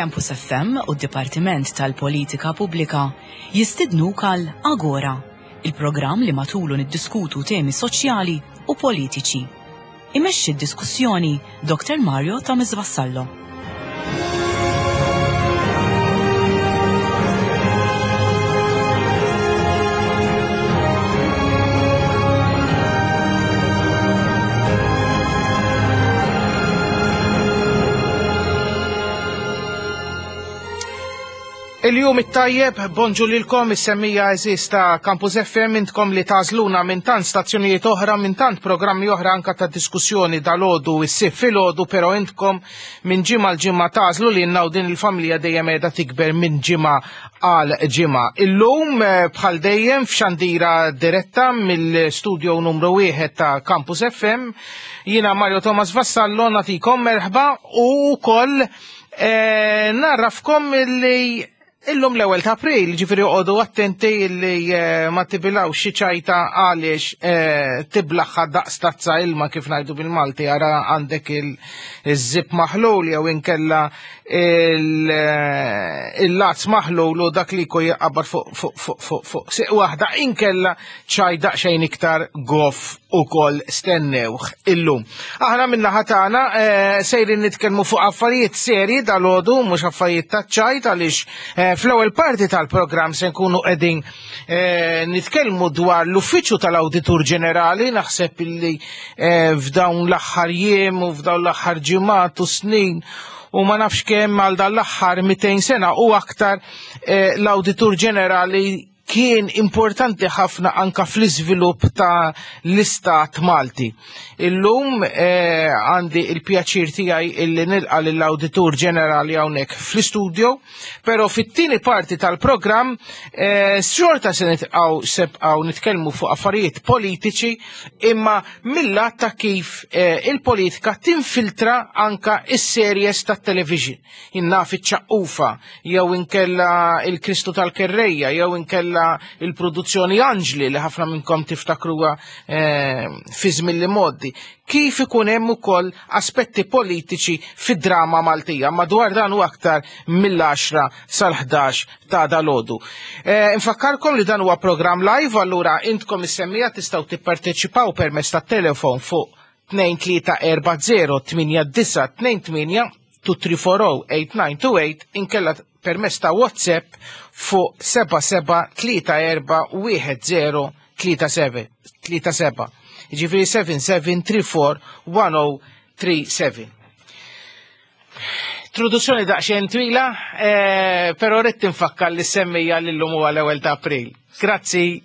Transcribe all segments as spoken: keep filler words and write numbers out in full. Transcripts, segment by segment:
Campus F M u d-Dipartiment tal-Politika Pubblika jistidnuk għal Agora, il-programm li matulu niddiskutu temi soċjali u politiċi. Imexxi d-diskussjoni Doktor Mario Thomas Vassallo. Il-jum it-tajjeb, bonġu lilkom is-semmiegħa għeżież ta' Campus F M, intkom li tagħżluna minn tant stazzjonijiet oħra, minn tant programmi oħra anka ta' diskussjoni dal-għodu, is-sibt filgħodu, pero intkom minn ġimgħa l-ġimgħa tagħżlu li u din il-familja dejjem qiegħda tikber minn ġimgħa għal ġimgħa. Illum eh, bħal dejjem f'xandira diretta mill-studio numru wieħed ta' Campus F M, jiena Mario Thomas Vassallo nagħtikom merħba u wkoll eh, ngħarrafkom li illum l-ewwel ta' April, ġifieri oqogħdu attenti li eh, ma tibilgħux xi ċajta għaliex eh, tiblagħha daqs tazza ilma, kif ngħidu bil-Malti, ara għandek il-zip maħlul jew inkella eh, il-lazz maħlul u dak li jkun jaqbad fuq fuq fuq fuq fuq siq waħda, inkella ċaj daqsxejn iktar goff ukoll stennewh illum. Aħna min-naħa tagħna sejrin nitkellmu fuq affarijiet serji dalgħodu, mhux affarijiet ta' ċajt, għaliex fl-ewwel parti tal-programm se nkunu qegħdin eh, nitkellmu dwar l-Uffiċċju tal-Awditur Ġenerali. Naħseb illi eh, f'dawn l-aħħar jiem u f'dawn l-aħħar ġimgħat u snin u ma nafx kemm għal dan l-aħħar mitejn sena u aktar, eh, l-Awditur Ġenerali kien importanti ħafna anka fl-iżvilupp ta' l-istat Malti. Illum eh, għandi il-pjaċir tiegħi illi nilqa lill-Awditur Ġenerali hawnhekk fl-istudio, però fit-tieni parti tal-programm eh, xorta se nitqgħu sebqgħu nitkellmu fuq affarijiet politiċi, imma mill-lat ta' kif eh, il-politika tinfiltra anka is-series tat-television. Jiena naf iċ-Ċaqqufa jew inkella il-Kristu tal-Kerrejja jew inkella il-produzzjoni Anġli li ħafna minnkom tiftakruha eh, fi żmien li modi. Kif ikun hemm ukoll aspetti politiċi fid-drama Maltija, madwar dan u aktar mill-għaxra sal-ħdax ta' dalgħodu. Eh, Infakkarkom li dan huwa programm live, allura intkom is-semmiegħa tistgħu tipparteċipaw permezz tat-telefon fuq tnejn tlieta erba' żero tmienja disgħa tnejn tmienja, tnejn tlieta erba' żero tmienja disgħa tnejn tmienja, inkella permezz ta' WhatsApp fuq seba' seba' tlieta erba' wieħed żero tlieta seba'. Ġifieri seba' seba' tlieta erba' wieħed żero tlieta seba'. Introduzzjoni daqsxejn twila, eh, però rrid nfakkar lis-semmiegħa li llum huwa l-ewwel ta' April. Grazzi.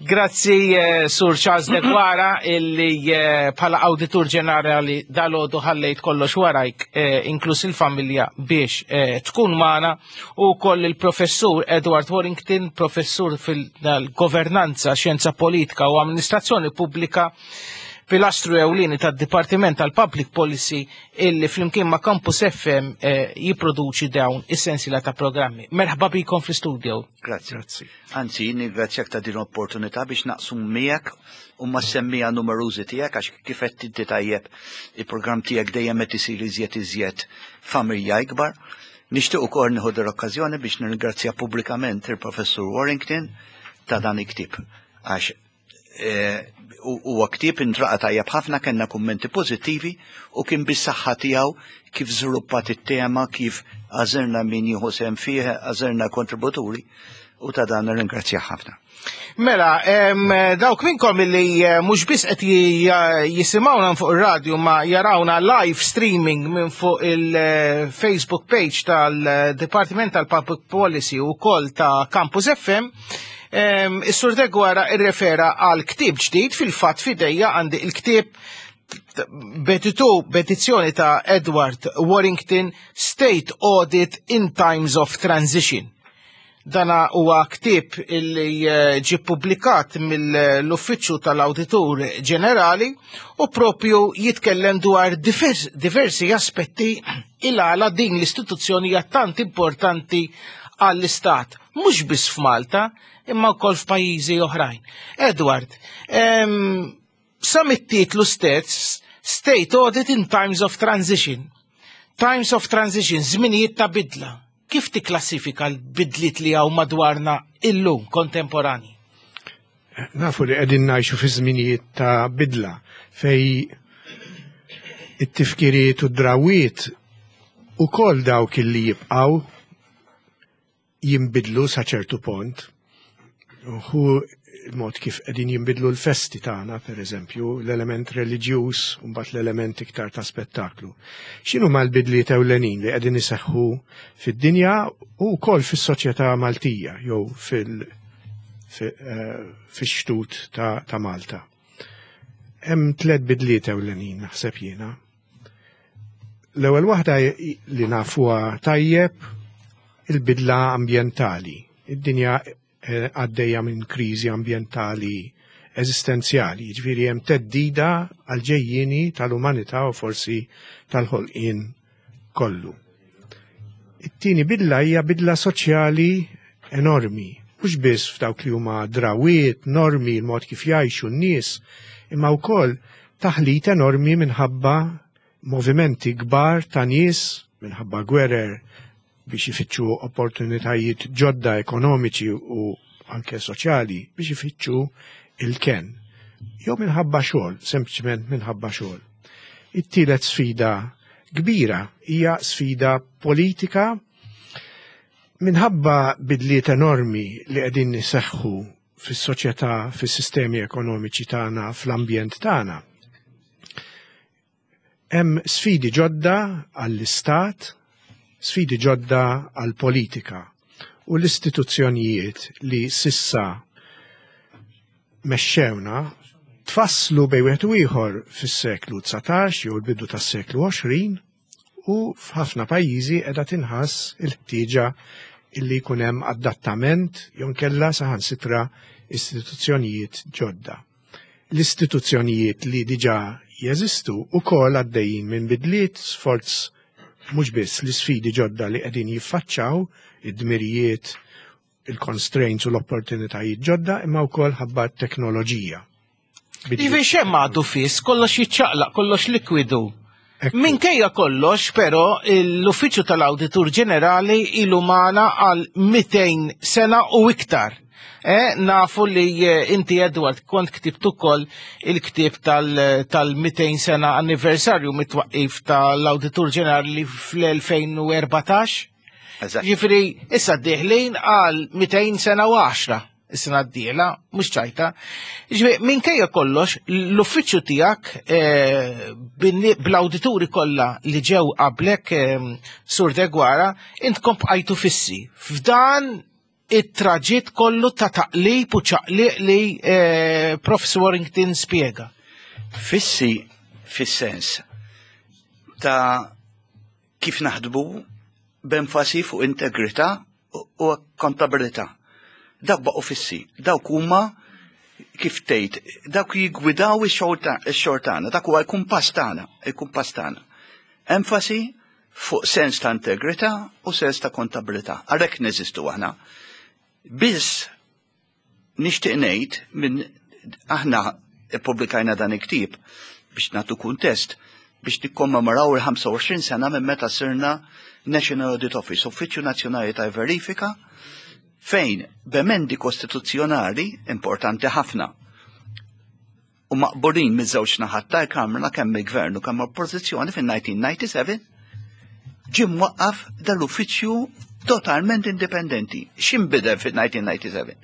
Grazzi eh, Sur Charles Deguara illi eh, bħala Awditur Ġenerali dalgħodu ħallejt kollox warajk, eh, inkluż il-familja, biex eh, tkun magħna, u koll il-professur Edward Warrington, professur fil-governanza, xjenza politika u amministrazzjoni pubblika, pilastru ewlieni tad-Dipartiment tal-Public Policy illi flimkien ma' Campus F M eh, jipproduċi dawn is-sensiela ta' programmi. Merħba bikom fl-studio. Grazzi. Grazzi. Anzi, nirringrazzjak ta' din l-opportunità biex naqsum miegħek u mas-semmiegħa numerużi tiegħek, għax kif qed inti tajjeb, il-programm tiegħek dejjem qed isir iżjed iżjed familja ikbar. Nixtieq ukoll nieħu l-okkażjoni biex nirringrazzja pubblikament il-Professur Warrington ta' dan il-ktieb, għax eh, huwa ktieb intlaqa' tajjeb ħafna, kellna kummenti pożittivi u kien bis-saħħa tiegħu kif żviluppat it-tema, kif għażilna min jieħu sehem fih, għażilna kontributuri, u ta' dan nirringrazzja ħafna. Mela, em, dawk minnkom li eh, mhux biss qed jisimgħuna fuq ir-radju ma jarawna live streaming minn fuq il-Facebook page tal-Departiment tal-Public Policy u koll ta' Campus F M, em, is-Sur Deguara irrefera għal ktieb ġdid. Fil-fatt f'idejja għandi il-ktieb betitu b'edizzjoni ta' Edward Warrington, State Audit in Times of Transition. Dana huwa ktieb illi eh, ġi publikat mill-Uffiċċju tal-Awditur Ġenerali u propju jitkellem dwar divers, diversi aspetti il għala din l-istituzzjoni hija tant importanti għall-Istat, mhux biss f'Malta, imma wkoll f'pajjiżi oħrajn. Edward, em, sa mit-titlu stess, State Audit in Times of Transition. Times of transition, żminijiet ta' bidla. Kif tikklassifika l-bidliet li hawn madwarna illum kontemporani? Nafu li qegħdin ngħixu fi żminijiet ta' bidla fejn it-tifkiriet u d-drawiet u kol dawk li jibqaw jimbidlu sa ċertu punt. Hu il-mod kif qegħdin jinbidlu l-festi tagħna, per eżempju, l-element reliġjuż u mbagħad l-element iktar ta' spettaklu. X'inhu mal-bidliet ewlenin li qegħdin iseħħu fid-dinja u wkoll fis-soċjetà Maltija jew fil- eh, fix-xtut ta', ta' Malta. Hemm tliet bidliet ewlenin naħseb jiena. L-ewwel waħda li nafuha tajjeb, il-bidla ambjentali. Id-dinja eh, għaddejja minn kriżi ambjentali eżistenzjali, jiġifieri hemm theddida għal-ġejjieni tal-umanità u forsi tal-ħolqien kollu. It-tieni bidla hija bidla soċjali enormi, mhux biss f'dawk li huma drawiet, normi, il-mod kif jgħixu n-nies, imma wkoll taħlit enormi minħabba movimenti kbar ta' nies, minħabba gwerer, biex ifittxu opportunitajiet ġodda ekonomiċi u anke soċjali, biex ifittxu il-ken. Jew minħabba xogħol, sempliċement minħabba xogħol. It-tielet sfida kbira hija sfida politika minħabba bidliet enormi li qegħdin iseħħu fis-soċjetà, fis-sistemi ekonomiċi tagħna, fl-ambjent tagħna. Hemm sfidi ġodda għall-istat, sfidi ġodda għall-politika u l-istituzzjonijiet li sissa mexxewna tfasslu bejn wieħed u ieħor fis-seklu dsatax jew l-bidu tas-seklu għoxrin, u f'ħafna pajjiżi qiegħda tinħass il-ħtieġa illi jkun hemm adattament jew nkella saħansitra istituzzjonijiet ġodda. L-istituzzjonijiet li diġà jeżistu wkoll għaddejjin minn bidliet sforz mhux biss l-isfidi ġodda li qegħdin jiffaċċaw, id-dmirijiet, il-constraints u l-opportunitajiet ġodda, imma wkoll ħabba t-teknoloġija. Ivi xemm għadu fis, kollox jiċċaqlaq, kollox likwidu. Minkejja kollox, però, l-Uffiċċju tal-Awditur Ġenerali ilu magħna għal mitejn sena u iktar. Eh, nafu li inti, Edward, kont ktibt ukoll il-ktieb tal-mitejn sena anniversarju mit-twaqqif tal-Awditur Ġenerali fl-elfejn u erbatax. Ġifieri, issa dieħlin għal mitejn sena u għaxra is-sena d-dieħla, mhux ċajta. Ġifieri, minkejja kollox, l-uffiċċju tiegħek eh, bl-awdituri kollha li ġew qablek, eh, Sur Deguara, intkom bqajtu fissi. F'dan it-traġitt kollu ta' taqlib u ċaqliq li eh, Professor Warrington spjega. Fissi fis-sens ta' kif naħdbu b'enfasi fuq integrità u kontabilità. Dawk baqgħu fissi, dawk huma kif tgħid, dawk jiggwidaw ix-xogħol tagħna, dak huwa l-kumpass tagħna, il-kumpass tagħna. Enfasi fuq sens ta' integrità u sens ta' kontabilità. Għalhekk neżistu aħna. Biss nixtieq ngħid minn aħna ippubblikajna dan il-ktieb biex nagħtu kuntest biex nikkommemoraw il-ħamsa u għoxrin sena minn meta sirna National Audit Office, Uffiċċju Nazzjonali ta' Verifika, fejn b'emendi kostituzzjonali importanti ħafna u maqbulin miż-żewġ naħat tal-Kamra, kemm il-Gvern u kemm l-Oppożizzjoni, fin-nineteen ninety-seven ġie mwaqqaf dal-uffiċċju totalment indipendenti. X'inbidel fin-nineteen ninety-seven?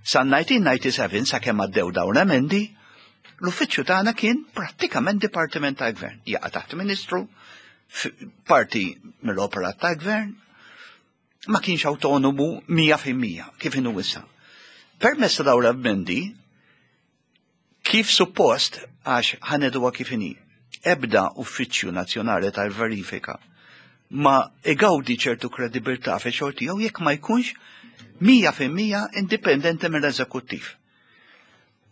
Sa nineteen ninety-seven, sakemm għaddew dawn emendi, l-uffiċċju tagħna kien prattikament dipartiment tal-Gvern. Jaqa' taħt Ministru, f-, parti mill-operat tal-Gvern, ma kienx autonomu mija fil-mija, kif inhu issa. Permezz ta' dawn l-emendi, kif suppost, għax ħaneduha kif inhi, ebda uffiċċju nazzjonali tal-verifika ma igawdi ċertu kredibilità fi xogħol tiegħu jekk ma jkunx mija fil-mija indipendenti mill-eżekuttiv.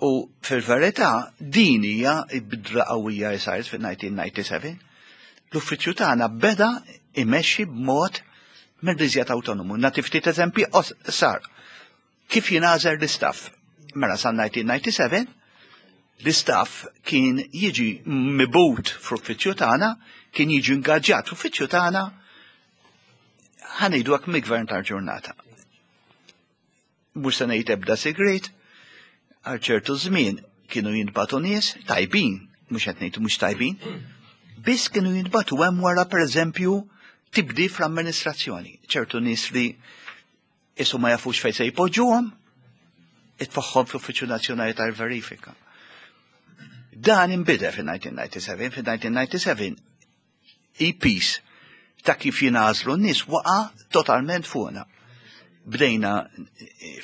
U fil-verità din hija bidla qawwija li saret fil-nineteen ninety-seven. L-uffiċċju tagħna beda imexxi b'mod mill-iżjed autonomu. Nagħti ftit eżempji sar. Kif jingħażel l-istaff? Mela sa nineteen ninety-seven L-istaff kien jiġi mibgħut fl-uffiċċju tagħna, kien jiġi ingaġġat fl-uffiċċju tagħna, ħa ngħidu hekk, mill-gvern tal-ġurnata. Mhux se ngħid ebda segret, għal ċertu żmien kienu jintbagħtu nies tajbin, mhux qed ngħidu mhux tajbin, biss kienu jintbagħtu hemm wara, pereżempju, tibdil fl-amministrazzjoni. Ċertu nies li isu ma jafux fejn se jpoġġuhom, itfagħhom fl-Uffiċċju Nazzjonali tal-Verifika. Dan inbidel fil-elf disa' mija u disgħa u disgħin, fil-elf disa' mija u disgħa u disgħin il-piż ta' kif jingħażlu n-nies waqa' totalment fuqna. Bdejna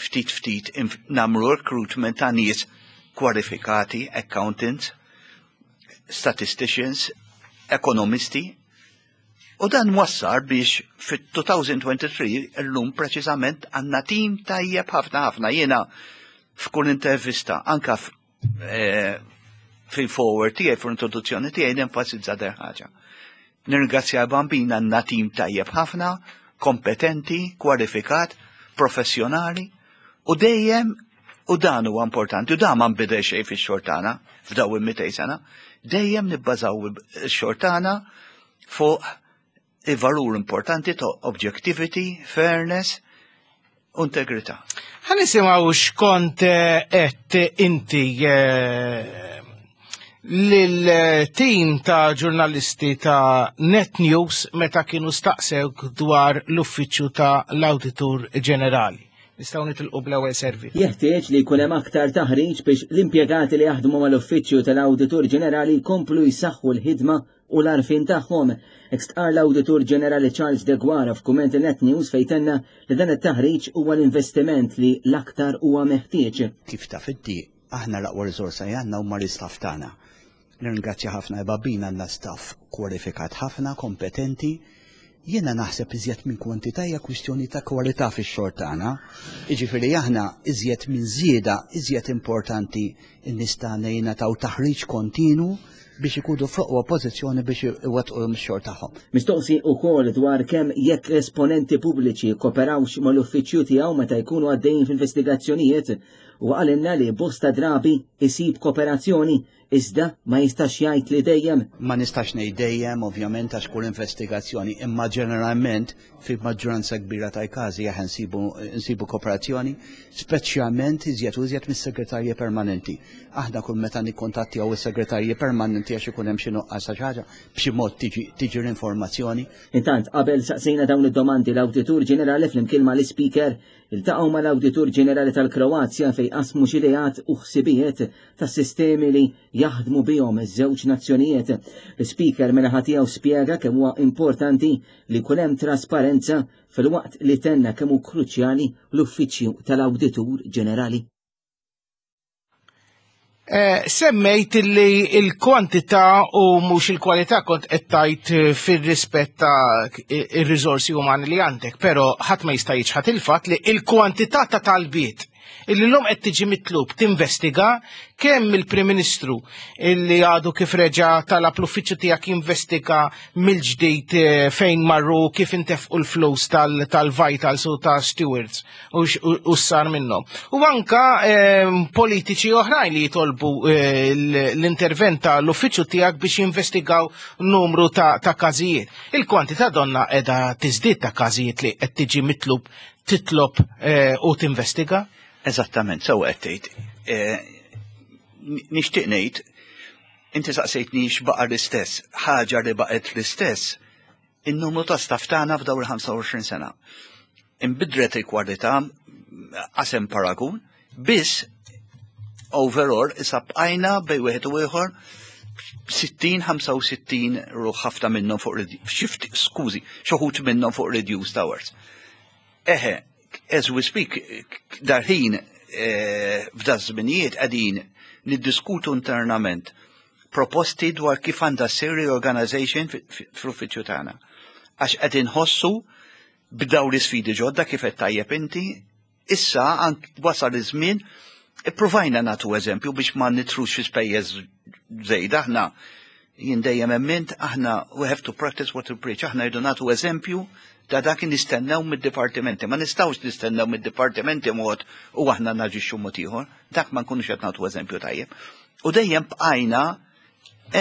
ftit ftit nagħmlu recruitment ta' nies kwalifikati, accountants, statisticians, ekonomisti, u dan wassal biex fit-elfejn u tlieta u għoxrin illum preċiżament għandna tim tajjeb ħafna ħafna. Jiena f'kull intervista, anka eh, fil-foreword tiegħi, fl-introduzzjoni tiegħi, nenfasizza din ħaġa. Nirringrazzja l-Bambin, għandna tim tajjeb ħafna, kompetenti, kwalifikat, professjonali u dejjem, u dan huwa importanti, u dan ma nbidel xejn fix-xogħol tagħna f'daw il-mitejn sena, dejjem nibbażaw ix-xogħol tagħna fuq il-valur importanti ta' objectivity, fairness u integrità. Ħa nisimgħu x'kont qed inti eh, lil-tim ta' ġurnalisti ta' Net News meta kienu staqsewk dwar l-uffiċċju ta' l-Awditur Ġenerali. Nistgħu nitilqu bl-ewwel servizz. Jeħtieġ li jkun hemm aktar taħriġ biex l-impjegati li jaħdmu mal-Uffiċċju tal-Awditur Ġenerali jkomplu jsaħħu l-ħidma u l-għarfien tagħhom. Hekk stqarr l-Awditur Ġenerali Charles Deguara f'kumment Net News, fejn tenna li dan it-taħriġ huwa l-investiment li l-aktar huwa meħtieġ. Kif taf inti, aħna l-aqwa riżorsa li għandna huma l-istaff tagħna. Nirringrazzja ħafna l-Bambin, għandna staff kwalifikat ħafna, kompetenti. Jiena naħseb iżjed minn kwantità hija kwistjoni ta' kwalità fix-xogħol tagħna. Jiġifieri aħna iżjed minn żieda, iżjed importanti n-nies tagħna jingħataw taħriġ kontinu biex ikunu fl-aqwa pożizzjoni biex iwettqu x-xogħol tagħhom. Mistoqsi ukoll dwar kemm jekk esponenti pubbliċi koperawx mal-uffiċċju tiegħu meta jkunu għaddejjin f'investigazzjonijiet, u qalilna li bosta drabi isib kooperazzjoni, iżda ma jistax jgħid li dejjem. Ma nistax ngħid dejjem, ovvjament, għax kull investigazzjoni, imma ġeneralment fi maġġoranza kbira tal-każi aħna nsibu nsibu kooperazzjoni, speċjalment iżjed u iżjed mis-segretarji permanenti. Aħna kull meta nikkontattjaw is-segretarji permanenti għax ikun hemm xi nuqqas ta' xi ħaġa, b'xi mod tiġi tiġi l-informazzjoni. Intant, qabel saqsejna dawn id-domandi, l-Awditur Ġenerali flimkien mal-Ispeaker iltaqgħu mal-Awditur Ġenerali tal-Kroazja, fejn qasmu xi ideat u ħsibijiet tas-sistemi li jaħdmu bihom iż-żewġ nazzjonijiet. L-Speaker min-naħa tiegħu spjega kemm huwa importanti li jkun hemm trasparenza, filwaqt li tenna kemm hu kruċjali l-Uffiċċju tal-Awditur Ġenerali. Eh, semmejt li il-kwantità u mhux il-kwalità, kont qed tgħid eh, fir-rispett ta' ir-riżorsi umani li għandek, però ħadd ma jista' jiċħad il-fatt li il-kwantità ta' talbiet illi l-lum qed tiġi mitlub tinvestiga, kemm il-Prim Ministru illi għadu kif reġa talab l-uffiċċju tiegħek jinvestiga mill-ġdid eh, fejn marru, kif intefqu l-flus tal-Vitals u ta' Stewards u x- u u sar minnhom. U anka eh, politiċi oħrajn li jitolbu eh, l- l-intervent tal-uffiċċju tiegħek biex jinvestigaw numru ta', ta' każijiet. Il-kwantità donna qiegħda tiżdied ta' każijiet li qed tiġi mitlub titlob eh, u tinvestiga. Eżattament, sew qed tgħid. Eh, Nixtieq ngħid, inti saqsejtni x'baqa' l-istess, ħaġa li baqgħet l-istess, in-numru ta' staff tagħna f'dawn il-ħamsa u għoxrin sena. Imbidlet il-kwalità, qasem paragun, biss overall issa bqajna bejn wieħed u ieħor sittin ħamsa u sittin ruħ, ħafna minnhom fuq redu- shift, skużi, xi wħud minnhom fuq reduced hours. Eħe, as we speak, dal-ħin eh, f'da żminijiet qegħdin niddiskutu internament proposti dwar kif għandha ssir reorganization fi- fi- fl-uffiċċju tagħna. Għax qed inħossu b'daw l-isfidi ġodda, kif qed tajjeb inti, issa ank wasal iż-żmien ippruvajna nagħtu eżempju biex ma nidħlux fi spejjeż żejda. Aħna, jien dejjem emmint, aħna we have to practice what we preach, aħna rridu nagħtu eżempju ta' dak li nistennew mid-dipartimenti. Ma nistgħux nistennew mid-dipartimenti mod u aħna naġixxu mod ieħor, dak ma nkunux qed nagħtu eżempju tajjeb. U dejjem bqajna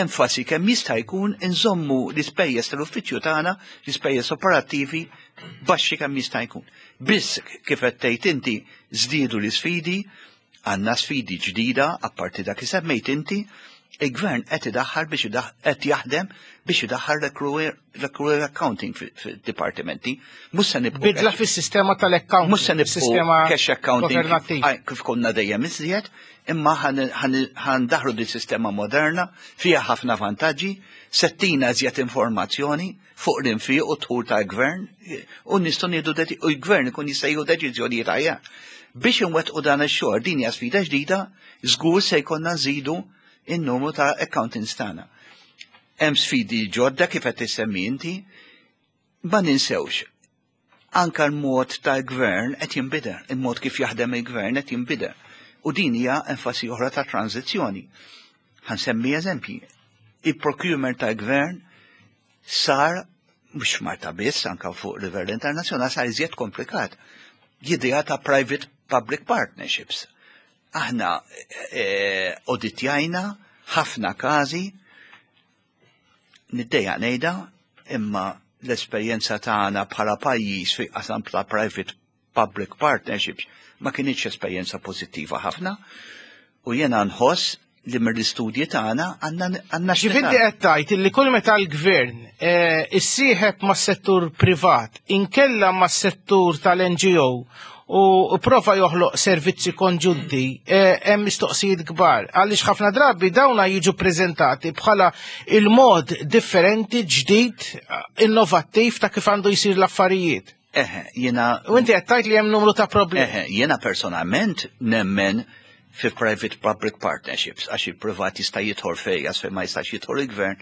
enfasi kemm jista' jkun inżommu l-ispejjeż tal-uffiċċju tagħna, l-ispejjeż operattivi baxxi kemm jista' jkun. Biss kif qed tgħid inti żdiedu l-isfidi, għandna sfidi ġdida apparti dak li semmejt inti, il-gvern qed idaħħal biex qed jaħdem biex idaħħal l-accrual accounting fid-dipartimenti. Mhux se nibqgħu Bidla fis-sistema tal-accounting. Mhux se nibqgħu cash accounting kif konna dejjem iżjed, imma ħa ndaħħlu di sistema moderna fiha ħafna vantaġġi, se ttina iżjed informazzjoni fuq l-infiq u d-dħul tal-gvern u nistgħu nieħdu u l-gvern ikun jista' jieħu deċiżjonijiet aħjar. Biex inwettqu dan ix-xogħol din hija sfida ġdida, żgur se jkollna nżidu in-numru ta' accountants tagħna. Hemm sfidi ġodda kif qed tissemmi inti, ma ninsewx. Anka l-mod tal-gvern qed jinbidel, il-mod kif jaħdem il-gvern qed jinbidel. U din hija enfasi oħra ta' tranzizzjoni. Ħa nsemmi eżempji. Il-procurement tal-gvern sar mhux Malta biss, anka fuq livell internazzjonali sar iżjed komplikat. L-idea ta' private public partnerships. Aħna eh, auditjajna ħafna każi niddejjaq ngħidha imma l-esperjenza tagħna bħala pajjiż fi qasam ta' private public partnerships ma kinitx esperjenza pożittiva ħafna u jiena nħoss li mill-istudji tagħna għandna għandna Ġifieri qed tgħid illi kull meta l-gvern eh, issieħeb mas-settur privat inkella mas-settur tal-NGO u prova joħloq servizzi konġunti eh, hemm mistoqsijiet kbar għaliex ħafna drabi dawna jiġu preżentati bħala il-mod differenti ġdid innovattiv ta' kif għandu jsir l-affarijiet. Eħe, jiena U inti qed tgħid li hemm numru ta' problemi. Eħe, jiena personalment nemmen fi private public partnerships għax il-privat jista' jidħol fejn fejn ma jistax jidħol il-gvern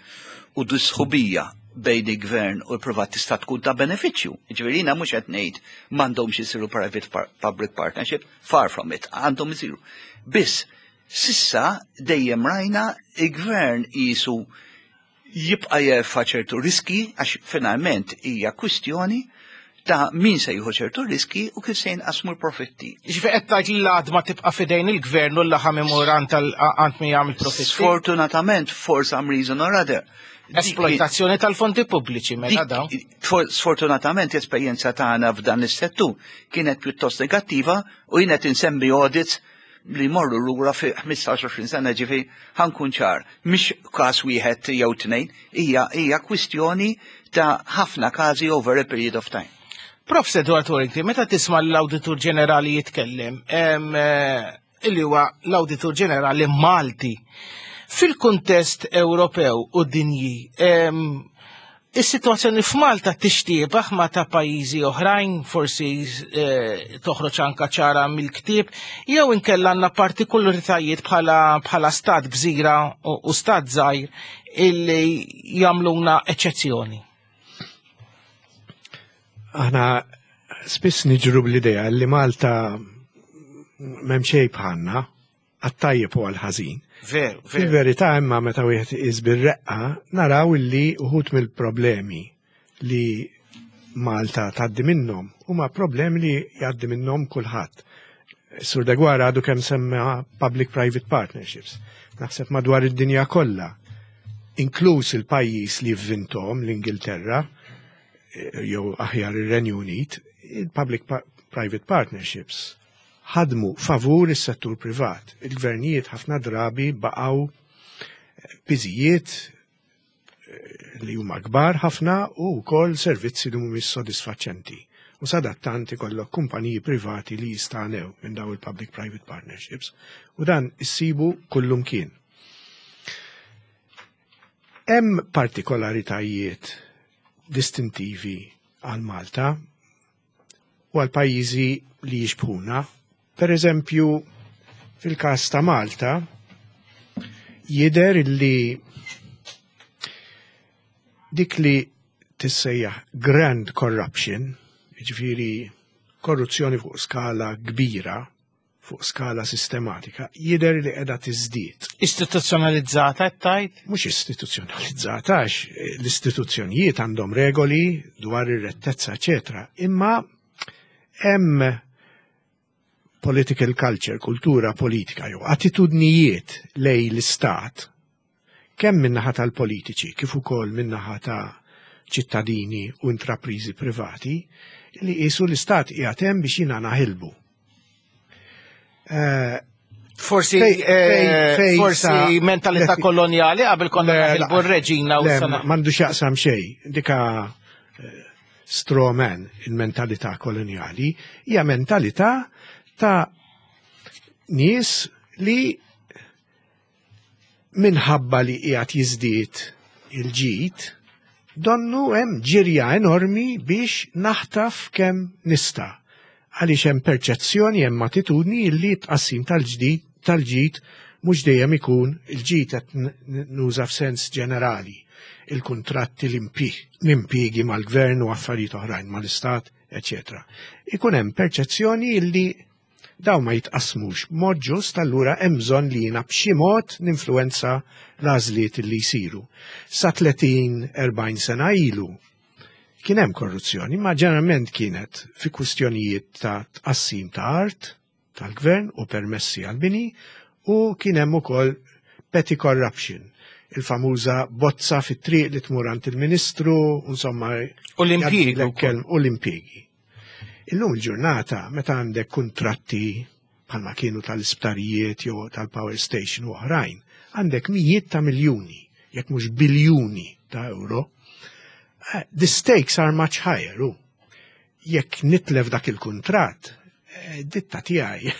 u dis-sħubija bejn il-gvern u l-privat tista' tkun ta' benefiċċju. Ġifieri jiena mhux qed ngħid m'għandhomx isiru private par public partnership, far from it, għandhom isiru. Biss s'issa dejjem rajna il-gvern jisu jibqa' jerfa' ċertu riski għax finalment hija kwistjoni ta' min se jieħu ċertu riski u kif se jinqasmu l-profitti. Ġifieri qed tgħid li l-għadma tibqa' fidejn il-gvern u l-laħam imur għand għand min jagħmel profitti. Sfortunatament, for some reason or other. dik- Esploitazzjoni tal-fondi pubbliċi mela dawn. dik- for- Sfortunatament, l-esperjenza tagħna f'dan is-settur kienet pjuttost negattiva u jien qed insemmi audits li morru lura fi ħmistax sena ġifi ħa nkun ċar. Mhix każ wieħed jew tnejn, hija hija kwistjoni ta' ħafna każi over a period of time. Prof. Edward Warrington, meta tisma' l-Awditur Ġenerali jitkellem, em, eh, illi huwa l-Awditur Ġenerali Malti, fil-kuntest Ewropew u dinji, em, is-sitwazzjoni f'Malta tixtiebaħ ma ta' pajjiżi oħrajn, forsi eh, toħroġ anka ċara mill-ktieb, jew inkella għandna partikolaritajiet bħala bħala stat gżira u, u stat żgħir illi jagħmluna eċċezzjoni. Aħna spiss niġru bl-idea li Malta m'hemm xejn bħalna, għat-tajjeb u għal-ħażin. Veru, veru. Fil-verità imma meta wieħed iqis bir-reqqa naraw illi uħud mill-problemi li Malta tgħaddi minnhom huma problemi li jgħaddi minnhom kulħadd. Sur Deguara għadu kemm semma public-private partnerships. Naħseb madwar id-dinja kollha, inkluż il-pajjiż li vvintom l-Ingilterra, eh, jew aħjar ir-Renju Unit, il-public-private partnerships ħadmu favur is-settur privat. Il-gvernijiet ħafna drabi baqgħu piżijiet eh, li huma kbar ħafna u wkoll servizzi li mhumiex sodisfaċenti. U sadattant ikollok kumpaniji privati li jistanew minn daw il-public-private partnerships u dan issibu kullumkien. Hemm partikolaritajiet distintivi għal Malta u għal pajjiżi li jixbħuna. Per eżempju, fil-każ ta' Malta, jider li dik li tissejjaħ grand corruption, ġifieri korruzzjoni fuq skala kbira, fuq skala sistematika, jider li qiegħda tiżdied. Istituzzjonalizzata qed tgħid? Mhux istituzzjonalizzata, għax l-istituzzjonijiet għandhom regoli dwar ir-rettezza, eċetera. Imma hemm political culture, kultura politika jew attitudnijiet lejn l-istat, kemm min-naħa tal-politiċi kif ukoll min-naħa ta' ċittadini u intraprizi privati, li qisu l-istat qiegħed hemm biex jiena naħilbu. Eh, Forsi Fej- eh, fej- fej forsi sa- mentalità le- koloniali qabel konna Le, naħilbu r-reġina u Le, sana. m'għandu x'jaqsam xejn. Dika eh, straw man, il-mentalità koloniali, hija mentalità ta' nies li minħabba li qiegħed jiżdied il-ġid, donnu hemm ġirja enormi biex naħtaf kemm nista'. Għaliex hemm perċezzjoni, hemm attitudni li tqassim tal-ġdid tal-ġid mhux dejjem ikun il-ġid qed n- n- nuża f'sens ġenerali. Il-kuntratti, l-impjiegi mal-gvern u affarijiet oħrajn mal-istat, eċetera. Ikun hemm perċezzjoni illi daw ma jitqasmux b'mod ġust, allura hemm bżonn li jiena b'xi mod ninfluwenza l-għażliet li jsiru. Sa tletin erbgħin sena ilu kien hemm korruzzjoni, ma ġeneralment kienet fi kwistjonijiet ta' tqassim ta' art tal-gvern u permessi għal-bini u kien hemm ukoll petty corruption, il-famuża bozza fit-triq li tmur għand il-ministru, insomma. U l-impjiegi jgħaddilek wkoll. kelm- U l-impjiegi. Illum il-ġurnata, meta għandek kuntratti bħalma kienu tal-isptarijiet jew tal-power station u oħrajn, għandek mijiet ta' miljuni, jekk mhux biljuni ta' euro, eh, the stakes are much higher. U jekk nitlef dak il-kuntratt, eh, ditta tiegħi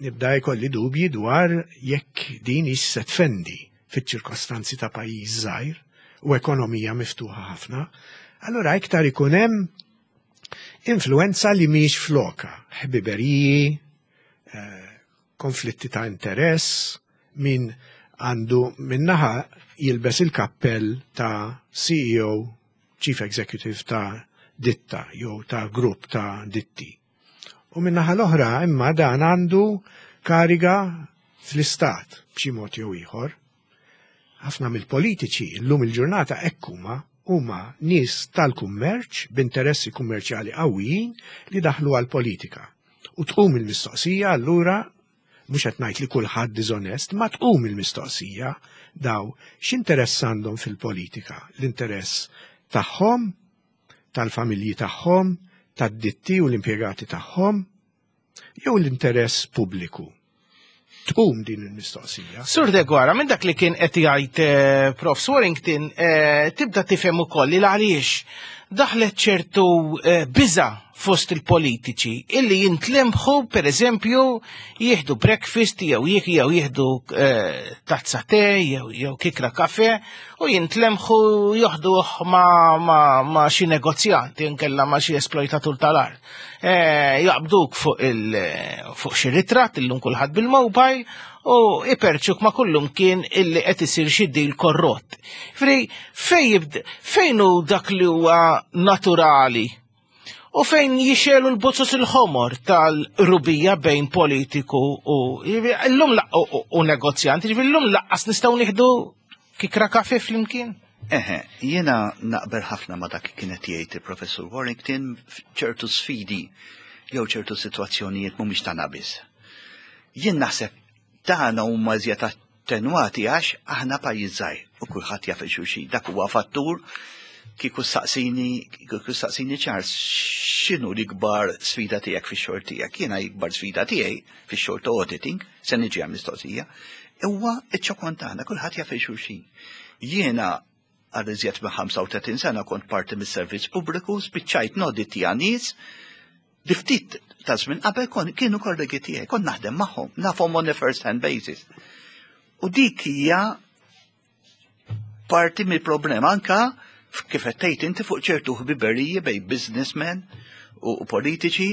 nibda jkolli dubji dwar jekk din hix se tfendi fiċ-ċirkostanzi ta' pajjiż żgħir u ekonomija miftuħa ħafna. Allura iktar ikun hemm influenza li mhix floka, ħbiberiji, eh, konflitti ta' interess, min għandu minnaħa jilbes il-kappell ta' C E O, Chief Executive ta' ditta, jew ta' grupp ta' ditti. U minnaħa l-oħra imma dan għandu kariga fl-istat b'xi mod jew ieħor. Ħafna mill-politiċi llum il-ġurnata hekk huma huma nies tal-kummerċ b'interessi kummerċjali qawwijin li daħlu għal-politika. U tqum il-mistoqsija allura, mhux qed ngħid li kulħadd diżonest, ma tqum il-mistoqsija daw x'interess għandhom fil-politika? L-interess tagħhom, tal-familji tagħhom, tad-ditti u l-impjegati tagħhom, jew l-interess pubbliku? Tqum din il-mistoqsija. Sur Deguara, minn dak li kien qed jgħid eh, Profs Warrington, eh, tibda tifhem ukoll li għaliex daħlet ċertu eh, biża fost il-politiċi illi jintlemħu, per eżempju, jieħdu breakfast jew jieħ jew jieħdu eh, tazza te jew jew kikra kafe u jintlemħu joħduh ma, ma, ma xi negozjanti nkella ma xi esploitatur tal-art. Eh, jaqbduk fuq il fuq xi ritratt, illum kulħadd bil-mobile, u iperċuk ma kullum kien illi qed isir xi deal korrott. Fri fejn jibd fejn hu dak li huwa naturali u fejn jixelu l-bozzos il-ħomor tal-rubija bejn politiku u illum la- u, u, u negozjant, ġifieri llum lanqas nistgħu nieħdu kikra kafe flimkien? Eħe, jiena naqbel ħafna ma dak kienet jgħid il-Professur Warrington. Ċertu sfidi jew ċertu sitwazzjonijiet mhumiex tagħna biss. Jien naħseb tagħna huma iżjed attenwati għax aħna pajjiż żgħir u kulħadd jaf il-xulxin. Dak huwa fattur. Kieku saqsini, kieku saqsini Charles, x'inhu l-ikbar sfida tiegħek fix-xogħol tiegħek? Jiena l-ikbar sfida tiegħi fix-xogħol ta' auditing, se niġi għal mistoqsija, huwa iċ-ċokon tagħna, kulħadd jaf il-xulxin. Jiena għal iżjed minn ħamsa u tletin sena kont parti mis-servizz pubbliku, spiċċajt noditja nies li ftit ta' żmien qabel kon kienu kollegi tiegħi, kont naħdem magħhom, nafhom on a first hand basis. U dik hija parti mill-problema anka kif qed tgħid inti fuq ċertu ħbiberiji bejn businessmen u, u politiċi.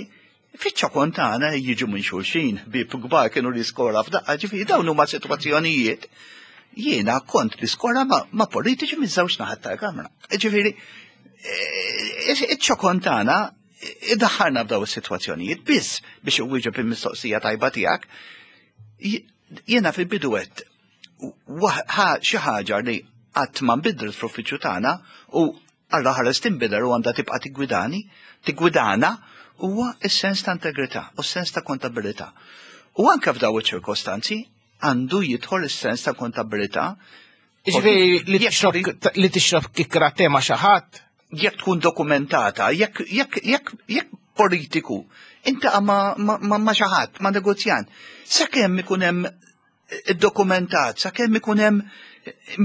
Fiċ-ċokon tagħna jiġu minn xulxin, ħbieb kbar kienu l-iskola f'daqqa, ġifieri dawn huma sitwazzjonijiet. Jiena kont l-iskola ma, ma politiċi minn żewġ naħat tal-kamra. Ġifieri, eh, iċ-ċokon tagħna iddaħħalna f'daw is-sitwazzjonijiet. Biss biex iwieġeb il-mistoqsija tajba tiegħek, jiena fil-bidu għedt xi ħaġa li qatt ma nbidlet fl-uffiċċju tagħna u Alla ħares tinbidel u għandha tibqa' tiggwidani, tiggwidana. huwa s-sens ta' integrità u s-sens ta' kontabilità. U anke f'daw iċ-ċirkostanzi għandu jidħol is-sens ta' kontabilità. Ġifieri li tixrob li tixrob kikra tema xi ħadd. Jekk tkun dokumentata, jekk jekk jekk jekk politiku intaqa' ma, ma, ma, ma xi ħadd, ma negozjant, sakemm ikun hemm dokumentat, sakemm ikun hemm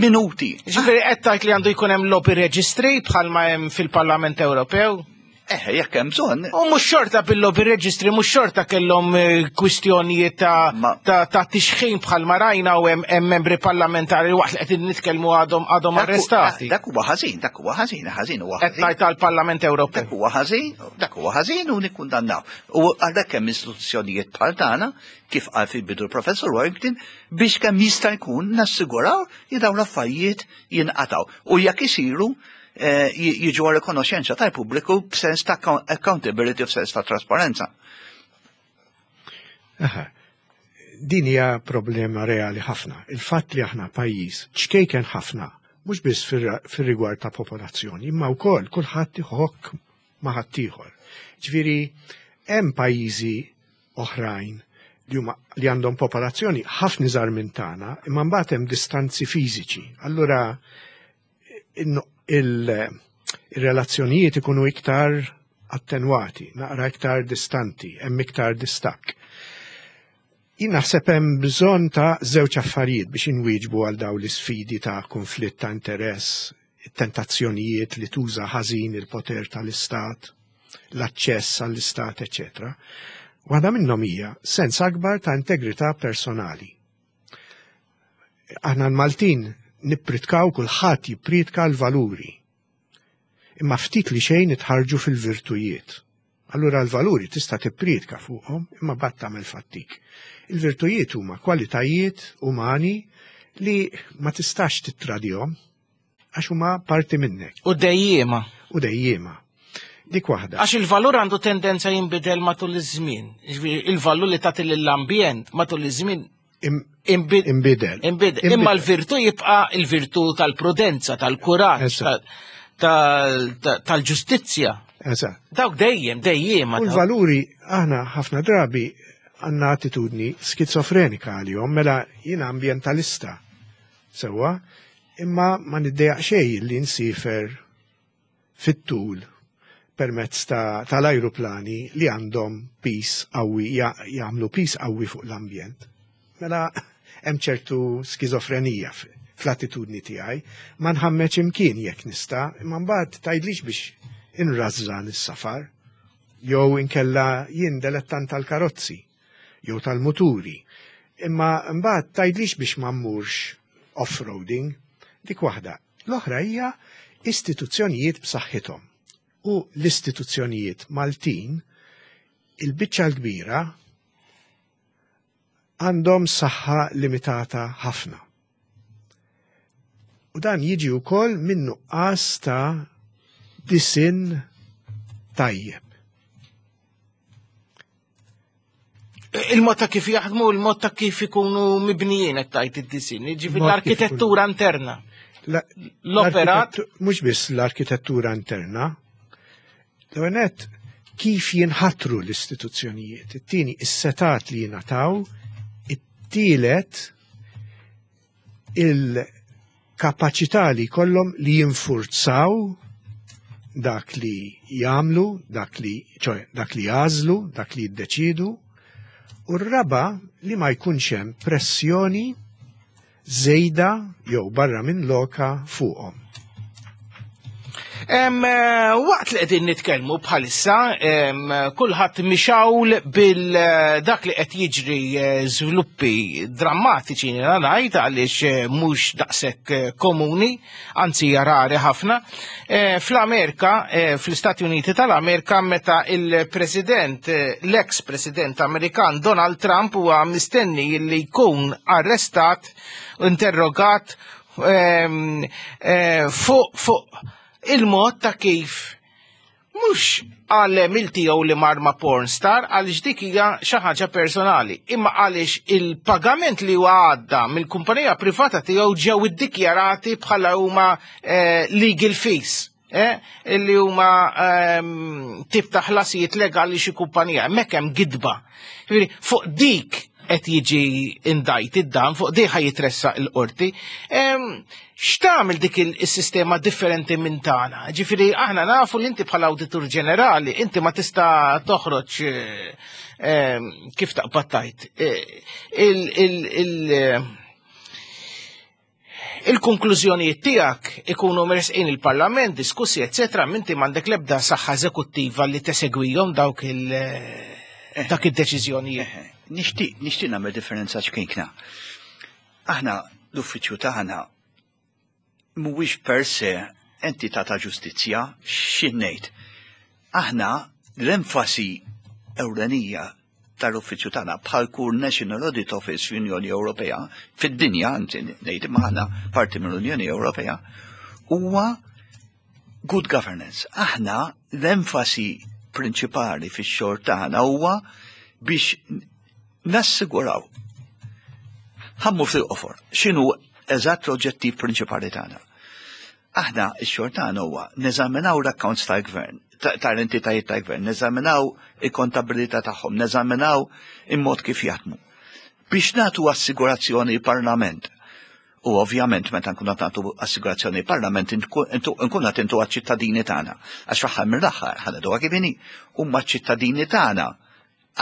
minuti. Ġifieri qed tgħid li għandu jkun hemm lobby registry bħalma hemm fil-Parlament Ewropew. Eh, jekk hemm bżonn. U mhux xorta bil-lobby registry, mhux xorta kellhom eh, kwistjonijiet ta' ta' ta' tixħin bħalma rajna u hemm membri parlamentari waqt li qed nitkellmu għadhom għadhom arrestati. Dak huwa ħażin, dak huwa ħażin, ħażin huwa ħażin. Qed ngħid tal-Parlament Ewropew. Dak huwa ħażin, dak huwa ħażin u nikkundannaw. U għalhekk hemm istituzzjonijiet bħal tagħna, kif qal fil-bidu l-Professur Warrington, biex kemm jista' jkun nassiguraw li dawn l-affarijiet jinqatgħu. U jekk isiru jiġu għal rikonoxxenza tal-pubbliku b'sens ta' accountability u b'sens ta' trasparenza. Aha. Din hija problema reali ħafna. Il-fatt li aħna pajjiż ċkejken ħafna, mhux biss fir-rigward ta' popolazzjoni, imma wkoll kulħadd iħokk ma' ħaddieħor. Ġifieri hemm pajjiżi oħrajn li huma li għandhom popolazzjoni ħafna iżgħar minn tagħna, imma mbagħad hemm distanzi fiżiċi. Allura il-relazzjonijiet ikunu iktar attenwati, naqra iktar distanti, hemm iktar distakk. Jien naħseb hemm bżonn ta' żewġ affarijiet biex inwieġbu għal dawn l-isfidi ta' konflitt ta' interess, tentazzjonijiet li tuża ħażin il-poter tal-istat, l-aċċess għall-istat, eċċetera. Waħda minnhom hija sens akbar ta' integrità personali. Aħna l-Maltin nippritkaw, kulħadd jippritka l-valuri. Imma ftit li xejn nitħarġu fil-virtujiet. Allura l-valuri tista' tippritka fuqhom, imma mbagħad tagħmel fattik. Il-virtujiet huma kwalitajiet umani li ma tistax tittradihom għax huma parti minnek. U dejjiema. U dejjiema. Dik waħda. Għax il-valur għandu tendenza jinbidel matul iż-żmien. Ġifieri il-valur li tagħti lill-ambjent matul iż-żmien Imbidel. Imbidel. Imma l-virtu jibqa' il-virtu tal-prudenza, tal-kuraġġ, tal-ġustizzja. Eżatt. Dawk dejjem, dejjem. U l-valuri aħna ħafna drabi għandna attitudni skizofrenika għalihom, mela jiena ambjentalista. Sewwa, imma ma niddejjaq xejn li nsifer fit-tul permezz tal-ajruplani li għandhom pis qawwi, jagħmlu pis qawwi fuq l-ambjent. Mela hemm ċertu skizofrenija fl-attitudni tiegħi, ma nħammeġ imkien jekk nista', imma mbagħad tgħidlix biex inrażżan is-safar, jew inkella jien delettant tal-karozzi, jew tal-muturi. Imma mbagħad tgħidlix biex ma mmurx off-roading, dik waħda. L-oħra hija istituzzjonijiet b'saħħithom. U l-istituzzjonijiet Maltin, il-biċċa l-kbira għandhom saħħa limitata ħafna. U dan jiġi wkoll minn nuqqas ta' disin tajjeb. Il-mod ta' kif jaħdmu, il-mod ta' kif ikunu mibnijin qed tgħid id-disin, jiġifieri l-arkitettura interna. L-operat mhux biss l-arkitettura interna. L-ewwel kif jinħatru l-istituzzjonijiet, it-tieni is-setat li jingħataw, it-tielet il-kapaċità li jkollhom li jinfurzaw dak li jagħmlu, dak li ċoe dak li jażlu, dak li jiddeċidu, u r-raba li ma jkunx hemm pressjoni żejda jew barra minn loka fuqhom. Em, waqt li qegħdin nitkellmu bħalissa, kulħadd mixawl bil dak li qed jiġri żviluppi drammatiċi ngħid għaliex mhux daqshekk komuni, anzi hija rari ħafna. Fl-Amerika, fl-Istati Uniti tal-Amerika, meta il-President, l-ex-President Amerikan Donald Trump huwa mistenni li jkun arrestat, interrogat fuq fuq il-mod ta' kif mhux għal tiegħu li mar ma' porn star għaliex dik hija xi ħaġa personali, imma għaliex il-pagament li huwa għadda mill-kumpanija privata tiegħu ġew iddikjarati bħala huma legal fees. eh, li huma ehm, tip ta' ħlasijiet legali xi kumpanija, hemmhekk hemm gidba. Ġifieri, fuq dik qed jiġi indicted dan, fuq dik ħa jitressaq il-qorti. Ehm, X'tagħmel dik il-sistema differenti minn tagħna? Ġifieri aħna nafu li inti bħala awditur ġenerali, inti ma tista' toħroġ eh, ehm, kif taqbad tajt. Eh, il- il- il- il-konklużjonijiet tiegħek ikunu mresqin il-Parlament, diskussi, eccetera, minti m'għandek l-ebda saħħa eżekuttiva li tesegwihom dawk il- dak id-deċiżjonijiet. Nixtieq nixtieq nagħmel differenza ċkejkna. Aħna l-uffiċċju tagħna mhuwiex per se entità ta' ġustizzja, x'in ngħid. Aħna l-enfasi ewlenija tal-uffiċċju tagħna bħal kull National Audit Office fl-Unjoni Ewropea, fid-dinja, anzi ngħid imma aħna parti mill-Unjoni Ewropea, huwa good governance. Aħna l-enfasi prinċipali fix-xogħol tagħna huwa biex nassiguraw ħa mmur fil-qosor, x'inhu eżatt l-oġġettiv prinċipali tagħna. Aħna x-xogħol tagħna huwa neżaminaw l-accounts tal-gvern, tal-entitajiet tal-gvern, neżaminaw il-kontabilità tagħhom, neżaminaw il-mod kif jaħdmu. Biex nagħtu assigurazzjoni parlament. U ovvjament meta nkunu nagħtu assigurazzjoni parlament nkunu qed intu għaċ-ċittadini tagħna. Għax fl-aħħar mill-aħħar ħa ngħiduha kif inhi huma ċ-ċittadini tagħna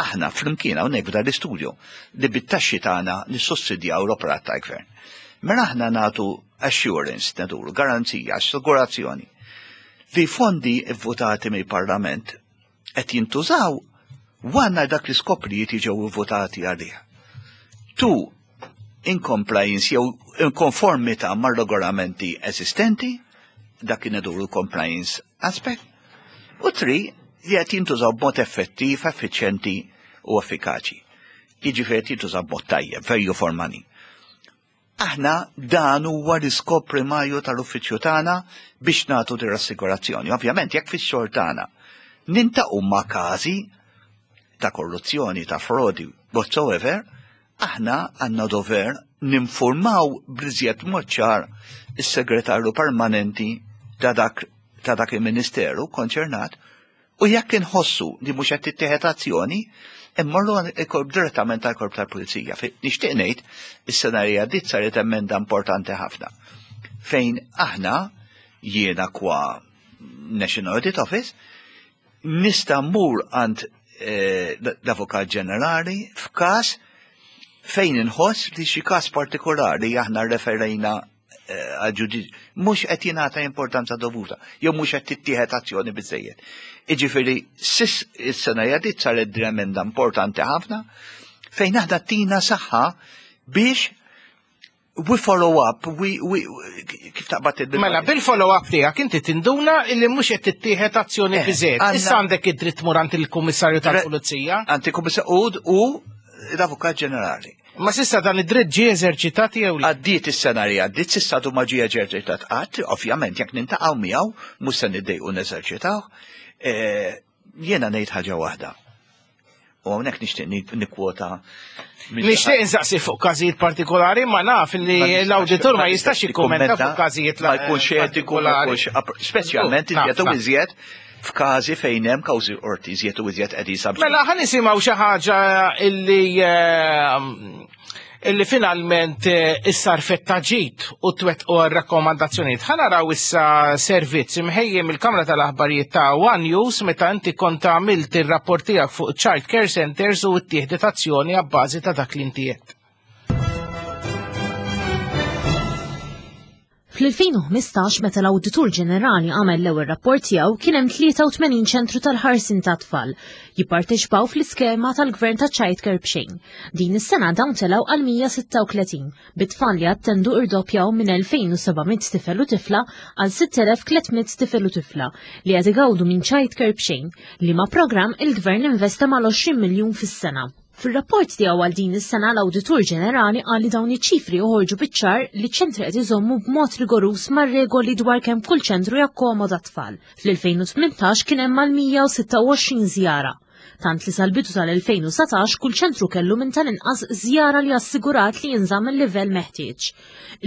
aħna flimkien hawnhekk f'dan l-istudju li bit-taxxi tagħna nissussidjaw l-operat tal-gvern. Mela aħna nagħtu assurance, naduru, garanzija, assigurazzjoni li fondi votati mill-Parlament qed jintużaw għal dak l-iskop li ġew votati għalih. Tu in compliance jew in konformità mar-regolamenti eżistenti, dak kien iduru compliance aspect, u three li qed jintużaw b'mod effettiv, effiċjenti u effikaċi. Jiġifieri qed jintużaw b'mod tajjeb, value for money. Aħna dan huwa l-iskop primarju tal-uffiċċju tagħna biex nagħtu dir assigurazzjoni. Ovvjament jekk fix-xogħol tagħna niltaqgħu ma' każi ta' korruzzjoni, ta' frodi, whatsoever, aħna għandna dover ninformaw bl-iżjed mod ċar is-segretarju permanenti ta' dak ta' dak il-ministeru konċernat u jekk inħossu li mhux qed tittieħed azzjoni, immorru il-korp direttament tal-korp tal-pulizija. Nixtieq ngħid is-sena li għaddiet saret emenda importanti ħafna. Fejn aħna jiena kwa National Audit Office nista' mmur għand eh, l-Avukat Ġenerali f'każ fejn inħoss li xi każ partikolari aħna referejna għal mhux qed jingħata importanza dovuta, jew mhux qed tittieħed azzjoni biżejjed. Jiġifieri sis is-sena għaddiet saret emenda importanti ħafna fejn aħna tina saħħa biex we follow up, we, we, kif taqbad il Mela, bil-follow up tiegħek inti tinduna illi mhux qed tittieħed azzjoni Eh, biżejjed. għandna- Issa għandek id-dritt mur għand il-Kummissarju tal-Pulizija. Għand il-Kummissarju u l-Avukat Ġenerali. Ma s'issa dan id-dritt ġie eżerċitat jew le? Għaddiet is-sena li għaddiet, s'issa għadu ma ġie eżerċitat qatt, ovvjament jekk niltaqgħu miegħu, mhux se niddejqu neżerċitaw. Eh, Jiena ngħid ħaġa waħda. U hawnhekk nixtieq ni- nikkwota. minn- Nixtieq insaqsi fuq każijiet partikolari, ma naf li Ma nistax- l-awditur ma jistax jikkummenta fuq każijiet ma jkunx etiku, ma partikolari. jkunx app- speċjalment Naf, iżjed u naf. iżjed f'każi fejn hemm kawżi qorti iżjed u iżjed qed jisab. Mela, ħa nisimgħu xi ħaġa illi eh, illi finalment eh, issa rfetta ġit u twettqu r-rakkomandazzjonijiet. Ħa naraw issa servizz imħejjem il-Kamra tal-Aħbarijiet ta' One News meta inti kont għamilt ir-rapport tiegħek fuq Child Care Centers u ttieħdet azzjoni abbażi ta' dak li inti għedt. Fl-elfejn u ħmistax, meta l-Awditur Ġenerali għamel l-ewwel rapport tiegħu, kien hemm tlieta u tmenin ċentru tal-ħarsin ta' tfal jipparteċipaw fl-iskema tal-Gvern ta' childcare b'xejn. Din is-sena dawn telgħu għal mija u sitta u tletin, bit-tfal li attendu irdoppjaw minn elfejn u seba' mitt tifel u tifla għal sitt elef u tliet mitt tifel u tifla li qed igawdu minn childcare b'xejn, liema programm il-Gvern investa mal-għoxrin miljun fis-sena. Fil-rapport tiegħu għal din is-sena, l-Awditur Ġenerali qal li dawn iċ-ċifri joħorġu biċ-ċar li ċentri qed iżommu b'mod rigoruż mar-regoli dwar kemm kull ċentru jakkomoda tfal. Fl-elfejn u tmintax kien hemm mal-mija u sitta u għoxrin żjara. Tant li sal-bidu tal-elfejn u satax kull ċentru kellu minn tal-inqas żjara li assigurat li jinżamm il-livell meħtieġ.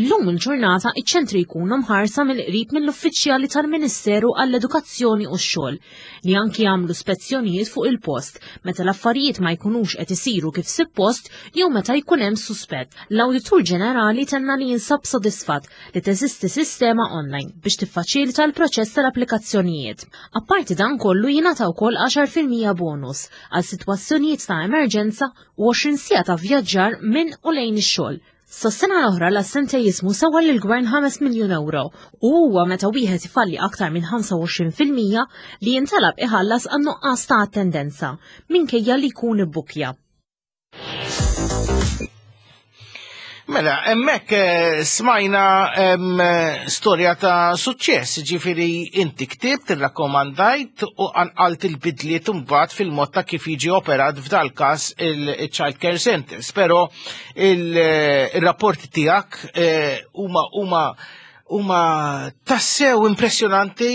Illum il-ġurnata iċ-ċentri jkunu mħarsa mill-qrib mill-uffiċjali tal-Ministeru għall-Edukazzjoni u x-Xogħol li anki jagħmlu spezzjonijiet fuq il-post meta l-affarijiet ma jkunux qed isiru kif suppost jew meta jkun hemm suspett. L-Awditur Ġenerali tenna li jinsab sodisfatt li teżisti sistema online biex tiffaċilita l-proċess tal-applikazzjonijiet. Apparti dan kollu jingħata wkoll għaxar fil-mija bonus għal sitwazzjonijiet ta' emerġenza u għoxrin siegħa ta' vjaġġar minn u lejn ix-xogħol. Sas-sena l-oħra l-assentejizmu sewa lill-gvern ħames miljun euro u huwa meta wieħed ifalli aktar minn ħamsa u għoxrin fil-mija li jintalab iħallas għan nuqqas ta' attendenza minkejja li jkun ibbukja. Mela, hemmhekk, eh, smajna, em, storja ta' suċċess, ġifieri inti ktibt, irrakkomandajt u qanqalt il-bidliet imbagħad fil-mod ta' kif jiġi operat f'dal każ il-Child Care Centers, però il-, il-rapporti tiegħek, eh, huma, huma, huma tassew impressjonanti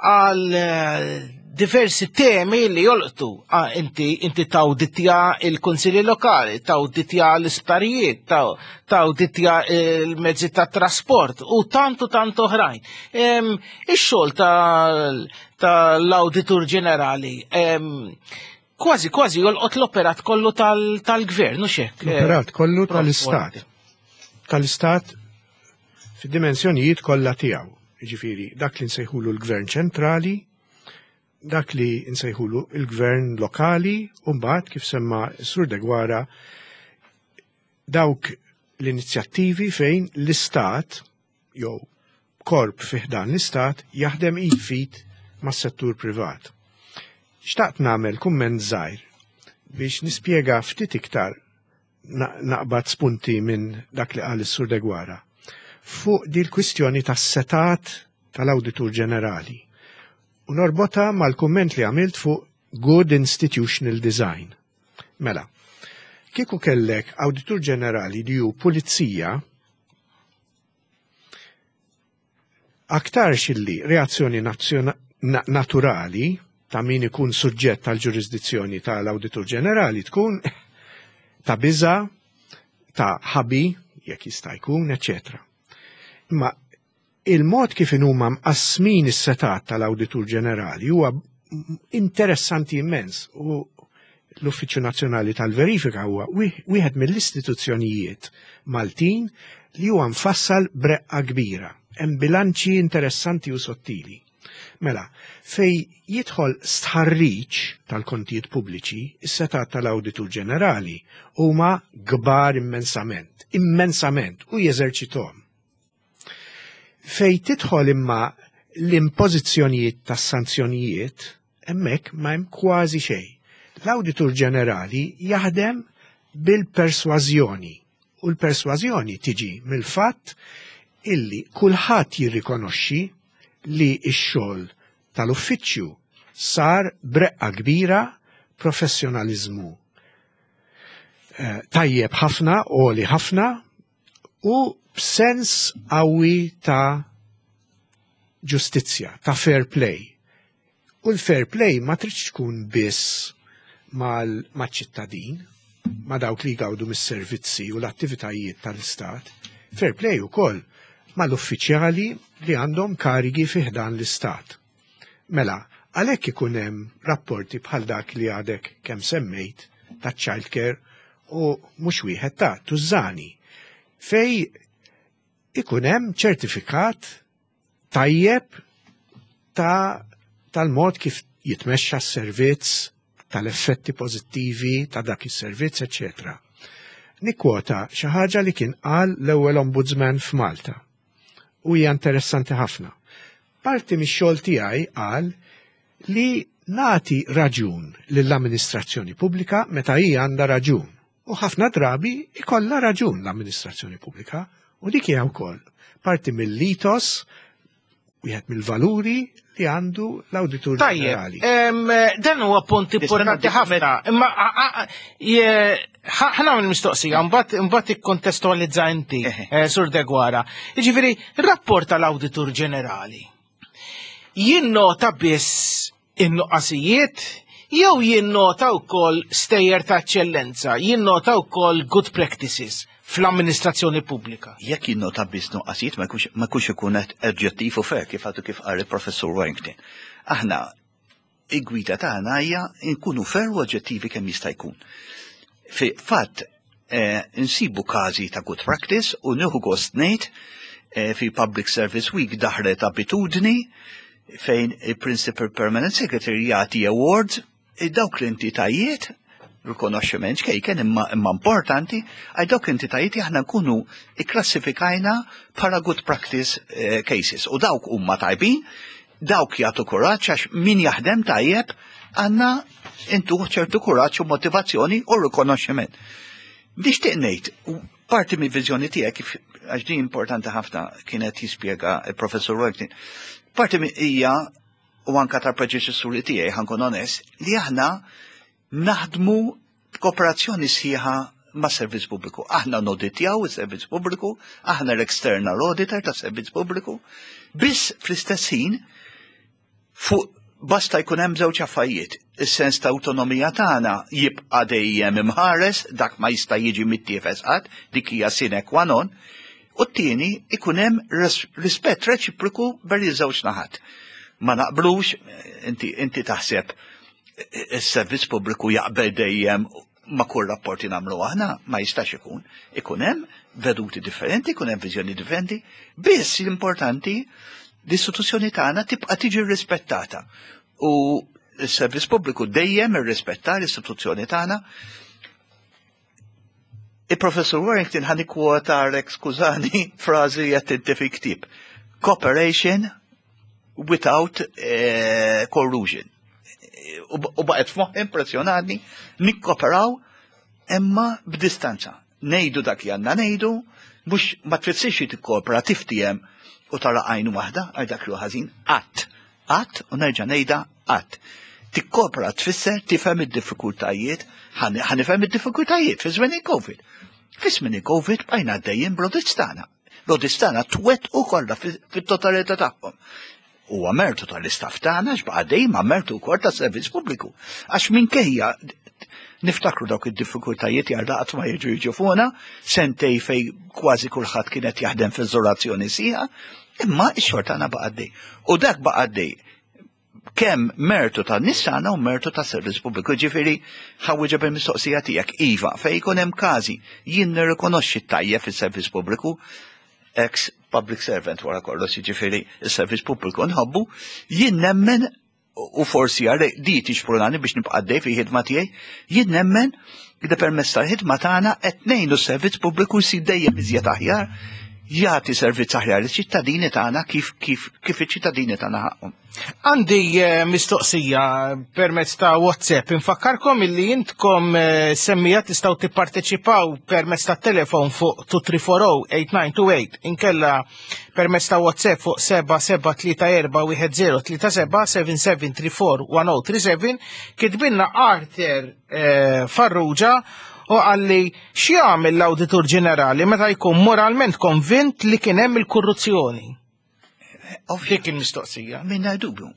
għal, eh, diversi temi li jolqtu. Ah, inti, inti tawditja il-konsilji lokali, tawditja l-isptarijiet, taw-, tawditja il-mezzi ta' trasport u tantu tantu oħrajn. Em, ix-xogħol tal-, tal-Awditur Ġenerali, em, kważi, kważi jolqot l-operat kollu tal-, tal-gvern, u xek? L-operat kollu Prof. tal-Istat. Tal-Istat fid-dimensjonijiet kollha tiegħu. Jiġifieri dak li nsejħulu l-Gvern ċentrali, dak li nsejħulu il-gvern lokali, u mbagħad kif semma Sur Deguara dawk l-inizjattivi fejn l-Istat jew korp fi ħdan l-Istat jaħdem id fit mas-settur privat. Xtaqt nagħmel kumment żgħir biex nispjega ftit iktar na-, naqbad spunti minn dak li qal is-Sur Deguara fuq di l-kwistjoni tas-setat tal-Awditur Ġenerali. U norbota mal-kumment li għamilt fuq Good Institutional Design. Mela, kieku kellek Awditur Ġenerali li hu pulizija, aktarx illi reazzjoni nazzjona-, na-, naturali ta' min ikun suġġett tal-ġurisdizzjoni tal-Awditur Ġenerali tkun ta' biża, ta' ħabi, jekk jista' jkun, eċċetera. Imma il-mod kif huma mqassmin is-setat tal-Awditur Ġenerali huwa interessanti immens u l-Uffiċċju Nazzjonali tal-Verifika huwa wieħ-, wieħed mill-istituzzjonijiet Maltin li huwa mfassal breqqa kbira. Hemm bilanċi interessanti u sottili. Mela, fej jidħol stħarriġ tal-kontijiet pubbliċi, is-setat tal-Awditur Ġenerali huma kbar immensament, immensament, u jeżerċithom. Fej tidħol imma l-impożizzjonijiet tas-sanzjonijiet, hemmhekk ma hemm kważi xejn. L-Awditur Ġenerali jaħdem bil-persważjoni, u l-persważjoni tiġi mill-fatt illi kulħadd jirrikonoxxi li x-xogħol tal-uffiċċju sar breqqa kbira, professjonaliżmu, eh, tajjeb ħafna, għoli ħafna, u b'sens qawwi ta' ġustizzja, ta' fair play. U l-fair play ma tridx tkun biss mal-, maċ-ċittadin, ma' dawk li jgawdu mis-servizzi u l-attivitajiet tal-Istat. Fair play ukoll mal-uffiċjali li għandhom karigi fi ħdan l-Istat. Mela, għalhekk ikun hemm rapporti bħal dak li għadek kemm semmejt ta' child care u mhux wieħed ta' tużani, fej ikun hemm ċertifikat tajjeb ta' tal-mod kif jitmexxa s-servizz, tal-effetti pożittivi ta' dak is-servizz, eċċetera. Nikkwota xi ħaġa li kien qal l-ewwel ombudsman f'Malta. U hija interessanti ħafna. Parti mix-xogħol tiegħi qal li nagħti raġun lill-amministrazzjoni pubblika meta hija għandha raġun. U ħafna drabi ikollha raġun l-amministrazzjoni pubblika, u dik hija wkoll parti mill-litos, wieħed mill-valuri li għandu l-Awditur Tajjeb, Ġenerali. em, dan huwa punt Nista' importanti nagħti ħafna, imma a-, a-, a-, je-, ħa-, ħa nagħmel mistoqsija, mbagħad, mbagħad ikkontestualizza inti, Eħe. eh, Sur Deguara. Jiġifieri, rapport tal-Awditur Ġenerali jinnota biss in-nuqqasijiet Jew jinnota wkoll stejjer ta' eċċellenza, jinnota wkoll good practices fl-amministrazzjoni pubblika? Jekk jinnota biss nuqqasijiet, ma jkunx ma jkunx ikun oġġettiv u fair, kif għadu kif qal il-Professur Warrington. Aħna il-gwida tagħna hija nkunu fair u oġġettivi kemm jista' jkun. Fi fatt eh, insibu każi ta' good practice u nieħu gost ngħid eh, fi Public Service Week daħlet abitudni fejn il-Principal Permanent Secretary jagħti awards dawk l-entitajiet, rikonoxximent ċkejken imma, imma importanti għal dawk l-entitajiet li aħna nkunu ikklassifikajna bħala good practice eh, cases, u dawk huma tajbin, dawk jagħtu kuraġġ, għax min jaħdem tajjeb għandna intuh ċertu kuraġġ u motivazzjoni u rikonoxximent. Nixtieq ngħid, u parti mill-viżjoni tiegħek kif, għax din importanti ħafna, kienet jispjega il-Professur Warrington, parti mi- hija u anka tal-predeċessuri tiegħi, ħa nkun onest, li aħna naħdmu b'kooperazzjoni sħiħa ma' servizz pubbliku. Aħna noditjaw is-servizz pubbliku, aħna l-external auditor ta' servizz pubbliku, biss fl-istess ħin fuq basta jkun hemm żewġ affarijiet. Is-sens ta' awtonomija tagħna jibqa' dejjem imħares, dak ma jista' jiġi mittiefes qatt, dik hija sine qua non. U t-tieni, ikun hemm res- rispett reċiproku bejn iż-żewġ naħat. Ma naqblux, inti, inti taħseb is-servizz pubbliku jaqbel dejjem ma' kull rapporti nagħmlu aħna, ma jistax ikun. Ikun hemm veduti differenti, ikun hemm viżjoni differenti, biss l-importanti l-istituzzjoni tagħna tibqa' tiġi rispettata. U s-servizz pubbliku dejjem irrispetta l-istituzzjoni tagħna. Il-Professor Warrington, ħa nikkwotalek, skużani, frażi qed inti fi ktieb. "Cooperation without eh, collusion." U u baqgħet f'moħħi, impressjonani, nikkoperaw imma b'distanza. Ngħidu dak li għandna ngħidu, mhux ma tfissirx li tikkopera tiftiem u tara għajnu waħda għal dak li hu ħażin, qatt. Qatt, u nerġa' ngħidha, qatt. Tikkopera tfisser tifhem id-diffikultajiet, ħa nifhem id-diffikultajiet fi żmien il-Covid. Fi żmien il-Covid bqajna għaddejjin bl-audits tagħna. L-audits tagħna twettqu kollha fit-totalità tagħhom. Huwa mertu tal-istaff tagħna x'baqa' dejjem, ma mertu wkoll tas-servizz pubbliku. Għax minkejja niftakru dawk id-diffikultajiet, jarda qatt ma jiġu jiġu fuqna, sentejn fejn kważi kulħadd kienet jaħdem f'iżolazzjoni sħiħa, imma x-xogħol tagħna baqa' għaddej. U dak baqa' għaddej kemm mertu ta' nies tagħna u mertu ta' servizz pubbliku. Ġifieri ħa nwieġeb il-mistoqsija tiegħek, iva, fejn jkun hemm każi, jien nirrikonoxxi tajjeb fis-servizz pubbliku, ex public servant wara kollox, jiġifieri is-servizz pubbliku nħobbu, jien nemmen, u forsi għare di tixprunani biex nibqa' għaddej fi ħidma tiegħi, jien nemmen li permezz tal-ħidma tagħna qed ngħinu s-servizz pubbliku jsir dejjem iżjed aħjar, jagħti servizz aħjar liċ-ċittadini tagħna kif kif kif iċ-ċittadini tagħna ħaqhom. Għandi eh, mistoqsija permezz ta' WhatsApp. Infakkarkom illi intkom eh, semmiegħa tistgħu tipparteċipaw permezz ta' telefon fuq tnejn tlieta erba' tmiem disa tnejn tlieta inkella permezz ta' WhatsApp fuq seba' seba' tlieta erba' wieħed żero tlieta seba' seba' seba' tlieta erba' wieħed żero tlieta seba. Kitbilna Arthur eh, Farrugia u qalli: x'jagħmel l-Awditur Ġenerali meta jkun moralment konvint li kien hemm il-korruzzjoni? Dik il-mistoqsija. Minna dubju.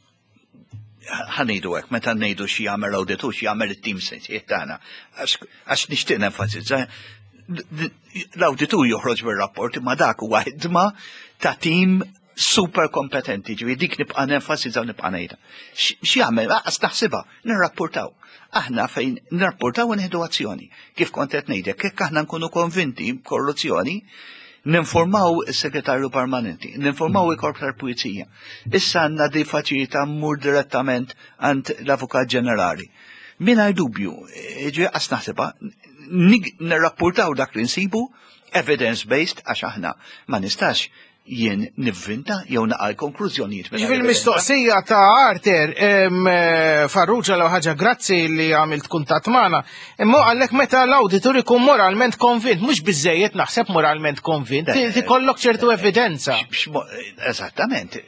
Ħa ngħidu hekk, meta ngħidu xi jagħmel awditur, xi jagħmel it-tim sensjiet tagħna. Għax nixtieq nenfasizza, l-awditur joħroġ bir-rapport, imma dak huwa ħidma ta' tim super kompetenti, ġifieri dik nibqa' nenfasizza u nibqa' ngħidha. X'jagħmel? Aqas taħsibha, nirrapportaw. Aħna fejn nirrapportaw u nieħdu azzjoni. Kif kont qed ngħidlek, jekk aħna nkunu konvinti b'korruzzjoni, ninformaw il-segretarju permanenti, ninformaw il-korp tal-pulizija. Issa għandna di faċilità mmur direttament għand l-Avukat Ġenerali. Mingħajr dubju, ġi qas naħsibha, nirrapportaw dak li nsibu, evidence-based, għax aħna ma nistax jien nivvinta jew naqal konklużjonijiet. Ġifieri mistoqsija ta' Arthur Farrugia, l ħaġa, grazzi li għamilt kuntatt magħna. Imma għallek meta l-auditur ikun moralment konvint, mhux biżejjed naħseb moralment konvint, tikollok ċertu evidenza. Eżattament.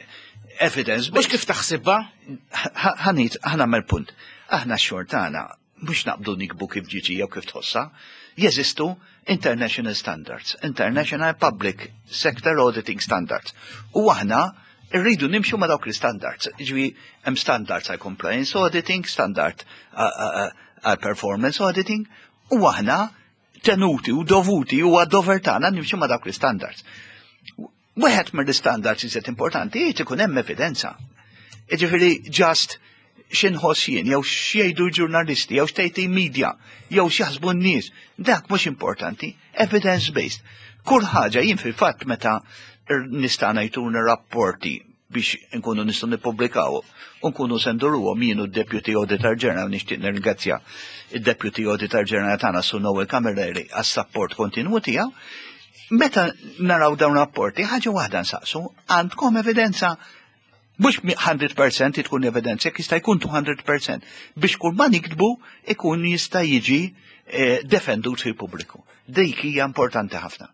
Evidence. Mhux kif taħsibha? Ħa ngħid, ħa nagħmel punt. Aħna xortana mhux naqbdu niktbu kif ġiġi jew kif tħossa, jeżistu International Standards, International Public Sector Auditing Standards. U aħna Irridu nimxu ma' dawk l-standards. Ġifieri hemm standards għal compliance auditing, standard għal performance auditing, u aħna tenuti u dovuti u għad-dover tagħna nimxu ma' dawk l-standards. Wieħed mill-standards iżjed importanti jrid ikun hemm evidenza. Ġifieri just x'inħoss jien, jew x'jgħidu l-ġurnalisti, jew x'tgħid media, jew x'jaħsbu n-nies. Dak mhux importanti, evidence based. Kull ħaġa jien fil-fatt meta nista' ngħiduna rapporti biex nkunu nistgħu nippubblikaw u nkunu se nduruhom jien u d-Deputy Auditor General, nixtieq nirringrazzja id-Deputy Auditor General tagħna, Sur Noel Camilleri, għas-support kontinwu tiegħu. Meta naraw dawn rapporti, ħaġa waħda nsaqsu: għandkom evidenza? Mhux mija fil-mija tkun evidenza, jekk jista' jkun mitejn fil-mija, biex kull ma niktbu ikun jista' jiġi eh, defendut fil-pubbliku. Dik hija importanti ħafna.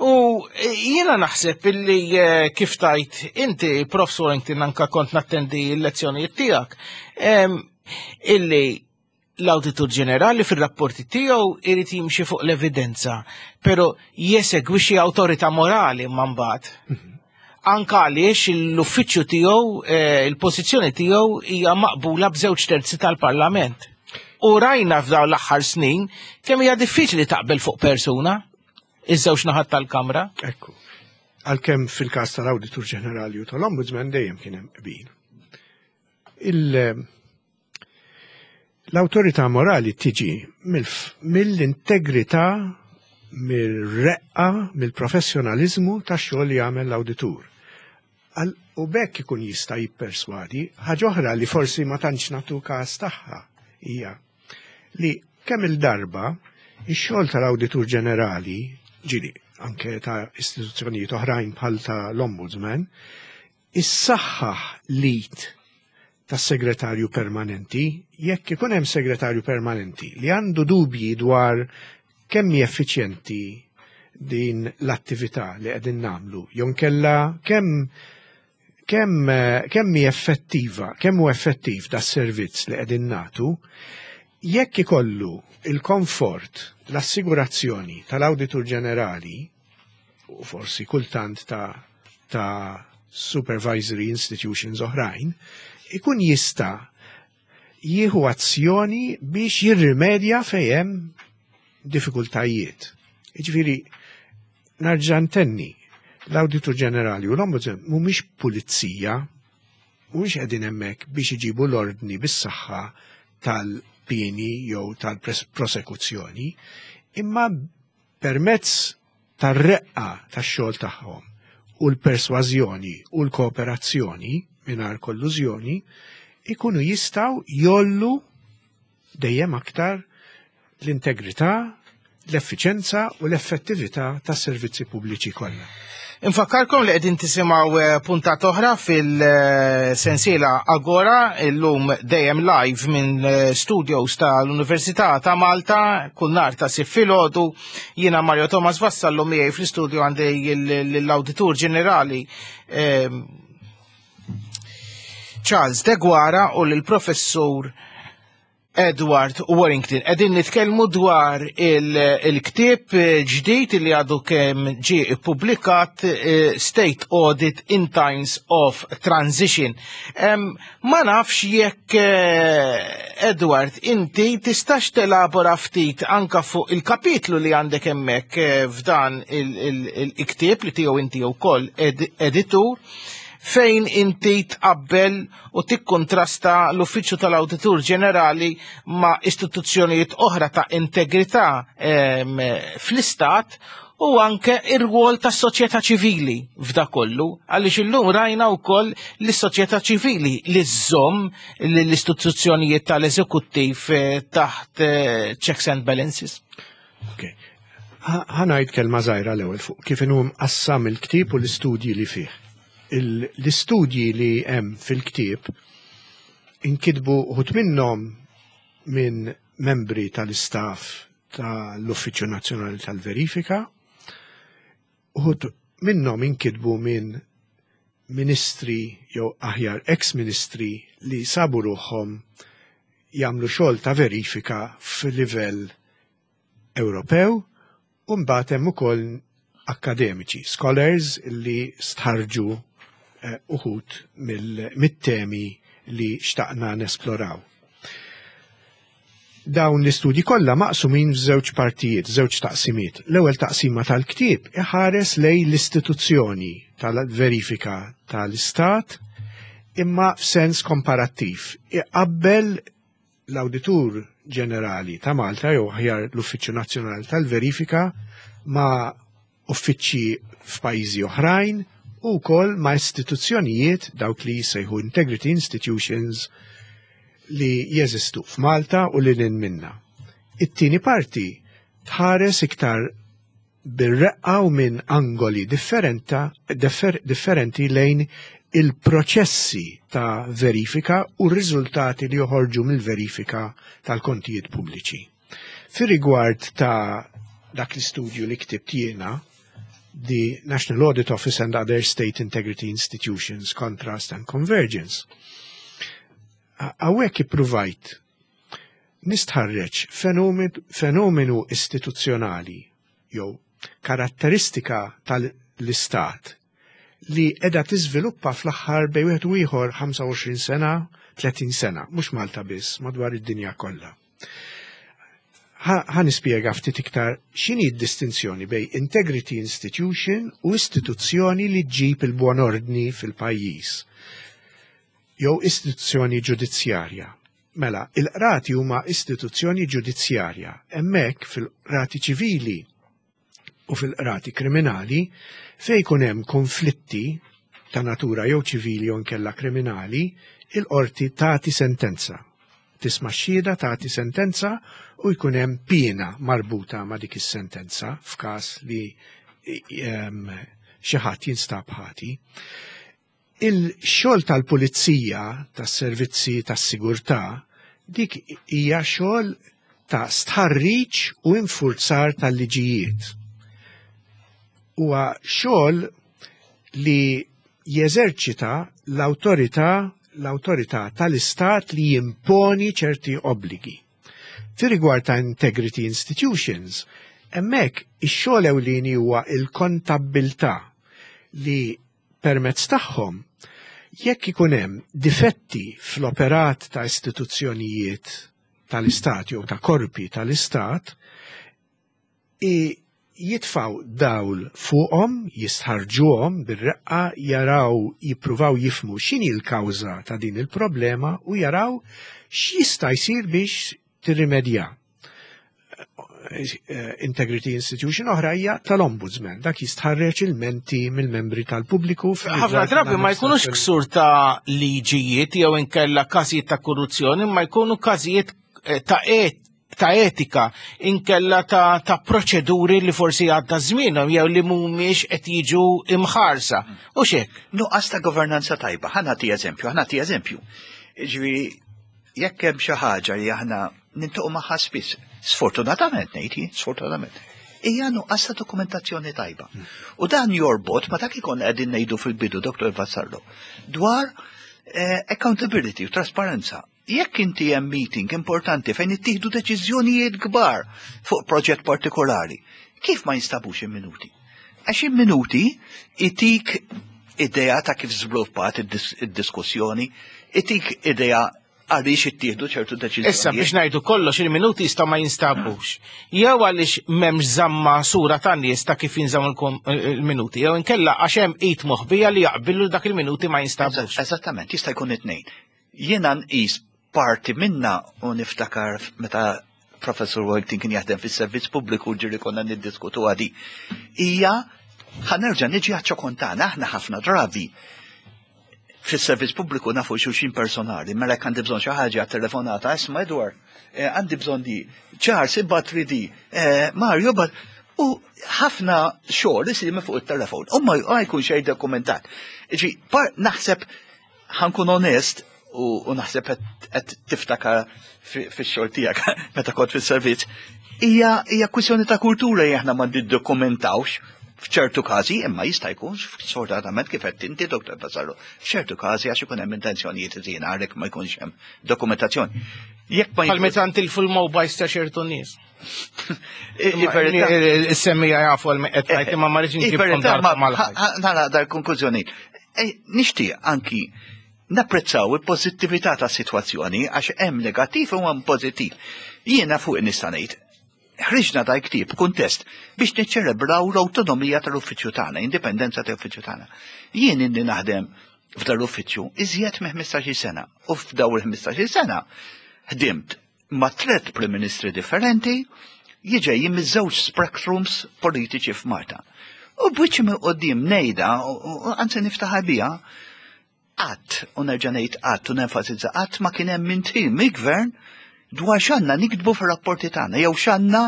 U jiena naħseb illi eh, kif tajt inti, Professor, inti anka kont nattendi l-lezzjonijiet tiegħek, illi l-Awditur Ġenerali fil-rapporti tiegħu irid jimxi fuq l-evidenza, pero jesegwixxi awtorità morali mbagħad. Anka għaliex l-uffiċċju tiegħu, eh, il-pożizzjoni tiegħu hija maqbula b'żewġ terzi tal-Parlament. U rajna f'dawn l-aħħar snin kemm hija diffiċli taqbel fuq persuna iż-żewġ naħat tal-Kamra. Ekku. Għalkemm fil-każ tal-Awditur Ġenerali u tal-Ombudsman dejjem kien hemm qbil. Il- L-awtorità morali tiġi mill-integrità, mill-reqqa, mill-professjonalizmu tax-xogħol li jagħmel l-awditur. U bekk ikun jista' jipperswadi. Ħaġa oħra li forsi ma tantx nagħtu każ tagħha hija li kemm il-darba ix-xogħol tal-Awditur Ġenerali, ġieli anke ta' istituzzjonijiet oħrajn bħal ta' l-Ombudsman, issaħħaħ l-id tas-segretarju permanenti. Jekk ikun hemm segretarju permanenti li għandu dubji dwar kemm hi effiċjenti din l-attività li qegħdin nagħmlu, jew nkella kemm kemm kemm hi effettiva, kemm hu effettiv da servizz li qegħdin nagħtu, jekk ikollu il-komfort, l-assigurazzjoni tal-Awditur Ġenerali u forsi kultant ta' ta' supervisory institutions oħrajn, ikun jista' jieħu azzjoni biex jirrimedja fejn hemm diffikultajiet. Jiġifieri, nerġa' ntenni, l-Awditur Ġenerali u l-Ombudsman mhumiex pulizija, mhumiex qegħdin hemmhekk biex iġibu l-ordni bis-saħħa tal-pieni jew tal-prosekuzzjoni, imma permezz tar-reqqa tax-xogħol tagħhom u l-persważjoni u l-kooperazzjoni mingħajr kollużjoni ikunu jistgħu jgħollu dejjem aktar l-integrità, l-effiċenza u l-effettività tas-servizzi pubbliċi kollha. Infakkarkom li qegħdin tisimgħu eh, puntat oħra fil-sensiela Agora, illum dejjem live minn eh, studios tal-Università ta' Malta, kull nhar ta' Sibt filgħodu. Jiena Mario Thomas Vassallo, miegħi fl-istudio għandi l-Awditur Ġenerali eh, Charles Deguara u l-Professur Edward Warrington. Qegħdin nitkellmu dwar il-ktieb ġdid li għadu kemm ġie ippubblikat, eh, State Audit in Times of Transition. Ma nafx jekk, eh, Edward, inti tistax telabora ftit anka fuq il-kapitlu li għandek hemmhekk eh, f'dan il-ktieb li tiegħu inti wkoll editur, fejn inti tqabbel u tikkontrasta l-Uffiċċju tal-Awditur Ġenerali ma' istituzzjonijiet oħra ta' integrità fl-istat u anke ir-rwol tas soċjetà ċivili f'da kollu, għaliex illum rajna wkoll li s-soċjetà ċivili li żżomm l-istituzzjonijiet tal-eżekuttiv eh, taħt eh, checks and balances. Okay. Ħa ngħid kelma żgħira l-ewwel fuq kif inhu mqassam il-ktieb u l-istudji li fih. L-istudji li hemm fil-ktieb inkitbu uħud minnhom minn membri tal-istaff tal-Uffiċċju Nazzjonali tal-Verifika, uħud minnhom inkitbu minn ministri jew aħjar ex-ministri li sabu ruħhom jagħmlu xogħol ta' verifika fil-livell Ewropew, u mbagħad hemm ukoll akademiċi, scholars li stħarġu eh, uħud mit-temi li xtaqna nesploraw. Dawn l-istudji kollha maqsumin f'żewġ partijiet, żewġ taqsimiet. L-ewwel taqsima tal-ktieb iħares lejn l-istituzzjoni tal-verifika tal-Istat imma f'sens komparattiv. Iqabbel l-Awditur Ġenerali ta' Malta jew aħjar l-Uffiċċju Nazzjonali tal-Verifika ma' uffiċċji f'pajjiżi oħrajn u wkoll ma' istituzzjonijiet dawk li jissejħu Integrity Institutions li jeżistu f'Malta u li lil minna. It-tieni parti tħares iktar bir-reqqa u minn angoli differenta, differ, differenti lejn il-proċessi ta' verifika u r-riżultati li joħorġu mill-verifika tal-kontijiet pubbliċi. Fir-rigward ta' dak l-istudju li ktibt jiena, the National Audit Office and Other State Integrity Institutions, Contrast and Convergence. Hawnhekk ippruvajt nistħarreġ fenomenu istituzzjonali jew karatteristika tal-istat li edha tiżviluppa fl-aħħar bejn wieħed u ieħor ħamsa u għoxrin sena, tletin sena, mhux Malta biss, madwar id-dinja kollha. Ħa nispjega ftit iktar x'inhi d-distinzjoni bejn integrity institution u istituzzjoni li ġġib il-buon ordni fil-pajjiż jew istituzzjoni ġudizzjarja. Mela, il-qrati huma istituzzjoni ġudizzjarja. Hemmhekk fil-qrati ċivili u fil-qrati kriminali fejn jkun hemm konflitti ta' natura jew ċivili jew nkella kriminali, il-qorti tagħti sentenza. Tisma' xhieda, tagħti sentenza u jkun hemm piena marbuta ma' dik is-sentenza f'każ li xi ħadd jinstab ħati. Il-xogħol tal-pulizija, tas-servizzi tas-sigurtà, dik hija xogħol ta' stħarriġ u infurzar tal-liġijiet. Huwa xogħol li jeżerċita l-awtorità l-awtorità tal-istat li jimponi ċerti obbligi. Fi rigward ta' integrity institutions, hemmhekk ix-xogħol ewlieni huwa il-kontabbiltà li permezz tagħhom jekk ikun hemm difetti fl-operat ta' istituzzjonijiet tal-istat jew ta' korpi tal-istat, jitfaw dawl fuqhom, jistħarġuhom bir-reqqa, jaraw, jippruvaw jifhmu x'inhi l-kawża ta' din il-problema u jaraw x'jista' jsir biex tirrimedja. Integrity Institution oħra hija tal-Ombudsman, dak jistħarreġ ilmenti mill-membri tal-pubbliku. Ħafna drabi ma jkunux ksur ta' liġijiet jew inkella każijiet ta' korruzzjoni, ma jkunu każijiet eh, ta' et ta' etika inkella ta', ta' proċeduri li forsi għadda żmienhom jew li mhumiex qed jiġu imħarsa. U xek? Nuqqas ta' governanza tajba, ħa nagħti eżempju, ħa nagħti eżempju. Ġifieri, jekk hemm xi ħaġa li aħna niltaqgħu magħha spiss, sfortunatament ngħid, sfortunatament, hija nuqqas ta' dokumentazzjoni tajba. U dan jorbot ma dak ikon qegħdin ngħidu fil-bidu, Doktor Vassallo, dwar eh, accountability u trasparenza. Jekk inti hemm meeting importanti fejn ittieħdu deċiżjonijiet kbar fuq proġett partikolari, kif ma jinstabux il-minuti? Għax il-minuti itik idea ta' kif żviluppat id-diskussjoni, itik idea għaliex ittieħdu ċertu deċiżjonijiet. Issa biex ngħidu kollox, il-minuti jistgħu ma jinstabux. Jew għaliex m'hemmx żamma sura ta' nies ta' kif jinżammu il-minuti, jew inkella għax hemm id moħbija li jaqbillu dak il-minuti ma jinstabux. Eżattament, jista' jkun it-tnejn. Jiena nqis parti minna u niftakar meta Professor Wellington kien jaħdem fis-servizz pubbliku ġiri konna niddiskutu għadi. Hija ħa nerġa' niġi għaċ-ċokon tagħna, aħna ħafna drabi fis-servizz pubbliku nafu xulxin personali, mela jekk għandi bżonn xi ħaġa, telefonata, "Isma' Edward, eh, għandi bżonn di, Charles, ibgħat di, eh, Mario, but u ħafna xogħol isir minn fuq it-telefon, u ma jkun xejn dokumentat. Ġi, naħseb ħa nkun onest u naħseb qed tiftakar fix-xogħol tiegħek meta kont fis-servizz, hija hija kwistjoni ta' kultura li aħna ma niddokumentawx f'ċertu każi, imma jista' jkun sfortunatament kif qed inti, Doktor Vassallo, f'ċertu każi għax ikun hemm intenzjonijiet ħżiena għalhekk ma jkunx hemm dokumentazzjoni. Jekk ma Bħal meta ntilfu l-mobiles ta' ċertu nies. Is-semmija jafu għal qed ngħid imma ma rridx nġibkom Nara dar konklużjoni. Nixtieq anki napprezzaw il-pożittività tas-sitwazzjoni għax hemm negattiv u hemm pożittiv. Jiena fuq nista' ngħid, ħriġna dal ktieb kuntest biex niċċelebraw l-awtonomija tal-uffiċċju tagħna, indipendenza tal-uffiċċju tagħna. Jien inni naħdem f'dal uffiċċju iżjed minn ħmistax-il sena u f'daw il-ħmistax-il sena ħdimt ma' tliet Prim Ministri differenti jiġejjin miż-żewġ spectrums politiċi f'Malta. U b'wiċċi minn quddiem ngħidha, anzi niftaħar biha, qatt, u nerġa' ngħid qatt u nenfasizza qatt ma kien hemm indħil mill-gvern dwar x'għandna niktbu fir-rapporti tagħna, jew x'għandna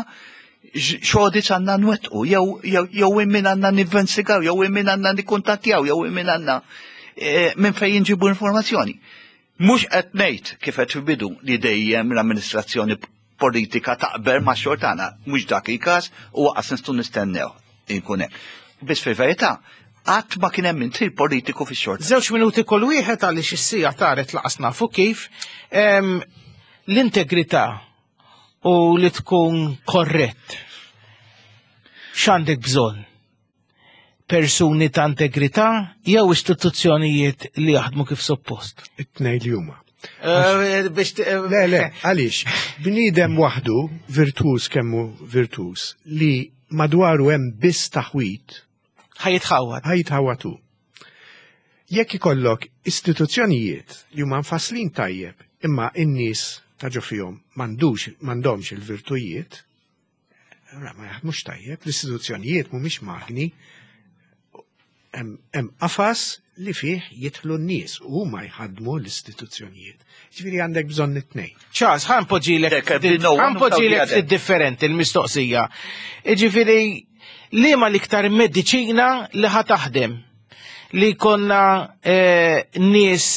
x'audits għandna nwettqu, jew jew min għandna ninvestigaw, jew min għandna nikkuntattjaw, jew min għandna minn fejn nġibu informazzjoni. Mhux qed ngħid kif qed fil-bidu li dejjem l-amministrazzjoni politika taqbel ma' xogħol tagħna, mhux dak il-każ u waqas nistgħu nistennew inkun hekk. Biss fil-verità, qatt ma kien hemm indħil politiku fix-xogħol. Żewġ minuti kull wieħed għaliex is-siegħa taret laqas nafu kif. L-integrità u li tkun korrett. X'għandek bżonn? Persuni ta' integrità jew istituzzjonijiet li jaħdmu kif suppost? It-tnejn li huma. Le, le, għaliex, bniedem waħdu, virtuż kemmu virtuż, li madwaru hemm biss taħwit, ħa jitħawwad. Ħa jitħawwad hu. Jekk ikollok istituzzjonijiet li huma mfasslin tajjeb, imma n-nies ta' ġo fihom m'għandux m'għandhomx il-virtujiet, ma jaħdmux tajjeb, l-istituzzjonijiet mhumiex magni, hemm qafas li fih jidħlu n-nies u huma jħaddmu l-istituzzjonijiet. Ġifieri għandek bżonn it-tnejn. Charles, ħa npoġġilek ħa npoġġilek ftit differenti l-mistoqsija. Ġifieri liema l-iktar mediċina li ħa taħdem li konna nies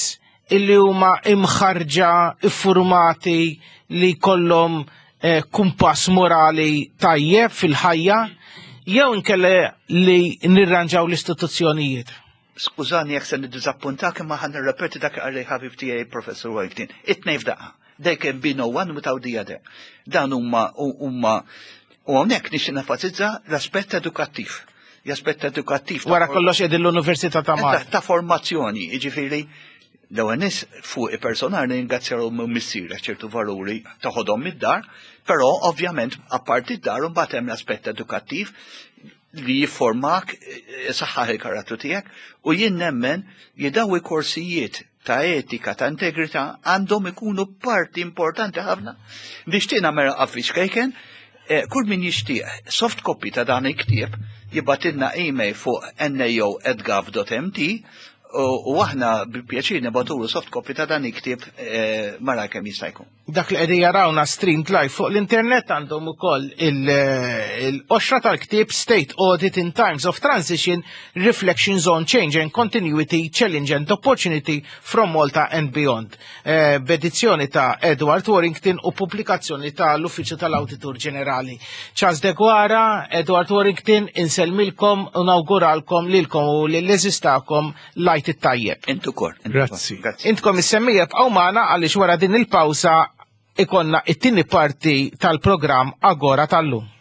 illi huma imħarġa, iffurmati li kollhom kumpass morali tajjeb fil-ħajja, jew inkella li nirranġaw l-istituzzjonijiet? Skużani jekk se niddiżappuntak imma ħa nirrepeti dak li ħabib tiegħi Professor Warrington. It-tnejn f'daqqa. There can be no one without the other. Dan huma huma u hawnhekk nixtieq nenfasizza l-aspett edukattiv. L-aspett edukattiv. Wara kollox qegħdin l-Università ta' Malta. Ta' formazzjoni, jiġifieri l-ewwel nies fuq il-personal ringrazzjaw missier ċertu valuri taħodhom mid-dar, però ovvjament apparti d-dar imbagħad hemm l-aspett edukattiv li jifformak saħħaħ il-karattru tiegħek u jien nemmen li daw il-korsijiet ta' etika, ta' integrità għandhom ikunu parti importanti ħafna. Nixtieq nagħmel avviż kejken, kull min jixtieq soft copy ta' dan il-ktieb jibgħatilna email fuq nao at gov dot mt u aħna bi pjaċir nibgħatulu soft copy ta' dan il-ktieb mara kemm jista' jkun. Dak li qegħdin jarawna streamed live fuq l-internet għandhom ukoll il-qoxra tal-ktieb State Audit in Times of Transition, Reflections on Change and Continuity, Challenge and Opportunity from Malta and Beyond. B'edizzjoni ta' Edward Warrington u pubblikazzjoni ta' l-Uffiċċju tal-Awditur Ġenerali. Charles Deguara, Edward Warrington, insellmilkom u nawguralkom lilkom u lill-eżistakom lajt it-tajjeb. Intu kor. Grazzi. Intkom is-semmija bqgħu magħna għaliex wara din il-pawsa ikonna it-tieni parti tal-programm Agora tal-lum.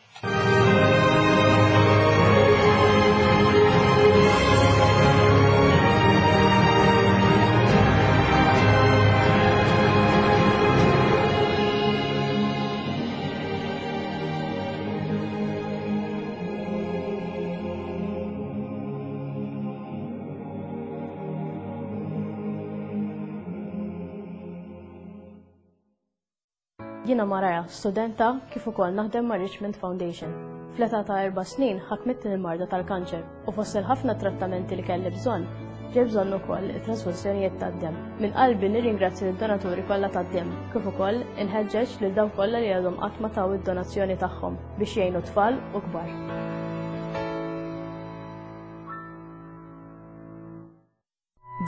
Jiena Maraja, studenta kif ukoll naħdem ma' Richmond Foundation. Fl-età ta' erba' snin ħakmitni l-marda tal-kanċer u fost il-ħafna trattamenti li kelli bżonn, ġej bżonn ukoll it-trasfużjonijiet tad-demm. Minn qalbi nirringrazzja lid-donaturi kollha tad-demm, kif ukoll inħeġġeġ lil dawk kollha li għadhom qatt ma taw id-donazzjoni tagħhom biex jgħinu tfal u kbar.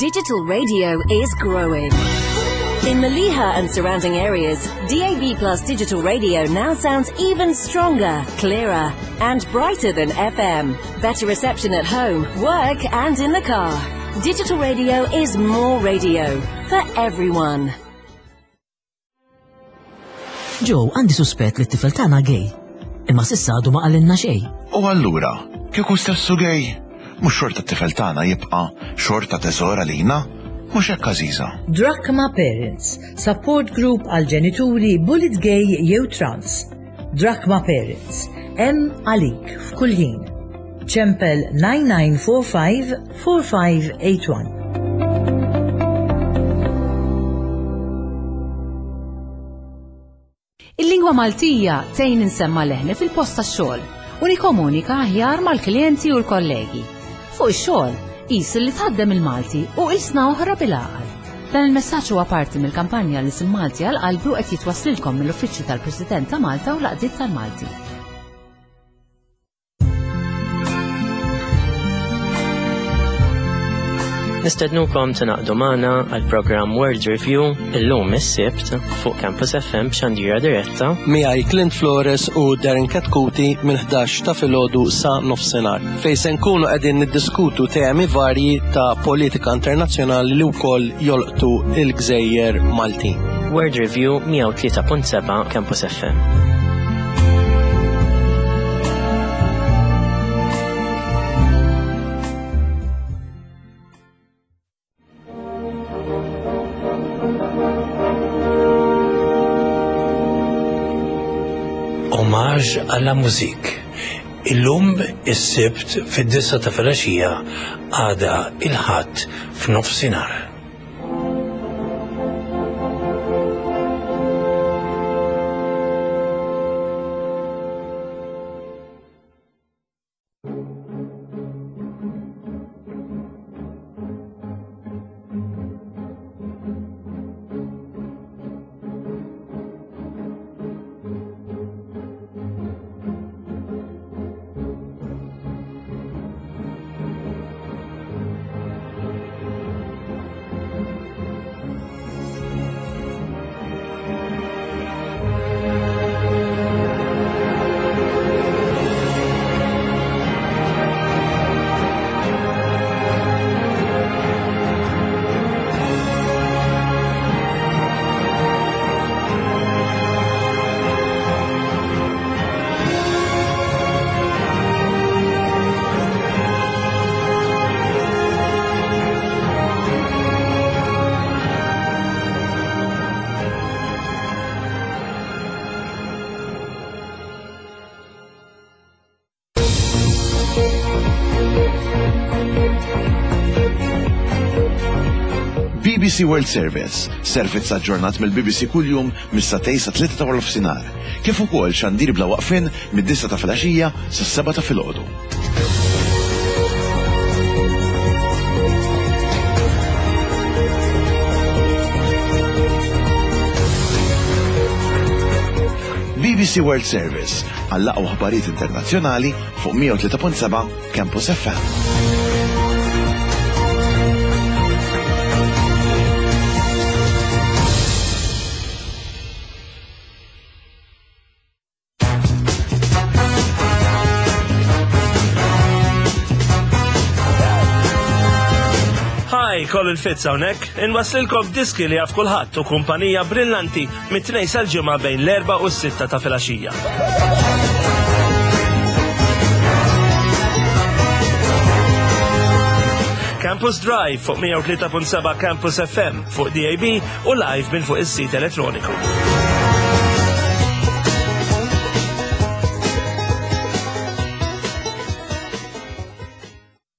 Digital radio is growing. In Mellieħa and surrounding areas, D A B Plus digital radio now sounds even stronger, clearer, and brighter than F M. Better reception at home, work, and in the car. Digital radio is more radio for everyone. Joe, għandi suspett li t-tifel tagħna gay. Imma s'issa għadu ma qalilna xejn. U allura, kieku stessu gay? Mhux xorta t-tifel tagħna jibqa' xorta teżor għalina? Mhux hekk Għażiża? Drachma Parents, support group għal ġenituri bullied gay jew trans. Drachma Parents, hemm għalik f'kull ħin. Ċempel nine nine four five four five eight one. Il-lingwa Maltija tgħin insemma' leħni fil-post tax-xogħol u nikkomunika aħjar mal-klijenti u l-kollegi. Fuq ix-xogħol, qis li tħaddem il-Malti u ilsna oħra bil-għaqal. Dan il-messaġġ huwa parti mill-kampanja l-Ilsien Malti għal qalbi u qed jitwaslilkom mill-Uffiċċju tal-President ta' Malta u l-Għaqdiet tal-Malti. Nistednukom tingħaqdu magħna għal programm World Review illum is-Sibt fuq Campus F M b'xandira diretta. Miegħi Clint Flores u Darren Katkuti minn ħdax ta' filgħodu sa nofsinhar, fejn se nkunu qegħdin niddiskutu temi varji ta' politika internazzjonali li wkoll jolqtu il-gżejjer Maltin. World Review mija u tlieta punt seba' Campus F M. Hommage à la musique. Illum is-Sibt fid-disgħa ta' filgħaxija, għada il-Ħadd f'nofsinhar. B B C World Service, servizz aġġornat mill-B B C kuljum mis-sagħtejn sa tlieta ta' nofsinhar, kif ukoll xandir bla waqfin mid-disgħa ta' filgħaxija sas-sebgħa ta' filgħodu. B B C World Service għall-aqwa aħbarijiet internazzjonali fuq mija u tlieta punt seba' Campus F M. Hi, Colin Fitz hawnhekk, inwaslilkom diski li jaf kulħadd u kumpanija brillanti mit-Tnejn sal-Ġimgħa bejn l-erbgħa u s-sitta ta' filgħaxija. Campus Drive fuq mija u tlieta punt seba' Campus F M, fuq D A B u live minn fuq is-sit elettroniku.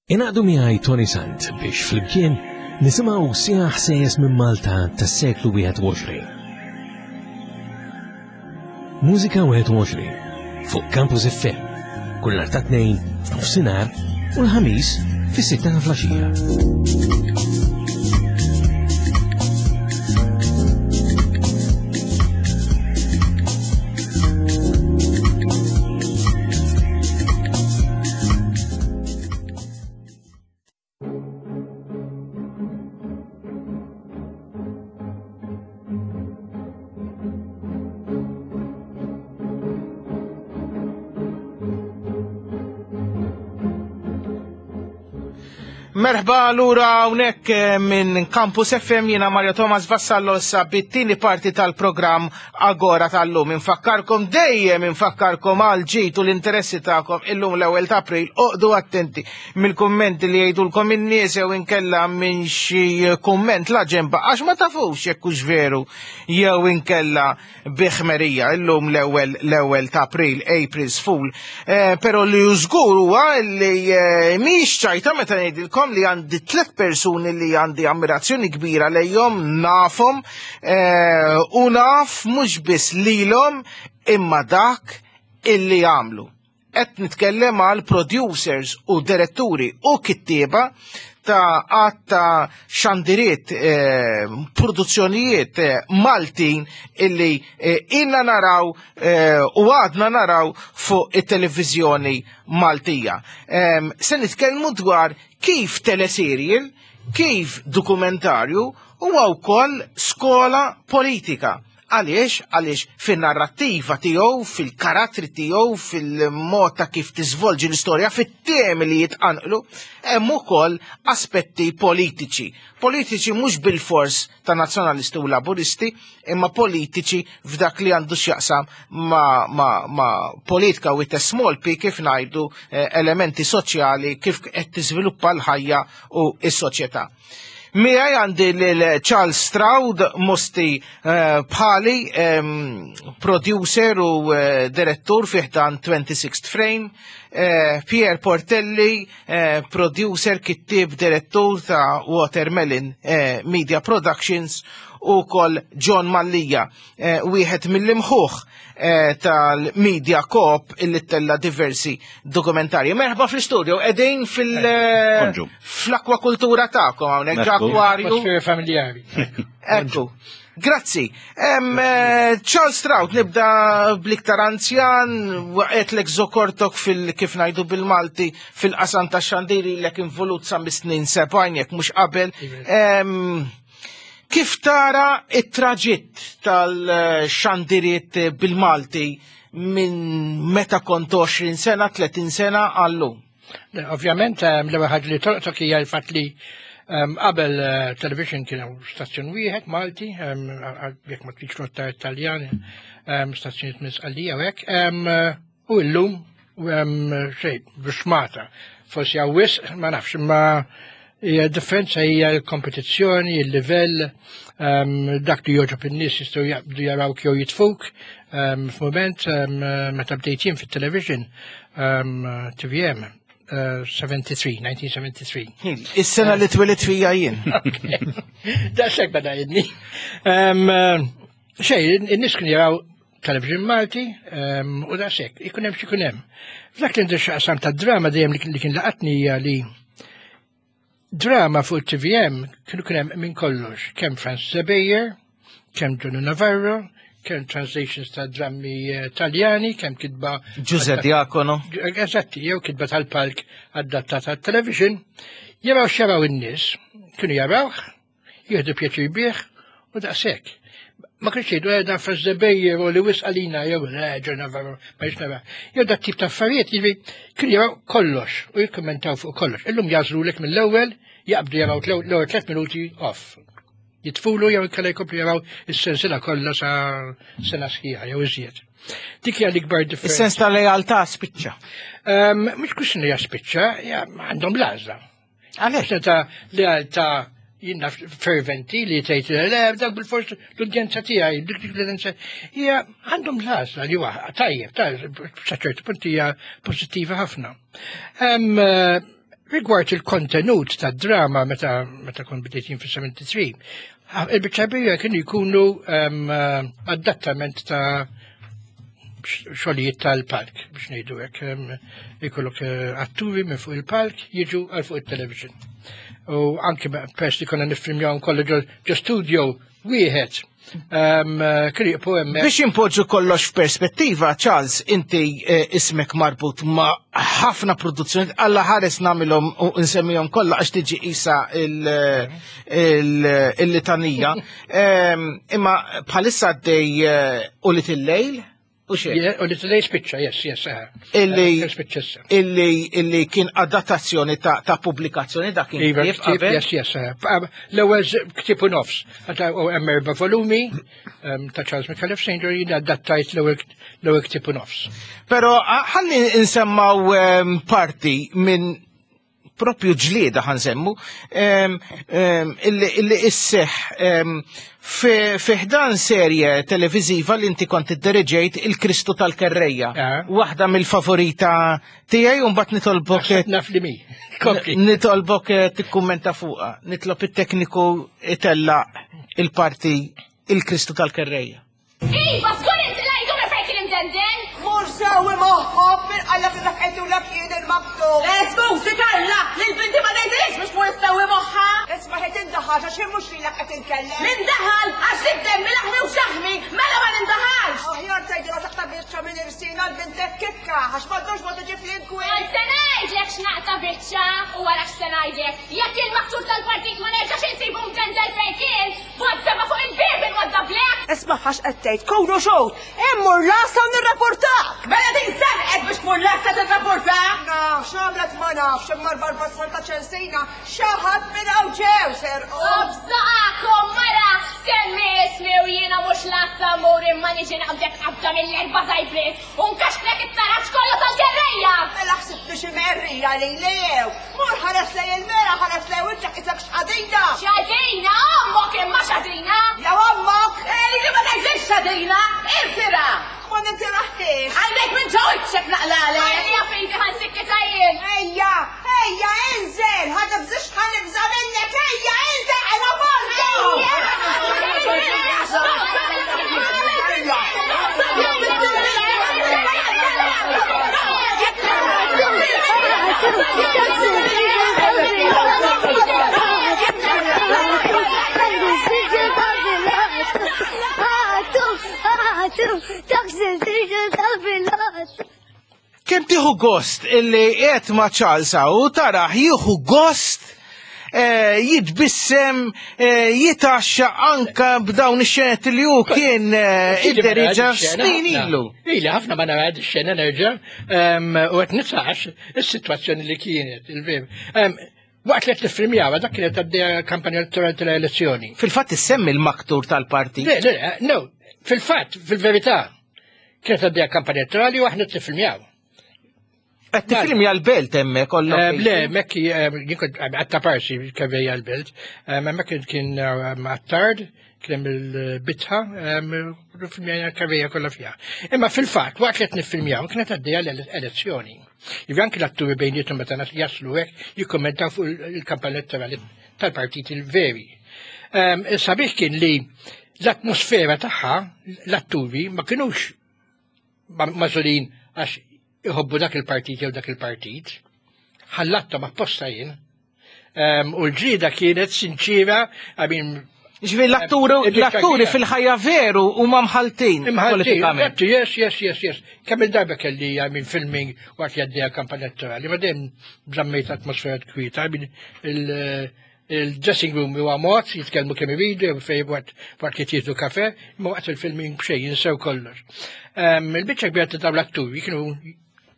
Ingħaqdu miegħi Tony Sant biex flimkien nisimgħu siegħa ħsejjes minn Malta tas-seklu wieħed u għoxrin. Mużika wieħed u għoxrin fuq Campus F M kull nhar ta' Tnejn f'nofsinhar u l-Ħamis fis-sitta ta' filgħaxija. Merħba lura hawnhekk eh, minn Campus F M, jiena Mario Thomas Vassallo, issa bit-tieni parti tal-programm Agora tal-lum. Infakkarkom dejjem, infakkarkom għal ġid u l-interessi tagħkom, illum l-ewwel ta' April, oqogħdu attenti mill-kummenti li jgħidulkom in-nies jew inkella minn xi kumment la ġemba, għax ma tafux jekk hux veru jew inkella bi ħmerija. Illum l-ewwel l-ewwel ta' April, April's Fool. Eh, però li żgur huwa li eh, mhix ċajta meta ngħidilkom li għandi tliet persuni li għandi ammirazzjoni kbira lejhom, nafhom eh, u naf mhux biss lilhom imma dak illi għamlu. Qed nitkellem għal producers u diretturi u kittieba ta' għadd ta' xandiriet, eh, produzzjonijiet eh, Maltin illi eh, ilna naraw eh, u għadna naraw fuq it-televizjoni Maltija. Eh, se nitkellmu dwar kif teleserial, kif dokumentarju huwa wkoll skola politika. Għaliex? Għaliex fil-narrativa tiegħu, fil-karattri tiegħu, fil-mod ta' kif tiżvolġi l-istorja, fit-temi li jitqanqlu, hemm ukoll aspetti politiċi. Politiċi mhux bil-fors ta' nazzjonalisti u laburisti, imma politiċi f'dak li għandu x'jaqsam ma, ma, ma politika with a small p, kif ngħidu, eh, elementi soċjali, kif qed tiżviluppa l-ħajja u s-soċjetà. Miegħi għandi lil Charles Stroud, Mosti eh, bħali, em, producer u eh, direttur fi ħdan twenty-sixth Frame, eh, Pierre Portelli, eh, producer, kittib, direttur ta' Watermelon eh, Media Productions, u ukoll John Mallia, eh, wieħed mill-imħuħ eh, tal-Media Coop illi tella diversi dokumentarji. Merħba fl-studio, qegħdin fil- Bonġu. fl-akwakultura tagħkom hawnhekk Ekku. akwarju. Atmosfera familjari. Ekku. Grazzi. Em, eh, Charles Stroud, nibda bl-iktar anzjan, waqgħetlek żokortok fil kif ngħidu bil-Malti fil-qasam ta' xandiri, lek involut sa mis-snin sebgħin jekk mhux qabel. Em, Kif tara it-traġitt tal-xandiriet bil-Malti minn meta kont għoxrin sena, tletin sena għal-lum? Le, ovvjament, em, l-ewwel ħaġa li tolqtok hija l-fatt li em, qabel eh, television kien hawn stazzjon wieħed Malti, em, jekk ma tridx rotta Italjan, em, stazzjonijiet minn Sqallija u hekk, em, eh, u llum em, xejn bixmata. Forsi hawn wisq, ma nafx, imma hija differenza hija l-kompetizzjoni, il-livell, em, dak li jogħġob in-nies jistgħu jaqbdu jarawk jew jitfuk. em, F'mument em, meta bdejt jien fit-television, em, T V M, eh, sebgħa u sebgħin, elf disa' mija u sebgħa u sebgħin. Is-sena li twelidt fija jien. Daqshekk beda jidni. Em, eh, Xej, in-nies kienu jaraw television Malti em, u daqshekk, ikun hemm x'ikun hemm. F'dak li għandu x'jaqsam ta' drama, dejjem li kien- li kien laqatni hija li drama fuq T V M kienu kien hemm minn kollox, kemm Francis Ebejer, kemm Johnny Navarro, kemm translations ta' drammi eh, Taljani, kemm kitba Giuseppe Diacono. Eżatti, jew kitba tal-palk adattata għat-television, jaraw x'jaraw in-nies, kienu jarawh, jieħdu pjaċir bih u daqshekk. Ma kienx jgħidu eh, dan Francis Ebejer u li wisq għalina jew le John Navarro ma jix nara. Jew dat tip ta' affarijiet, jiġifieri kienu jaraw kollox u jikkommentaw fuq kollox. Illum jagħżlulek mill-ewwel, jaqbdu jaraw l-ewwel tliet minuti, off. Jitfulu jew inkella jkomplu jaraw is-sensiela kollha sa sena sħiħa jew iżjed. Dik hija l-ikbar differenza. Is-sens ta' lealtà spiċċa. Um, Mhux kwistjoni hija spiċċa, hija għandhom l-għażla. Għaliex? Ta' lealtà jiena ferventi li tgħid le dak bil-fors l-udjenza tiegħi, dik dik l-udjenza hija għandhom l-għażla li huwa tajjeb, ta' sa ċertu punt hija pożittiva ħafna. Em, eh, Rigward il-kontenut ta' drama meta meta kont bdejt jien fis-sebgħa u sebgħin, il-biċċa kbira kienu jkunu em, eh, adattament ta' xogħlijiet tal-palk, biex ngħidu hekk. em, Ikollok eh, atturi minn fuq il-palk jiġu għal fuq il-television. U anke peress li konna niffilmjaw kollu ġo ġo studio wieħed. em, eh, Kienu jibqgħu hemmhekk. Biex impoġġu kollox f'perspettiva, Charles, inti eh, ismek marbut ma' ħafna produzzjoni, Alla ħares nagħmilhom u nsemmihom kollha għax tiġi isa il- il- il-litanija. Em, Imma bħalissa għaddej eh, Ulied il-Lejl, U xejn. U li today spiċċa, yes, yes. Illi illi illi kien adattazzjoni ta' ta' pubblikazzjoni dak kien Iva, ktieb, yes, yes. L-ewwel ktieb u nofs. U hemm erba' volumi ta' Charles Micallef Saint jien adattajt l-ewwel ktieb u nofs. Però ħalli nsemmaw parti minn propju ġlieda ħansemmu illi isseħ fi ħdan serje televiżiva li inti kont iddiriġejt il-Kristu tal-Kerrejja. Waħda mill-favorita tiegħi u mbagħad nitolbok naf li mi. Nitolbok tikkummenta fuqha. Nitlob it-tekniku itella il-parti il-Kristu tal-Kerrejja. Iva, żgur inti lajdu minn fejn kien imdenden! Mur sewi moħħok minn qallak li dak lak jien il-maktub. Skużi Karla, lil binti ma ngħidilix biex tmur issewi moħħha. Isma' ħed indaħal għax mhux lilek qed inkellem. Nindaħal għax id-demmi laħmi u xaħmi, mela ma nindaħalx. Aħjar tgħidilha taqta' biċċa minn irsina l-bintek kikka għax m'għandux mod tiġi fl-inkwiet. Għal se ngħidlek x'naqta' biċċa u wara x'se ngħidlek. Jekk il-maktur tal-partit ma nerġax insibu mdendel fejn kien, bot seba' fuq il-bieb inwaddablek. Isma' għax qed tgħid kunu xogħol, immur lasa u nirrapportak. Mela din serqet biex tmur lasa tirrapportak. Na, x'għamlet ma nafx imma l-barbassal ta' ċensina xi ħadd minn hawn ġew serqu. Obżaqakom mara, semmi ismi u jiena mhux lassa mmur imma niġi naqbdek qabda mill-erba' żajbrit u nkaxklek it-taraġ kollu tal-kerrejja. Mela ħsibtu xi merrija lili jew. Mur ħares lej il-mera ħares lej wiċċek isek x'qadina. X'għadina ommok imma x'għadina. Jew ommok. Ej, li ma tgħidlix x'għadina, irtira. Ma nintiraħtix. Għandek minn ġo wiċċek naqlalek. Ejja fidi ħansikkita jien. Ejja, ejja, inżel, ħa tibżix ħa nibża' minnek, ejja, inżel, għala fortu. Kemm tieħu gost illi qed ma' Charles u taraħ jieħu gost jitbissem jitaxxa anka b'dawn ix-xenet li hu kien idderiġa snin ilu. Ili ħafna ma nara ix-xena nerġa' u qed nitsax is-sitwazzjoni li kienet il-vim. Waqt li qed niffilmjaw dak kienet għaddejja kampanja elettorali tal-elezzjoni. Fil-fatt issemmi l-maktur tal-partit. Le, le, no, fil-fatt, fil-verità, kienet għaddejja kampanja elettorali u aħna qed niffilmjaw. Qed tifilmja l-belt hemmhekk kollok. Le, hemmhekk jien kont għatta parsi kerrejja l-belt, hemmhekk kien Attard, kien hemm il-bitħa, filmjajna kerrejja kollha fiha. Imma fil-fatt waqt li qed niffilmjaw kienet għaddejja l-elezzjoni. Jiġifieri anki l-atturi bejniethom meta jaslu hekk jikkommentaw fuq il-kampanja elettorali tal-partiti l-veri. Sabiħ kien li l-atmosfera tagħha l-atturi ma kinux magħżulin għax iħobbu dak il-partit jew dak il-partit. Ħallatthom apposta jien. U l-ġlieda kienet sinċira, I mean, Ġifieri l-atturi fil-ħajja veru huma mħaltin politikament. Yes, yes, yes, yes. Kemm il-darba kelli I mean filming waqt li għaddejja kampanja elettorali, ma dejjem żammejt atmosfera kwieta, I mean il-dressing room huwa mod, jitkellmu kemm iridu, fejn waqt waqt li jieħdu kafe, imma waqt il-filming b'xejn jinsew kollox. Il-biċċa kbira ta' dawn l-atturi kienu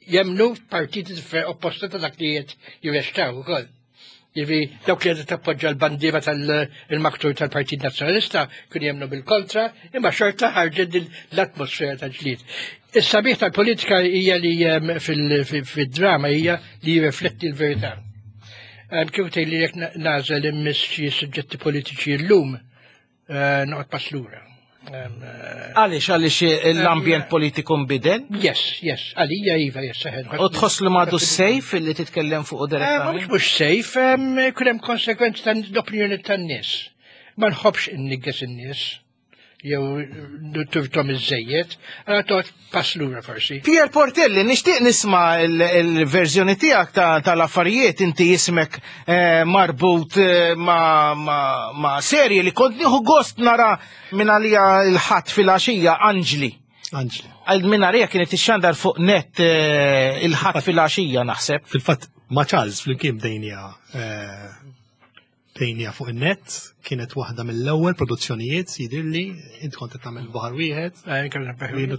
jemnu partiti opposta ta' dak li qed jirrestaw ukoll. Jiġifieri dawk li qed tappoġġa l-bandiera tal-maktur tal-Partit Nazzjonalista kienu jemnu bil-kontra, imma xorta ħarġet l-atmosfera ta' ġlied. Is-sabiħ tal-politika hija li fid-drama hija li jirrifletti l-verità. Kif tgħid li jekk nagħżel immiss xi suġġetti politiċi llum, noqgħod pass lura. Għaliex, għaliex l-ambjent politiku nbidel? Yes, yes, għalija iva, yes, seħen. U tħoss li m'għadu sejf li titkellem fuq direttament? Mhux mhux sejf, ikun hemm konsekwenzi tal-opinjoni tan-nies. Ma nħobbx innigges in-nies jew turtom iż-żejjed, għala toqgħod pass lura forsi. Pier Portelli, nixtieq nisma' il-verżjoni tiegħek tal-affarijiet, inti ismek marbut ma' serje li kont nieħu gost nara minn għalija l-ħadd fil-għaxija, Anġli. Anġli. Għal minn għalija kienet ixxandar fuq net il-ħadd fil-għaxija naħseb. Fil-fatt ma' Charles flimkien bdejnija Bdejnieha fuq in-net, kienet waħda mill-ewwel produzzjonijiet jidhirli, int kont qed tagħmel baħar wieħed, jien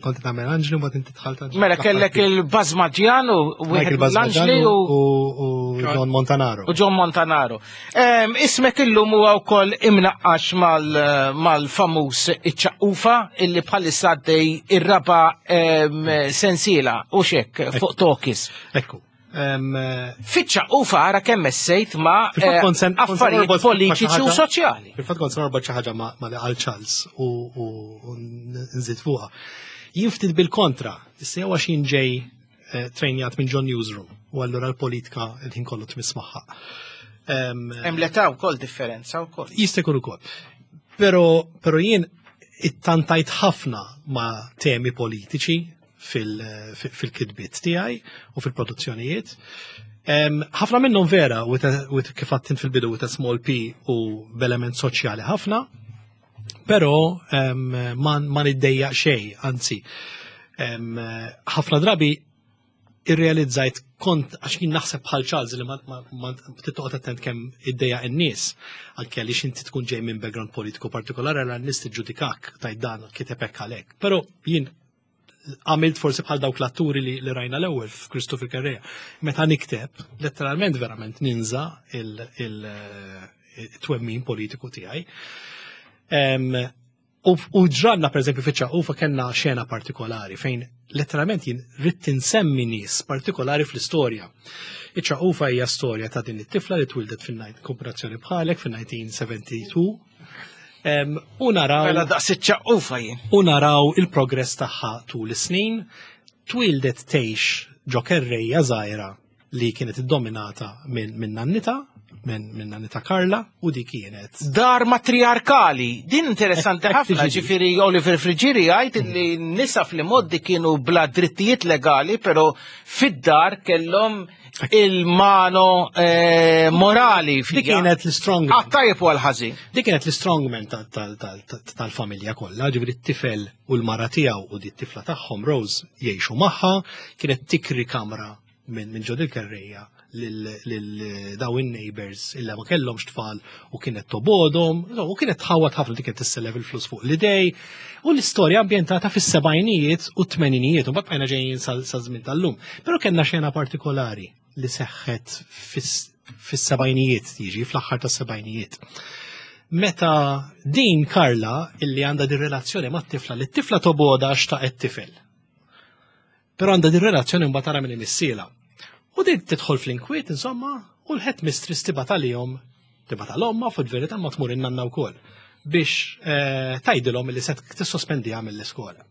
kont qed tagħmel Anġli, mbagħad inti dħalt Anġli. Mela kellek il-Bazmaġjan u wieħed Michael Bazmaġan l-Anġli u u u John Montanaro. U John Montanaro. Em, Ismek illum huwa wkoll imnaqqax mal- mal-famuż iċ-Ċaqqufa illi bħalissa għaddej ir-raba em, sensiela u xek fuq Tokis. Ekku. Fiċ-Ċaqqufa ara kemm essejt ma' Fil-fatt eh, kont sen- kont sen affarijiet norbot ma' xi politiċi u ħaġa- soċjali. Fil-fatt kont se norbot xi ħaġa ma' ma' li qal Charles u u- u nżid fuqha. Jien ftit bil-kontra, issa jew għax jien ġej eh, trejnjat minn John Newsroom u allura l-politika il-ħin kollu tmiss magħha. Em, Hemm l-età wkoll differenza wkoll. Jista' jkun ukoll. Però però jien ittantajt ħafna ma' temi politiċi fil- fil-kitbiet tiegħi u fil-produzzjonijiet. Em, Ħafna minnhom vera with a- with kif għedt int fil-bidu with a small p u b'element soċjali ħafna, però em, ma ma niddejjaq xejn, anzi, em, ħafna drabi irrealizzajt kont għax jien naħseb bħal Charles li ma, ma, ma tittoqgħod attent kemm iddejjaq in-nies anke għaliex inti tkun ġej minn background politiku partikolari għal n-nies tiġġudikak tajt dan kiteb hekk għalhekk. Però jien għamilt forsi bħal dawk l-atturi li, li rajna l-ewwel f'Kristu fil-Kerrejja. Meta nikteb, letteralment verament ninża il-twemmin politiku tiegħi. Em, U u ġranna per eżempju fiċ-Ċaqqufa kellna xena partikolari fejn letteralment jien ridt insemmi nies partikolari fl-istorja. Iċ-Ċaqqufa hija storja ta' din it-tifla li twildet fin kooperazzjoni bħalek fin-elf disa' mija u tnejn u sebgħin. Em, U naraw Mela daqs iċ-Ċaqqufa jien. U naraw il-progress tagħha tul is-snin. Twildet tgħix ġo kerrejja żgħira li kienet iddominata minn min nannita, minn min nannita Karla, u di kienet Dar matriarkali, din interessanti Hekk ħafna, tiġi. Ġifieri Oliver Friggieri jgħid li n-nisa fl-imgħoddi kienu bla drittijiet legali, pero fid-dar kellhom il-mano eh, morali. Dik kienet l-strongman. Għat-tajjeb u għal-ħażin. Dik kienet l-strongman tal-familja kollha, ġifieri t-tifel u l-mara tiegħu u di t-tifla tagħhom Rose jgħixu magħha, kienet tikri kamra minn min ġo dil-kerrejja lil lil daw in-neighbors illa ma kellhomx tfal u kienet tobodhom, u kienet tħawat ħafna, dik kienet tissellef il-flus fuq l-idej. U l-istorja ambjentata fis-sebgħinijiet u t-tmeninijiet u mbagħad bqajna ġejjin sa żmien tal-lum. Però kellna xena partikolari li seħħet fis-sebgħinijiet, jiġi fl-aħħar tas-sebgħinijiet. Meta din Karla illi għandha din relazzjoni mat-tifla li t-tifla toboda għax ta' tifel. Però għandha din relazzjoni mbagħad tara minn imissiela. U din tidħol fl-inkwiet, insomma, u l-headmistress tibgħat għalihom, tibgħat għal-omma, fuq verità ma tmur in-nanna wkoll biex eh, tgħidilhom li se tissospendiha mill-iskola.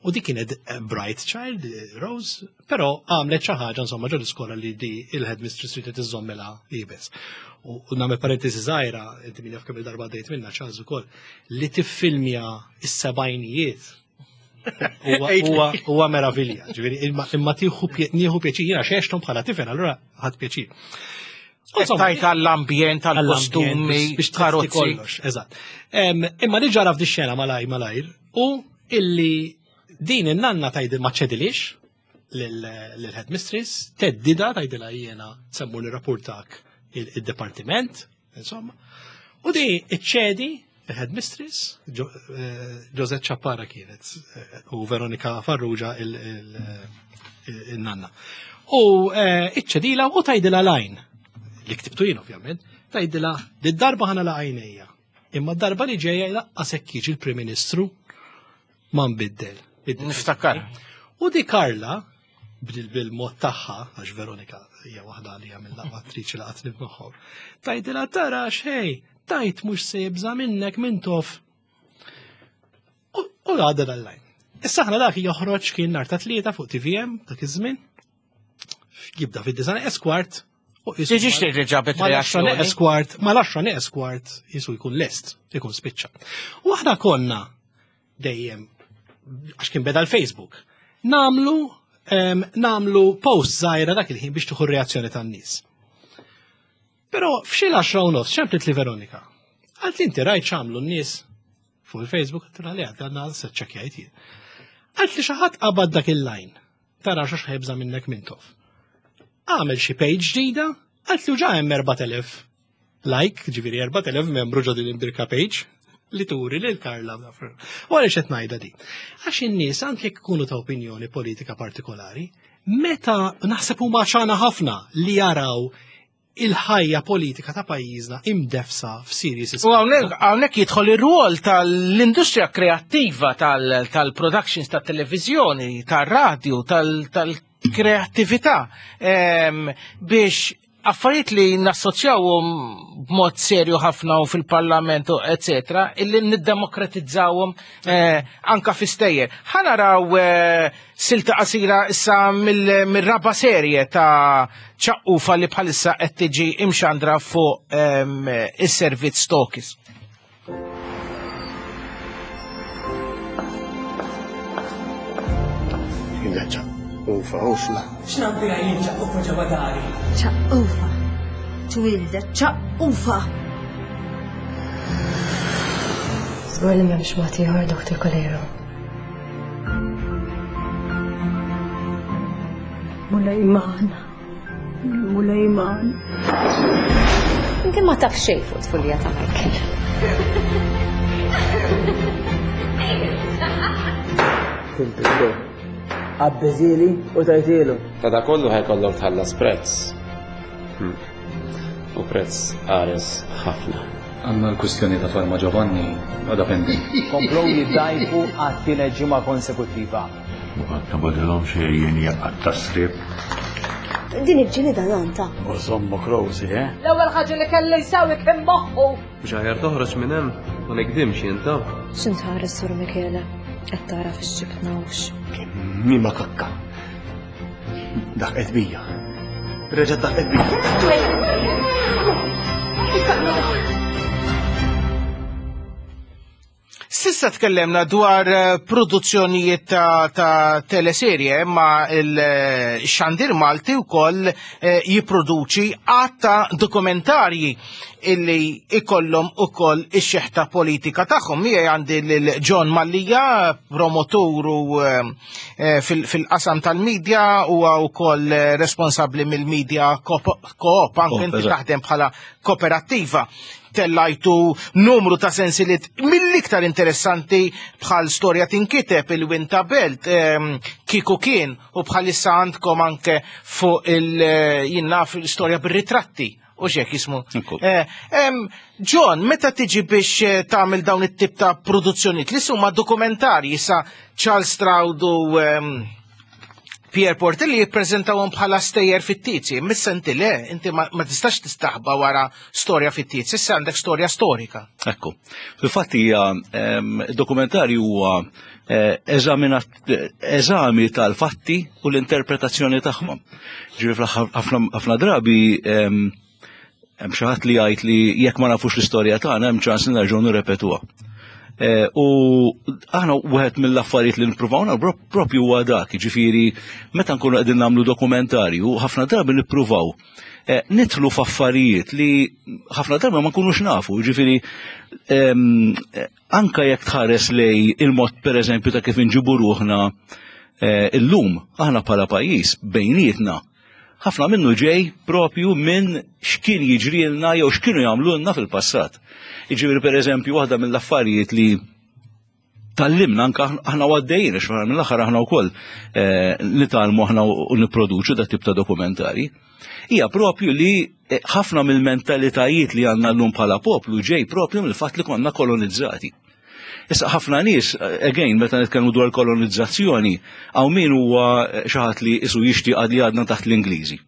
U di kienet eh, bright child, eh, Rose, però għamlet xi ħaġa insomma ġo l-iskola li di il-headmistress ridet iżżommilha iebes. U u nagħmel parentesi żgħira, inti min jaf kemm il-darba dejt minna Charles ukoll, li tiffilmja is-sebgħinijiet huwa- huwa huwa meravilja. Ġifieri imma imma tieħu pje- nieħu pjaċir, jiena xextom bħala tifel, allura ħadd pjaċir. Insomma, tajt għall-ambjent, għall-kostumi, biex tlesti karozzi. Kollox, eżatt. Em, Imma li ġara f'di xena malajr malajr u illi din in-nanna tgħid ma ċedilix lill-headmistress, theddidha, tgħidilha jiena se mmur nirrapportak il-departiment, insomma. U di iċċedi il-headmistress, Jo- eh, Josette Ciappara kienet, eh, u Veronika Farrugia il- il- il-nanna. U eh, iċċedila u tgħidilha line, li ktibtu jien ovvjament, tgħidilha di darba ħa nagħlaq għajnejja. Imma d-darba li ġejja lanqas hekk jiġi il-Prim Ministru ma nbiddel. Niftakar. U di Karla, bil- bil-mod tagħha, għax Veronika hija waħda li hija mill-aqwa attriċi li qatt nibnuħom. Tgħidilha tara xej, tajt mhux se jibża minnek Mintoff. U u għadda dal-line. Issa aħna dak joħroġ kien nhar ta' Tlieta fuq T V M dak iż-żmien. Jibda fid-disa' neqes kwart. U jisu Tiġix tgħid li ġabet mal-għaxra reazzjoni. neqes kwart, mal-għaxra neqes kwart jisu jkun lest, jkun spiċċa. U aħna konna dejjem, għax kien beda l-Facebook, namlu em, namlu post żgħira dak il-ħin biex tieħu reazzjoni tan-nies. Però f'xi l-għaxra u nofs ċemplet li Veronika. Għalt li inti rajt x'għamlu n-nies fuq il-Facebook, għedtilha li għadna se ċċekkjajt jien. Għalt li xi ħadd qabad dak il-line. Tara xax ħa jibża' minnek Mintoff. Għamel xi page ġdida, għalt li ġa hemm erbat elef Like, ġifieri erbat elef membru ġo din il-Birka page li turi lil Karla. U għaliex qed ngħidha di? Għax in-nies, anke jekk ikunu ta' opinjoni politika partikolari, meta naħseb huma ċana ħafna li jaraw il-ħajja politika ta' pajjiżna imdefsa f'series. U hawnhekk hawnhekk jidħol ir-rwol tal-industrija kreattiva, tal-productions tat-televiżjoni, tar-radju, tal-kreattività ehm, biex affarijiet li nassoċjawhom b'mod serju ħafna u fil-parlament u eccetera, illi niddemokratizzawhom eh, anka fi stejjer. Ħa naraw eh, silta qasira issa mill-raba serje ta' Ċaqqufa li bħalissa qed tiġi imxandra fuq ehm, is-servizz Tokis. Ufa, ufla. X'naf biha jien ċaqqufa ġewwa dari? Ċaqqufa. Twildet ċaqqufa. Żgur li m'hemmx mod ieħor, Doktor Coleiro? Mulej magħna. Mulej magħna. Inti ma taf xejn fuq tfulija ta' Michael. Tilbistu. Abbeżili u tajtilu. Ta' da kollu ħa jkollok tħallas prezz. Hmm. U prezz qares ħafna. Għandna l-kwistjoni ta' Farma Giovanni għadha pending. Komplow jiddajfu għat-tielet ġimgħa konsekuttiva. Muqat nabadilhom xejn jaqgħad tasrib. Din il-ġilida nanta. U żommu Rosie, eh? L-ewwel ħaġa li kelli jsawi kien moħħu. Mhux aħjar toħroġ minn hemm, ma nikdimx jien ta'. X'intħares, Sur Michele? Qed tara fix-xibtna hux. Mi ma kakka. Daħqet bija. Reġgħet daħqet bija. S'issa tkellemna dwar eh, produzzjonijiet ta', ta teleserje, imma il-xandir Malti wkoll eh, jipproduċi għadd ta' dokumentarji illi ikollhom ukoll ix-xeħta politika tagħhom. Miegħi għandi lil John Mallia, promotur u eh, fil-qasam tal-medja, huwa wkoll responsabbli mill-media co-op, anke inti taħdem bħala kooperattiva. Tellajtu numru ta' sensiliet mill-iktar interessanti bħal Storja Tinkiteb, il-Winta Belt, ehm, Kiku Kien, u bħalissa għandkom anke fuq il- naf storja bir-ritratti. U xek jismu. Eh, em, John, meta tiġi biex eh, tagħmel dawn it-tip ta' produzzjonijiet li huma dokumentarji sa Charles Stroud u ehm, Pierre Portelli jippreżentawhom bħala stejjer fittizji, missa inti le, inti ma, ma tistax tistaħba wara storja fittizji, issa għandek storja storika. Ekku. Fil-fatt hija ehm, dokumentarju huwa eh, eżaminat- eżami tal-fatti u l-interpretazzjoni tagħhom. Ġifieri fl-aħħar ħafna ħafna drabi ehm, hemm xi ħadd li jgħid li jekk ma nafux l-istorja tagħna hemm ċans li nerġgħu nirrepetuha. Eh, U aħna wieħed mill-affarijiet li nippruvaw nagħmlu propju huwa dak, ġifieri meta nkunu qegħdin nagħmlu dokumentarju, ħafna drabi nippruvaw eh, nidħlu f'affarijiet li ħafna drabi ma nkunux nafu, ġifieri ehm, eh, anka jekk tħares lej il-mod, pereżempju, ta' kif inġibu ruħna eh, illum aħna bħala pajjiż bejnietna, ħafna minnu ġej propju minn x'kien jiġrilna jew x'kienu jagħmlulna fil-passat. Jiġifieri, pereżempju, waħda mill-affarijiet li tgħallimna anka aħna għaddejjin, għax mill-aħħar aħna wkoll eh, nitgħallmu aħna u nipproduċu dat tip ta' dokumentari, hija propju li eh, ħafna mill-mentalitajiet li għandna llum bħala poplu ġej propju mill-fatt li konna kolonizzati. Issa ħafna nies, eh, again, meta nitkellmu dwar kolonizzazzjoni, hawn min huwa xi ħadd li isu jixtieq li għadna taħt l-Ingliżi.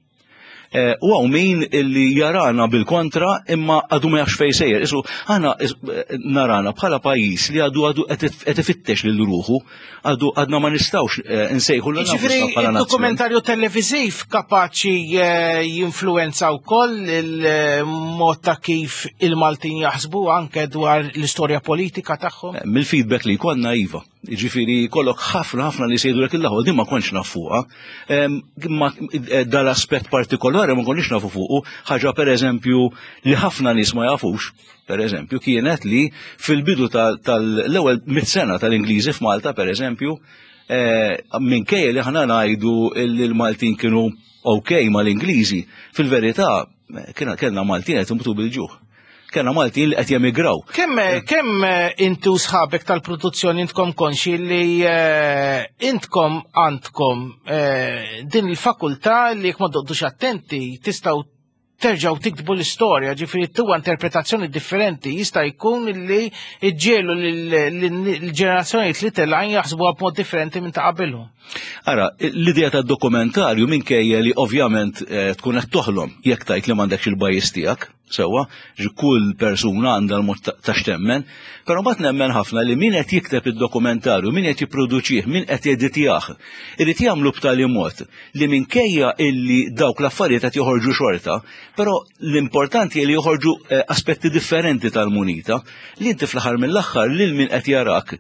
Eh, U hawn min illi jarana bil-kontra imma għadu ma jafx fej sejjer. Isu aħna is- eh, narana bħala pajjiż li għadu għadu qed ifittex lil ruħu, għadu għadna ma nistgħux eh, nsejħu lil Ġifieri bħala nazzjon. il-dokumentarju televiżiv kapaċi eh, jinfluenza wkoll il-mod ta' kif il-Maltin jaħsbu anke dwar l-istorja politika tagħhom. Mill-feedback li jkollna, iva. Ġifieri kollok ħafna ħafna li sejdu l il din ma kontx naf fuqha. Em, Ma eh, dal-aspett partikolari ma konniex nafu fuqu, ħaġa per eżempju li ħafna nies ma jafux, per eżempju, kienet li fil-bidu tal- tal-ewwel mit sena tal-Ingliżi f'Malta, per eżempju, eh, minkejja li ħana ngħidu li l-Maltin kienu ok mal-Ingliżi, fil-verità eh, kiena kellna Maltin qed imutu bil-ġuħ. Kellna Maltin li qed jemigraw. Kemm kemm eh, intu sħabek tal-produzzjoni intkom konxi li eh, intkom għandkom eh, din il-fakultà li jekk ma toqgħodux attenti tistgħu terġgħu tiktbu l-istorja, ġifieri tuwa interpretazzjoni differenti, jista' jkun li iġġiegħlu l-ġenerazzjonijiet li telgħin jaħsbuha b'mod differenti minn ta' qabilhom. Ara, l-idea ta' dokumentarju, minkejja li ovvjament eh, tkun qed toħlom jekk tgħid li m'għandekx il-bias tiegħek, sewwa, ġi kull persuna għandha l-mod ta' ta' x'temmen, però mbagħad nemmen ħafna li min qed jikteb id-dokumentarju, min qed jipproduċih, min qed jeditjah, irid jagħmlu b'tali mod li minkejja illi dawk l-affarijiet qed joħorġu xorta, però l-importanti li joħorġu eh, aspetti differenti tal-munita li inti fl-aħħar mill-aħħar lil min qed jarak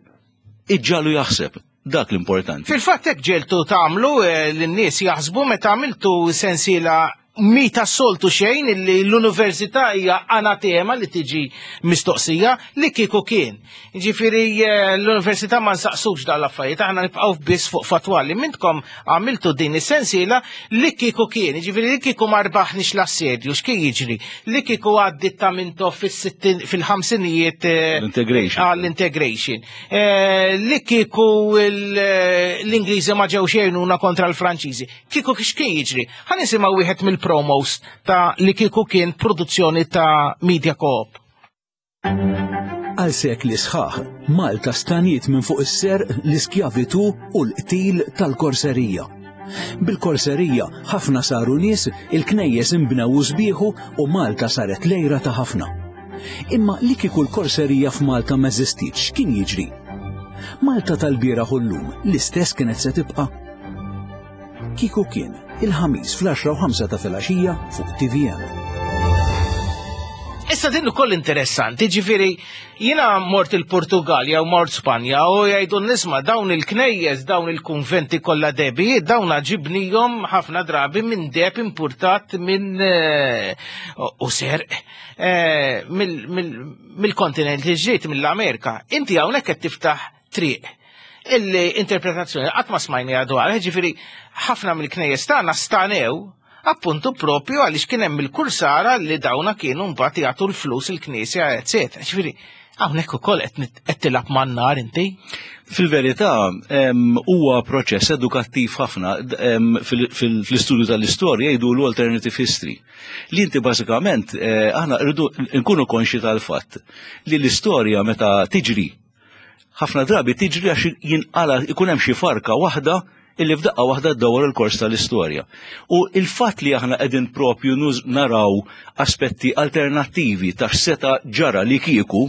iġġagħlu jaħseb. Dak l-importanti. Fil-fatt hekk ġiegħeltu tagħmlu eh, lin-nies jaħsbu meta għamiltu sensiela mi tas-soltu xejn illi l-università hija anatema li tiġi mistoqsija li kieku kien. Ġifieri eh, l-università ma nsaqsux dan l-affarijiet, aħna nibqgħu biss fuq fatwali. Mintkom għamiltu din is-sensiela li kieku kien, ġifieri li kieku ma rbaħniex l-assedju, x'kien jiġri? Li kieku għaddit ta' Mintoff fis-sittin fil-ħamsinijiet eh, L-integration. Għall-integration. Eh, Li kieku il- l-Ingliżi ma ġewx jgħinuna kontra l-Franċiżi. Kieku x'kien jiġri? Ħa nisimgħu wieħed mill-promos ta' li kieku kien, produzzjoni ta' Media Coop. Għal sekli sħaħ, Malta staniet minn fuq is-serq, l-iskjavitu u l-qtil tal-korserija. Bil-korserija ħafna saru nies, il-knejjes imbnew u sbieħu u Malta saret lejra ta' ħafna. Imma li kieku l-korserija f'Malta ma eżistitx, kien jiġri? Malta tal-bieraħ u llum l-istess kienet se tibqa'? Kieku kien, il-Ħamis fl-għaxra u ħamsa ta' filgħaxija fuq T V M. Issa din ukoll interessanti, ġifieri jiena mort il-Portugal jew mort Spanja u jgħidu nisma' dawn il-knejjes, dawn il-kunventi kollha debi, dawn ġibnihom ħafna drabi minn deheb importat minn eh, u serq eh, mill- mill- mill-kontinent li ġiet mill-Amerika. Inti hawnhekk qed tiftaħ triq illi interpretazzjoni qatt ma smajni dwar, ġifieri ħafna mill-knejjes tagħna stanew appuntu propju għaliex kien hemm il-kursara li dawna kienu mbagħad jagħtu l-flus il-knisja, eċetera. Ġifieri hawnhekk ukoll qed nit- qed tilgħab man-nar inti. Fil-verità, em, huwa proċess edukattiv ħafna d- em, fil- fil- fl-istudju tal-istorja jgħidu l-alternative history. Li inti bażikament eh, aħna rridu nkunu konxi tal-fatt li l-istorja meta tiġri, ħafna drabi tiġri għax jinqala ikun hemm xi farka waħda illi f'daqqa waħda ddawwar il-kors tal-istorja. U il-fatt li aħna qegħdin propju nuż- naraw aspetti alternattivi ta' x'seta ġara li kieku,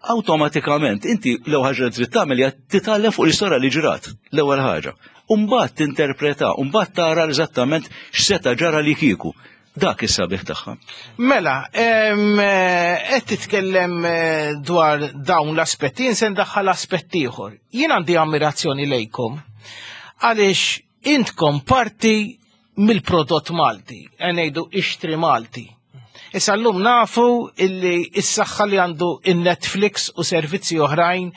awtomatikament inti l-ewwel ħaġa li trid tagħmel hija titgħallem fuq l-istorja li ġrat, l-ewwel ħaġa. U mbagħad tinterpreta, u mbagħad tara eżattament x'seta ġara li kieku. Dak is-sabiħ tagħha. Mela, em, eh, qed titkellem eh, dwar dawn l-aspetti, jien se ndaħħal aspett ieħor. Jien għandi ammirazzjoni lejkom għaliex intkom parti mill-prodott Malti, ngħidu ixtri Malti. Issa llum nafu illi s-saħħa li għandu in-Netflix u servizzi oħrajn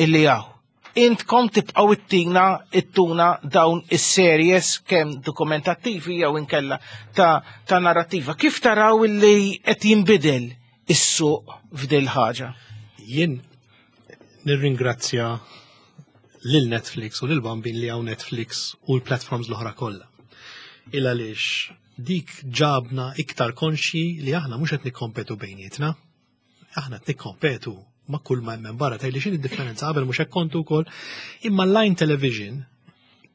illi hawn. Intkom tibqgħu ittina ittuna dawn is-series kemm dokumentattivi jew inkella ta', ta' narrativa. Kif taraw illi qed jinbidel is-suq f'dil ħaġa? Jien nirringrazzja lil Netflix u lil Bambin li hawn Netflix u l-platforms l-oħra kollha. Il għaliex dik ġabna iktar konxi li aħna mhux qed nikkompetu bejnietna. Aħna qed nikkompetu ma' kull ma hemm barra. Tgħidli x'inhi d-differenza, qabel mhux hekk kontu wkoll. Imma line television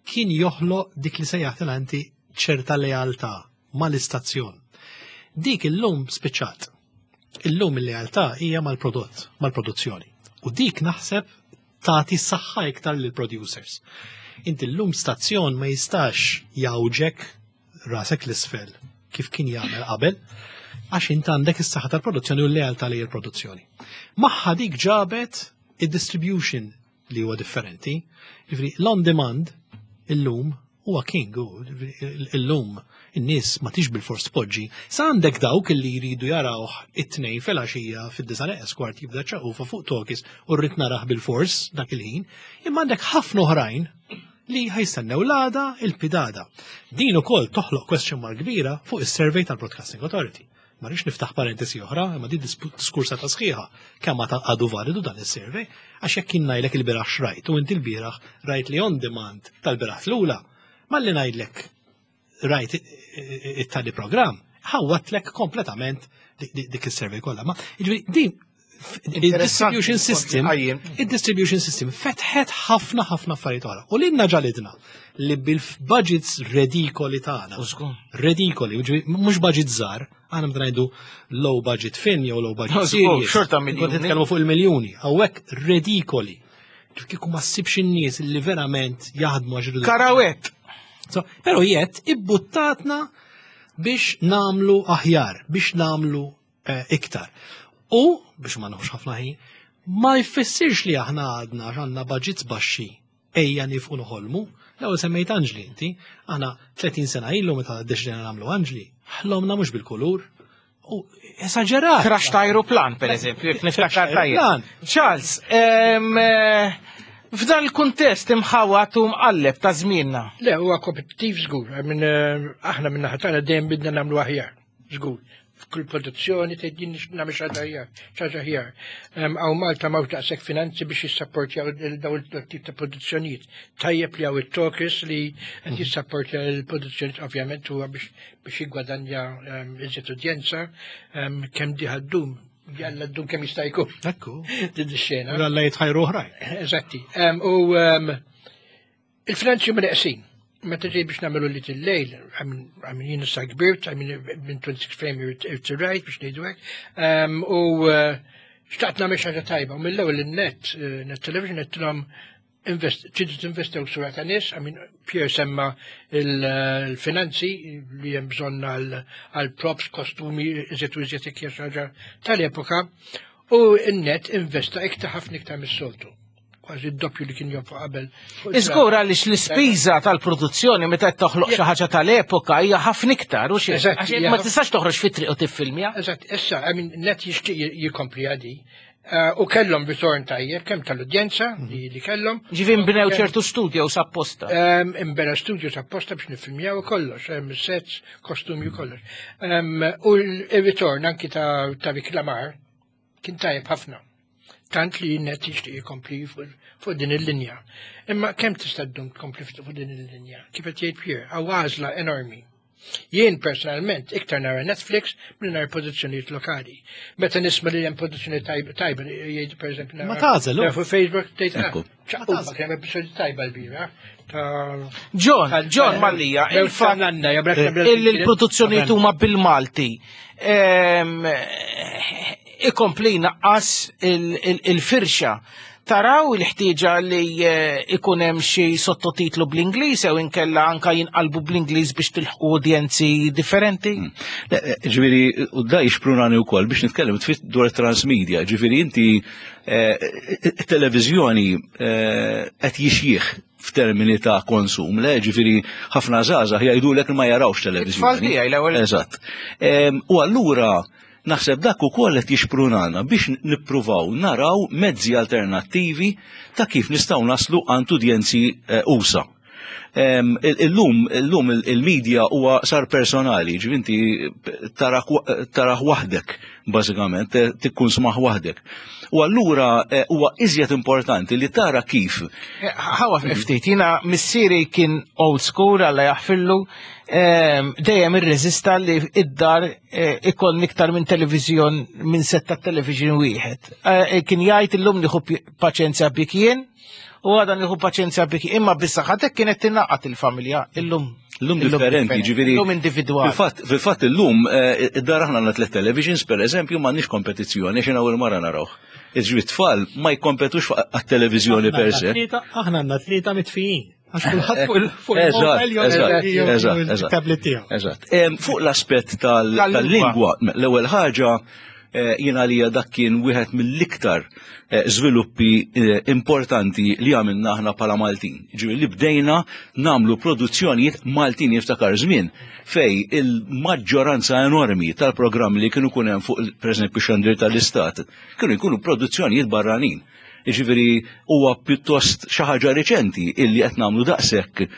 kien joħloq dik li sejjaħt inti ċerta lealtà mal-istazzjon. Dik illum spiċċat. Illum il-lealtà hija mal-prodott, mal-produzzjoni. U dik naħseb tagħti saħħa iktar lil producers. Inti llum stazzjon ma jistax jawġek rasek l-isfel kif kien jagħmel qabel, għax int għandek is-saħħa tal-produzzjoni u l-lealtà li l-produzzjoni. Magħha dik ġabet id-distribution li huwa differenti. Ġifieri l-on demand illum huwa king, u illum in-nies ma tix bil-fors tpoġġi. Sa għandek dawk li jridu jarawh it-Tnejn filgħaxija fid-disa neqes kwart jibda ċaqufa fuq Talkies u rrid narah bil-fors dak il-ħin, imma għandek ħafna oħrajn li ħa jistennew l-għada il-pitgħada. Din ukoll toħloq question mark kbira fuq is-survey tal-Broadcasting Authority. Ma rridx niftaħ parentesi oħra, imma di diskursa ta' sħiħa kemm ma għadu validu dan is-survey, għax jekk kien ngħidlek il-bieraħ xrajt u inti l-bieraħ rajt li on demand tal-bieraħ l-ula, malli ngħidlek rajt it-tali programm, ħawwatlek kompletament dik is-survey kollha. Ma jiġifieri din il-distribution system, il-distribution system fetħet ħafna ħafna affarijiet oħra. U lilna ġalidna li bil-budgets redikoli tagħna. Redikoli, mhux budget żgħar, aħna meta ngħidu low budget film jew low budget series. Xorta miljuni. Nitkellmu fuq il-miljuni, hawnhekk redikoli. Kieku ma ssibx in-nies li verament jaħdmu għax Karawett. Però jett ibbuttatna biex namlu aħjar, biex namlu iktar. U, biex ma nħux ħafna ħin, ma jfissirx li aħna għadna għandna budgets baxxi ejja nifqu noħolmu. L-ewwel semmejt Anġli inti, aħna tletin sena ilu meta ddeċidejna nagħmlu Anġli, ħlomna mhux bil-kulur. U esaġerat. Crash ta' aeroplan, per eżempju, jekk niftakar tajjeb. Charles, f'dan il-kuntest imħawat u mqalleb ta' żmienna. Le, huwa kompetittiv żgur, aħna minn naħa tagħna dejjem bidna nagħmlu aħjar, żgur. F'kull produzzjoni tgħid jien nagħmel xi ħaġa ħaġa aħjar. Hawn Malta m'hawnx daqshekk finanzi biex jissapportjaw dawn it-tip ta' produzzjonijiet. Tajjeb li hawn it-Tokis li qed jissapportja l-produzzjonijiet ovvjament huwa biex biex jiggwadanja iżjed udjenza, kemm diħa ddum, jalla ddum kemm jista' jkun. Ekku. Din ix-xena. Jalla jitħajru oħrajn. Eżatti. U il-finanzi huma neqsin. Meta ġej biex nagħmlu li til-lejl, għamin jien issa kbirt, għamin minn twenty-six frame irtirajt biex ngħidu hekk, u xtaqt nagħmel xi ħaġa tajba, u mill-ewwel in-net, net television qedtilhom tridu tinvestew sura ta' nies, għamin Pierre semma il-finanzi li hemm bżonn għal props, kostumi, iżjed u iżjed jekk hija xi ħaġa tal-epoka, u n-net investa iktar ħafna iktar mis-soltu. Kważi d-doppju li kien jonfoq qabel. Iżgur għaliex l-ispiża tal-produzzjoni meta qed toħloq xi ħaġa tal-epoka hija ħafna iktar u xi. Għax ma tistax toħroġ fit-triq u tiffilmja. Eżatt, issa I mean net jixtieq jikompli għadi. U kellhom ritorn tajjeb kemm tal-udjenza li kellhom. Ġifieri nbnew ċertu studio sapposta. Imbena studio sapposta biex niffilmjaw kollox, sets, kostumi u kollox. U l-ritorn anki ta' riklamar kien tajjeb ħafna. Tant li net jixtieq jkompli fuq din il-linja. Imma kemm tista' ddum tkompli fuq din il-linja? Kif qed jgħid Pierre, hawn għażla enormi. Jien personalment iktar nara Netflix milli nara produzzjonijiet lokali. Meta nisma' li hemm produzzjoni tajba, jgħid pereżempju Ma tagħżel fuq Facebook tgħid ċaqquba kemm episodju tajba l-bira. John, John Mallia, il-fatt il-produzzjonijiet huma bil-Malti. Ikompli naqqas il-firxa. Taraw il-ħtieġa li ikun hemm xi sottotitlu bl-Ingliż jew inkella anka jinqalbu bl-Ingliż biex tilħqu udjenzi differenti? Ġifieri, u da jixprunani wkoll biex nitkellem tfit dwar transmedia. Ġifieri inti televiżjoni qed jixjih f'termini ta' konsum, le, ġifieri ħafna żgħażagħ jgħidulek li ma jarawx televiżjoni. It-tfal tiegħi l-ewwel. Eżatt. U allura naħseb dak ukoll qed jixprunana biex nippruvaw naraw mezzi alternattivi ta' kif nistgħu naslu għand udjenzi usa. Illum illum il-medja huwa sar personali, ġifieri inti taraħ waħdek bażikament, tikkun smaħ waħdek. U allura huwa iżjed importanti li tara kif. Ħawa ftit, jiena missieri kien old school alla jaħfillu, dejjem irreżista li id-dar ikoll iktar minn televiżjon minn setta television wieħed. Kien jgħid illum nieħu paċenzja bik jien u għadha nieħu paċenzja bik, imma bis-saħħa kienet tingħaqad il-familja illum. Illum differenti, ġifieri. Illum individwali. Fil-fatt illum id-dar aħna għandna tliet televisions pereżempju m'għandniex kompetizzjoni għax ewwel mara narawh. Iġri tfal ma jkompetux għat-televiżjoni per se. Aħna għandna tlieta mitfijin. Għax kulħadd fuq il-mobile jew il-tablet tiegħu. Eżatt. Fuq l-aspett tal-lingwa, l-ewwel ħaġa jiena għalija dak kien wieħed mill-iktar żviluppi importanti li għamilna aħna bħala Maltin. Ġifieri li bdejna nagħmlu produzzjonijiet Maltin jiftakar żmien fej il-maġġoranza enormi tal-programmi li kienu jkun hemm fuq pereżempju xandir tal-Istat kienu jkunu produzzjonijiet barranin. Ġifieri huwa pjuttost xi ħaġa riċenti illi qed nagħmlu daqshekk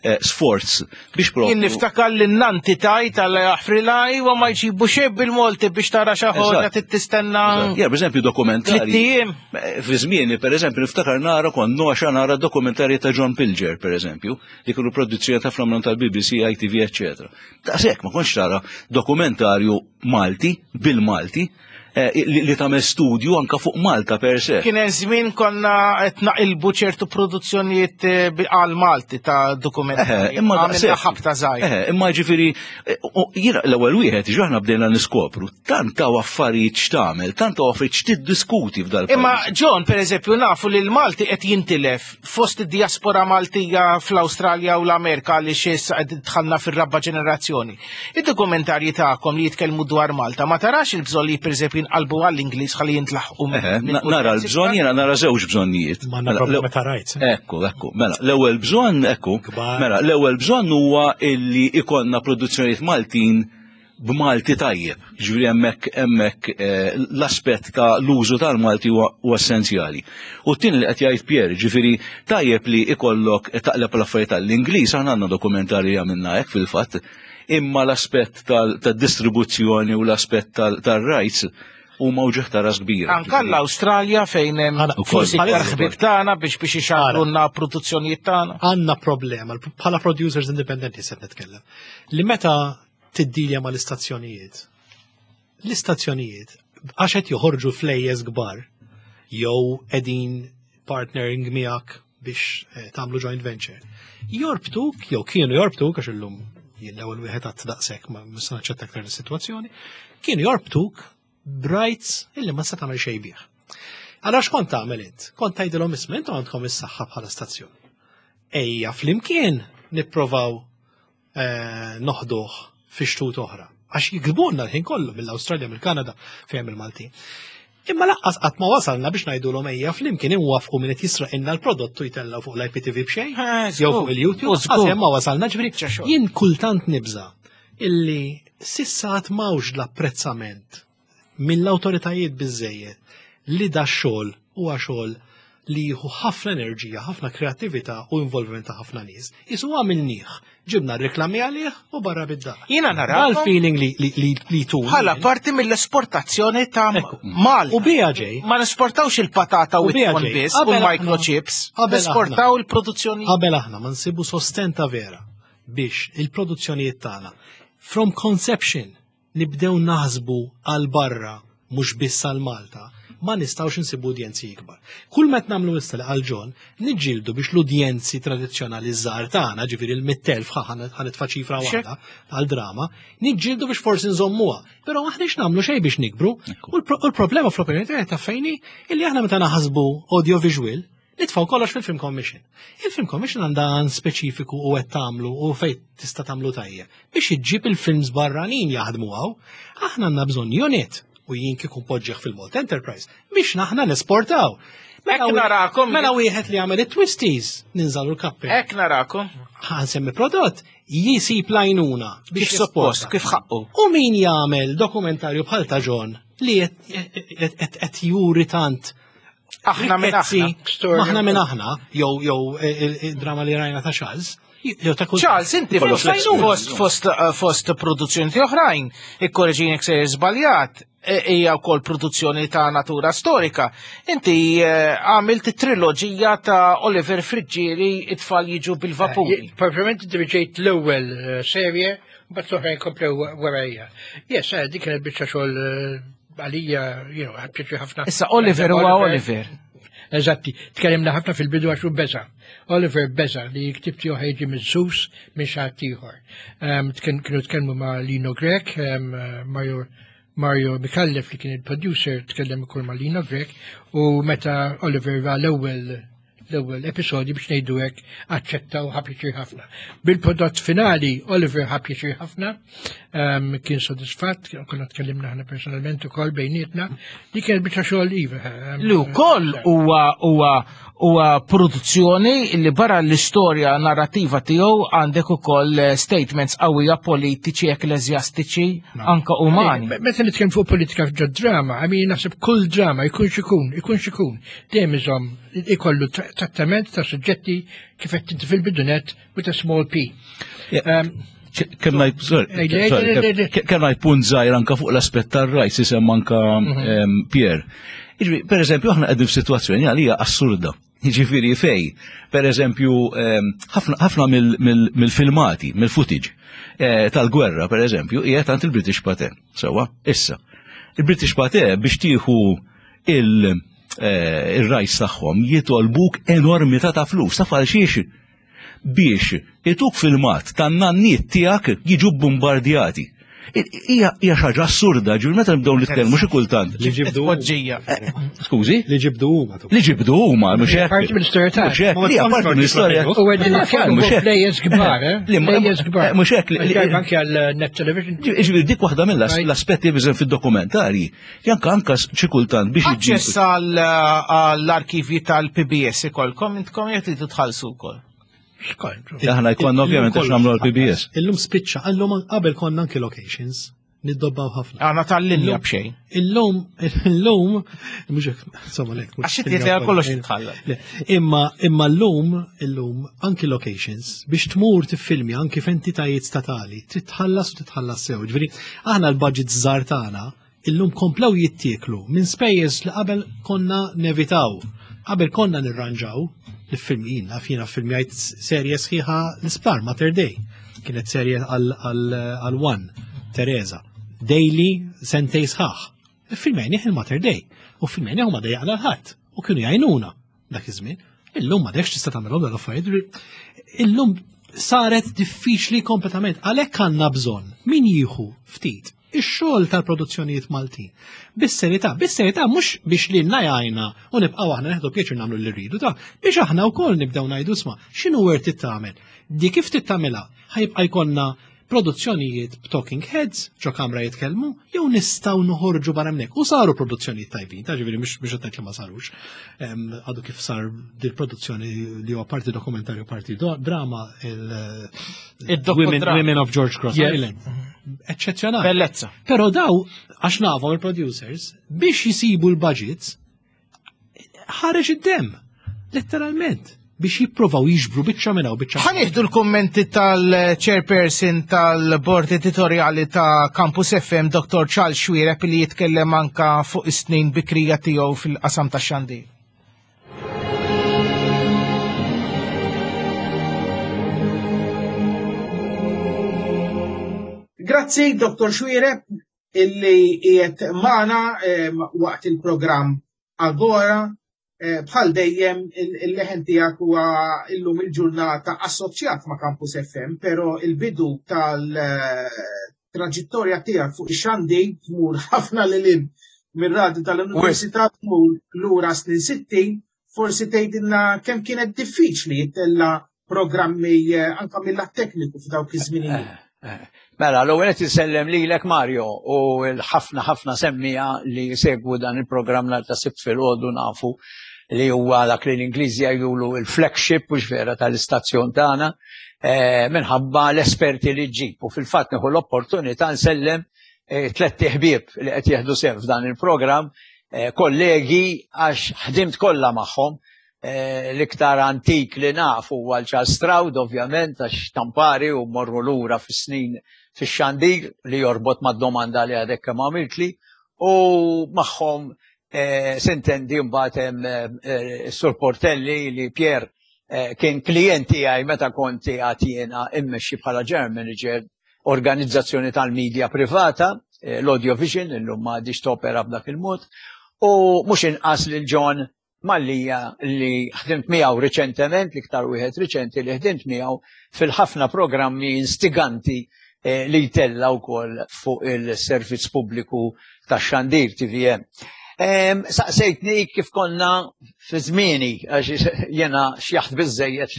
eh, sforz biex Jien propju. niftakar li n-nanti tajt għalla jaħfrilha iwa ma jġibu xejn bil-Malti biex tara xi ħaġa Eżatt. tistenna. Ja, per eżempju, dokumentari. Tliet ijiem. Eh, Fi żmieni, per eżempju, niftakar nara kont noxa nara dokumentarji ta' John Pilger, per eżempju, li kienu produzzjoni ta' fl tal-B B C, I T V, eccetera. Daqshekk ma kontx tara dokumentarju Malti, bil-Malti, eh, li, li tagħmel studju anka fuq Malta per se. Kien hemm żmien konna qed naqilbu ċertu produzzjonijiet eh, bi- għal Malti ta' dokumentarji. Eh, imma Għamilna daqshekk. ħabta żgħir. Eh, imma ġifieri, eh, u- jiena l-ewwel wieħed ġaħna bdejna niskopru, tant hawn affarijiet x'tagħmel, tant hawn affarijiet x'tiddiskuti f'dal Imma John, per eżempju, nafu li l-Malti qed jintilef fost id-diaspora Maltija fl-Awstralja u l-Amerika li issa qed dħalna fir-raba' ġenerazzjoni. Id-dokumentarji tagħkom li jitkellmu dwar Malta, ma tarax il-bżonn li pereżempju jinqalbu għall-Ingliż ħalli jintlaħqu Eħe, na- nara l-bżonn, jiena nara żewġ bżonnijiet. Ma Mela, problema l- ta' rights. Ekku, ekku. Mela, l-ewwel bżonn, ekku, mela, l-ewwel bżonn huwa illi ikollna produzzjonijiet Maltin b'Malti tajjeb. Ġifieri hemmhekk hemmhekk eh, l-aspett ta' l-użu tal-Malti huwa huwa essenzjali. U t-tieni li qed jgħid Pierre, ġifieri tajjeb li ikollok taqleb l-affarijiet tal-Ingliż, aħna għandna dokumentarji għamilna hekk fil-fatt, imma l-aspett tal-distribuzzjoni u l-aspett tal-rights huma uġigħ ta' ras kbira. Anka l-Awstralja fejn hemm forsi iktar ħbieb tagħna biex biex ixandrulna produzzjonijiet tagħna. Għandna problema, bħala producers indipendenti se nitkellem, li meta tiddilja ma l-istazzjonijiet, l-istazzjonijiet, għax qed joħorġu flejjes kbar, jew qegħdin partnering miegħek biex eh, tagħmlu joint venture. Jorbtuk, jew kienu jorbtuk, għax illum jien l-ewwel wieħed għad daqshekk ma nista' naċċetta aktar is-sitwazzjoni, kienu jorbtuk b'rights illi ma se tagħmel xejn bih. Allora x'kont tagħmel int? Kont tgħidilhom, isma', intom għandkom is-saħħa bħala stazzjon. Ejja flimkien nipprovaw eh, noħduh fi xtut oħra. Għax jiktbulna l-ħin kollu mill-Awstralja, mill-Kanada, fejn il-Maltin. Imma lanqas qatt ma wasalna biex ngħidulhom ejja flimkien inwafqu min qed jisraqilna l-prodottu jtellgħu fuq l-I P T V b'xejn, jew fuq il-YouTube, għax hemm ma wasalna. Ġifieri jien kultant nibża illi s'issa qatt m'hawnx l-apprezzament mill-awtoritajiet biżejjed li da xogħol huwa xogħol li jieħu ħafna enerġija, ħafna kreattività u involviment ta' ħafna nies. Isu għamilnieh, ġibna reklami għalih u barra bid-dar. Jiena narakom Dal-feeling li li li, li tu. bħala parti mill-esportazzjoni ta' Malta. U bija ġej. Ma nesportawx il-patata u U bija it-ton ġej. biss u Qabel aħna- l-microchips. qabel Nesportaw aħna- il-produzzjoni. Qabel aħna ma nsibu sostenta vera biex il-produzzjonijiet tagħna from conception nibdew naħsbu għal barra mhux biss għal Malta, ma nistgħux insibu udjenzi ikbar. Kull meta nagħmlu issa li għal John, niġġieldu biex l-udjenzi tradizzjonali żgħar tagħna, ġifieri l-mitt elf, ħa nitfa' ċifra waħda għal drama, niġġieldu biex forsi nżommuha. Però aħniex nagħmlu xejn biex nikbru. U l-problema fl-opinjoni tiegħi ta' fejni illi aħna meta naħsbu audiovisual nitfaw kollox fil-Film Commission. Il-Film Commission għandha għan speċifiku u qed tagħmlu u fejn tista' tagħmlu tajjeb biex iġġib il-films barranin jaħdmu hawn. Aħna għandna bżonn unit u jien kieku poġġeħ fil-Malta Enterprise biex naħna nesportaw. Hekk narakom. Mela wieħed li jagħmel it-twisties ninżalu l-kappi. Hekk narakom. Ħa nsemmi prodott jisib lajnuna biex Kif suppost, jesporta. kif ħaqqu. U min jagħmel dokumentarju bħal ta' John li qed juri tant Aħna minn rikkezzi, aħna. Aħna minn aħna, jew jew il-drama li rajna ta' Charles, jew ta' kull. Charles, inti fost, fost, fost, eh, fost produzzjoni oħrajn, ikkorreġini jekk sejjer żbaljat, eh, hija wkoll produzzjoni ta' natura storika. Inti eh, għamilt triloġija ta' Oliver Friggieri, It-tfal jiġu bil-vapuri. Propriament diriġejt l-ewwel eh, serje, mbagħad l-oħrajn komplew warajja. Yes, eh, dik kienet biċċa xogħol eh, għalija, you know, pjaċir ħafna. Issa Oliver huwa Oliver. Eżatti, tkellimna ħafna fil-bidu għax hu beża. Oliver beża li ktib tiegħu ħa jiġi miżżuż minn xi ħadd ieħor. Em, tken- Kienu tkellmu ma' Lino Grech, em, Mario Mario Micallef li kien il-producer tkellem ukoll ma' Lino Grech u meta Oliver ra l-ewwel l-ewwel episodju, biex ngħidu hekk, aċċettaw, ħa pjaċir ħafna. Bil-prodott finali Oliver ħa pjaċir ħafna, um, kien sodisfatt, konna tkellimna aħna personalment ukoll bejnietna, li kien biċċa xogħol iva. Um, Li wkoll huwa huwa huwa produzzjoni li barra l-istorja narrativa tiegħu għandek ukoll eh, statements qawwija politiċi, ekklesjastiċi, anka umani. Eh, Meta nitkellem fuq politika f'ġo drama, I mean, naħseb kull drama jkun xikun, ikun xikun, dejjem iżomm ikollu trattament ta' suġġetti kif qed inti fil-bidunet with a small p. Kemm ngħid punt żgħir anke fuq l-aspett tar-rights isem anke Pierre. Per eżempju, aħna qegħdin f'sitwazzjoni għalija assurda. Jiġifieri fej, per eżempju, ħafna mill-filmati, mill-footage tal-gwerra, per eżempju, qiegħed għand il-British Pathé. Sewwa, issa. Il-British Pathé biex tieħu il-rights tagħhom jitolbuk enormità ta' flus, taf għal xiex? Biex ituk filmat tan-nanniet tiegħek jiġu bombardjati. Hija xi ħaġa assurda, ġifieri meta nibdew nitkellmu xi kultant. Li ġibdu poġġija. Skużi? Li ġibdu huma. Li ġibdu huma, mhux hekk. Parti mill-istorja tagħna. Mhux hekk, li parti mill-istorja. U qegħdin nitkellmu plejers kbar, eh? Plejers kbar. Mhux hekk. Anke għal net television. Ġifieri dik waħda mill-aspetti biżen fid-dokumentarji. Janka anka xi kultant biex Aċċess għall-arkivji tal-P B S ikolkom intkom jekk tridu tħallsu wkoll. Aħna jkollna ovvjament għax nagħmlu għall-P B S. Illum spiċċa, illum qabel konna anke locations, niddobbaw ħafna. Għana tal-linja b'xejn. Illum, illum, mhux hekk, insomma lek. Għax inti tgħid kollox titħalla. Imma imma llum, illum anke locations biex tmur tiffilmi anke f'entitajiet statali, trid tħallas u titħallas sew. Ġifieri aħna l-budget żgħar tagħna illum komplew jittieklu minn spejjeż li qabel konna nevitaw. Qabel konna nirranġaw l-filmin, naf jiena filmjajt serje sħiħa l-isptar Mater Dei. Kienet serje għal One, Teresa. Daily sentej sħaħ. Filmjajni il-Mater Dei. U filmjajni huma dejjaqna l-ħadd. U kienu jgħinuna dak iż-żmien. Illum ma dekx tista' tagħmelhom dawn l-affarijiet. Illum saret diffiċli kompletament. Għalhekk għandna bżonn min jieħu ftit ix-xogħol tal-produzzjonijiet Maltin. Bis-serjetà, bis-serjetà mhux biex lilna jgħinna u nibqgħu aħna neħdu pjaċir nagħmlu li rridu ta' biex aħna wkoll nibdew ngħidu isma' x'inhu worth it tagħmel. Di kif tittamilha ħajbqa' jkollna produzzjonijiet b'talking heads, ġo kamra jitkellmu, jew nistgħu noħorġu barra hemmhekk. U saru produzzjonijiet tajbin, ta' ġifieri mhux biex qed li ma sarux. Għadu kif sar dil-produzzjoni li huwa parti dokumentarju, parti drama, il- Women of George Cross Island. Eċċezzjonali. Bellezza. Però daw, għax nafhom il-producers, biex jisibu l-budgets, ħareġ id-dem, letteralment, biex jipprovaw jiġbru biċċa minn hawn biċċa. Ħa nieħdu l-kummenti tal-chairperson tal-bord editorjali ta' Campus F M, Doktor Charles Xuereb, li jitkellem anka fuq is-snin bikrija tiegħu fil-qasam tax-xandir. Grazzi, Doktor Xuereb, illi qiegħed magħna waqt il-programm Agora. Bħal dejjem il-leħen tiegħek huwa illum il-ġurnata assoċjat ma' Campus F M, però il-bidu tal-traġittorja tiegħek fuq ix-xandir tmur ħafna lil hinn mir-radju tal-Università tmur lura snin sittin, forsi tgħidilna kemm kienet diffiċli jittella programmi anke mill-lat tekniku f'dawk iż-żminijiet. Mela, l-ewwel qed insellem lilek Mario u l-ħafna ħafna semmija li segwu dan il-programm nhar ta' Sibt filgħodu nafu li huwa dak li l-Ingliżi jgħidulu il-flagship mhux vera tal-istazzjon tagħna minħabba l-esperti li ġġib. U fil-fatt nieħu l-opportunità nsellem tliet ħbieb li qed jieħdu sehem f'dan il-programm, kollegi għax ħdimt kollha magħhom. L-iktar antik li naf huwa l-Charles Stroud, ovvjament, għax tampari u morru lura fis-snin fix-xandir li jorbot mad-domanda li għadek kemm għamiltli, u magħhom sintendi mbagħad hemm is-Sur Portelli li Pierre kien klient tiegħi meta kont qiegħed jiena immexxi bħala general manager organizzazzjoni tal-medja privata, l-Audio Vision, illum ma għadix topera b'dak il-mod, u mhux inqas lil John Mallia li ħdimt miegħu riċentement, l-iktar wieħed riċenti li ħdimt miegħu fil-ħafna programmi instiganti li jtella wkoll fuq il-servizz pubbliku tax-xandir T V M. Saqsejtni kif konna fi żmieni, għax jiena xjaħt biżżejjed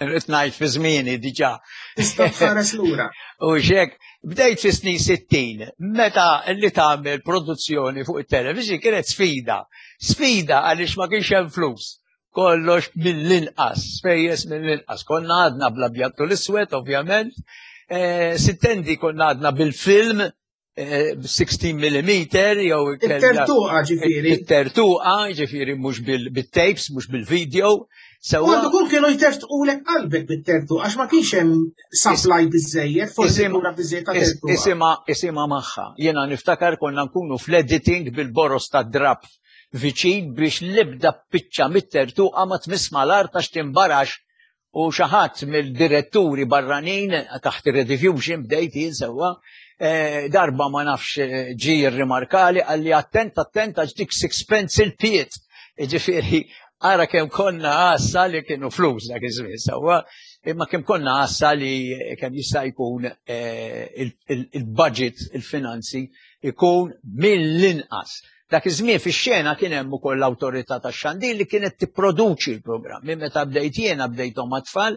irrid ngħid fi żmieni diġà. Tista' tħares lura. U xek, bdejt fi snin sittin, meta li tagħmel produzzjoni fuq it-television kienet sfida. Sfida għaliex ma kienx hemm flus. Kollox mill-inqas, spejjeż mill-inqas. Konna għadna bl-abjad u l-iswed, ovvjament. Sittendi konna għadna bil-film, sittax millimeter jew It-tertuqa, ġifieri. It-tertuqa, ġifieri, mhux bil-tapes, mhux bil-video. U għandu kun kienu jtertqulek qalbek bit-tertuqa għax ma kienx hemm supply biżejjed, forsi kura biżejjed ta' tertuqa. Isima, isima magħha. Jiena niftakar konna nkunu fl-editing bil-boros ta' drap viċin biex l-ebda biċċa mit-tertuqa ma tmiss mal-art għax timbarax u xi ħadd mill-diretturi barranin taħt ir-Rediffusion bdejt jien sewwa, eh, darba ma nafx eh, ġi rimarkali, qalli, "Attent, attent, għax dik sixpence il-pied." Ġifieri, ara kemm konna għassa li kienu flus dak iż-żmien sewwa, imma kemm konna għassa li kemm jista' jkun eh, il-budget, il-finanzi ikun mill-inqas. Dak iż-żmien fix-xena kien hemm ukoll l-awtorità tax-xandir li kienet tipproduċi l-programm. Minn meta bdejt jiena bdejthom mat-tfal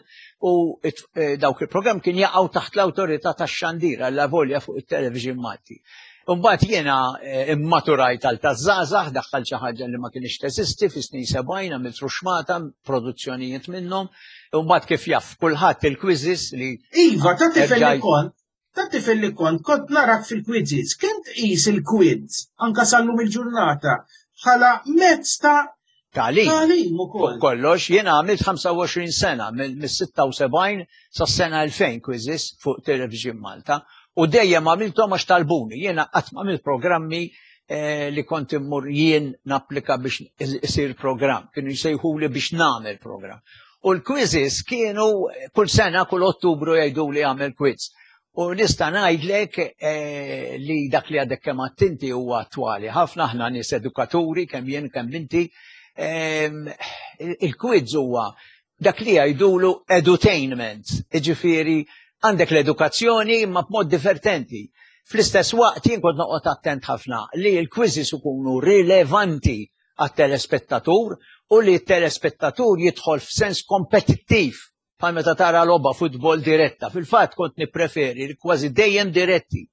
u eh, dawk il-programm kien jaqgħu taħt l-awtorità tax-xandir għal volja fuq it-television Malti. Mbagħad jiena eh, immaturajt għal taż-żgħażagħ, daħħal xi ħaġa li ma kienx teżisti fis-snin sebgħin, għamilt Ruxmata, produzzjonijiet minnhom. Mbagħad, kif jaf kulħadd, il-quizzes li Iva, ta' tifel li kont, ta' tifel li kont, kont narak fil-quizzes, kemm tqis il-quiz, anka sallum il-ġurnata, bħala mezz ta' Tagħlim. Tagħlim ukoll. Kollox, jiena għamilt ħamsa u għoxrin sena, mill-sitta u sebgħin sa' sena elfejn quizzes fuq Television Malta u dejjem għamilthom għax talbuni. Jiena qatt ma għamilt programmi eh, li kont immur jien napplika biex isir program. Kienu jsejħuli biex nagħmel program. U l-quizzes kienu kull sena, kull Ottubru jgħidu li għamel quiz. U nista' ngħidlek eh, li dak li għadek kemm inti huwa attwali. Ħafna aħna nies edukaturi, kemm jien kemm inti. Ehm, il-quiz huwa dak li jgħidulu edutainment. Iġifieri għandek l-edukazzjoni imma b'mod divertenti. Fl-istess waqt jien kont noqgħod attent ħafna li l-quizzes ikunu rilevanti għat-telespettatur u li t-telespettatur jidħol f'sens kompetittiv bħal meta tara logħba futbol diretta. Fil-fatt kont nippreferi li kważi dejjem diretti.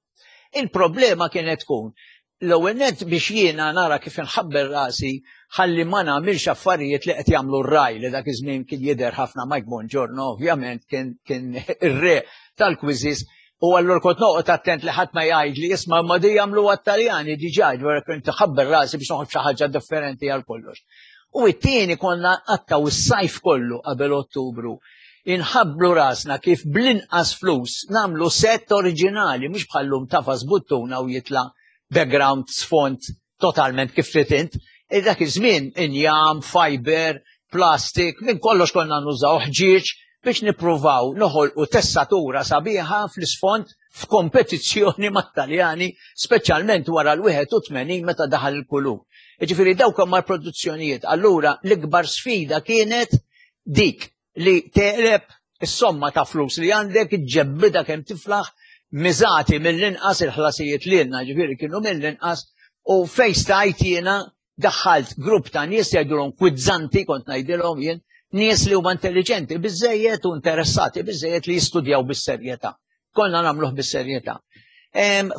Il-problema kienet tkun l-ewwel net biex jiena nara kif inħabber rasi ħalli ma nagħmilx affarijiet li qed jagħmlu r-Rai, li dak iż-żmien kien jidher ħafna. Mike Bongiorno ovvjament kien kien ir-re tal-quizzes u allura kont noqgħod attent li ħadd ma jgħid li, "Isma', ma di jagħmlu għat-Taljani diġà," ġwara kont ħabber rasi biex noħroġ xi ħaġa differenti għal kollox. U it-tieni, konna qattaw is-sajf kollu qabel Ottubru inħabblu rasna kif bl-inqas flus nagħmlu set oriġinali, mhux bħallum tagħfas buttuna u jitla' background, sfond totalment kif trid int. E dak iż-żmien injam, fiber, plastik, minn kollox konna nużaw, ħġieġ, biex nippruvaw noħolqu tessatura sabiħa fl-isfond f'kompetizzjoni mat-Taljani, speċjalment wara l-wieħed u tmenin meta daħal il-kulur. Ġifieri dawk huma l-produzzjonijiet. Allura l-ikbar sfida kienet dik li teqleb is-somma ta' flus li għandek, ġebbida kemm tiflaħ, miżati mill-inqas, il-ħlasijiet li għandna ġifieri kienu mill-inqas, u fejn stajt jiena daħħalt grupp ta' nies jgħidulhom kwizzanti, kont ngħidilhom jien, nies li huma intelligenti biżejjed u interessati biżejjed li jistudjaw bis-serjetà. Konna nagħmluh bis-serjetà.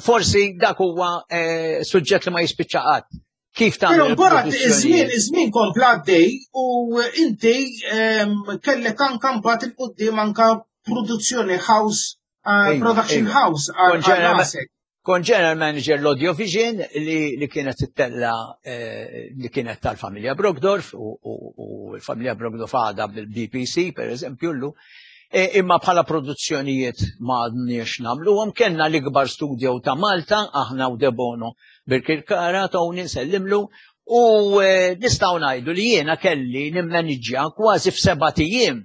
Forsi dak huwa eh, suġġett li ma jispiċċa qatt. Kif Però tagħmel mbagħad iż-żmien produzzjonijiet? Iż-żmien kompla għaddej u inti em, kellek anka mbagħad il quddiem anka produzzjoni house, uh, Iva, production iva. house għal Kont general- rasek. Kont general manager l-Audio Vision li, li kienet ittella eh, li kienet tal-familja Brockdorff u, u, u l-familja Brockdorff għadha bil-B P C per eżempju llu. E, imma bħala produzzjonijiet ma għadniex nagħmluhom, kellna l-ikbar studio ta' Malta, aħna u Debono Birkirkara, Tony nsellimlu, u e, nistgħu ngħidu li jiena kelli nimmaniġġja kważi f'sebat ijiem,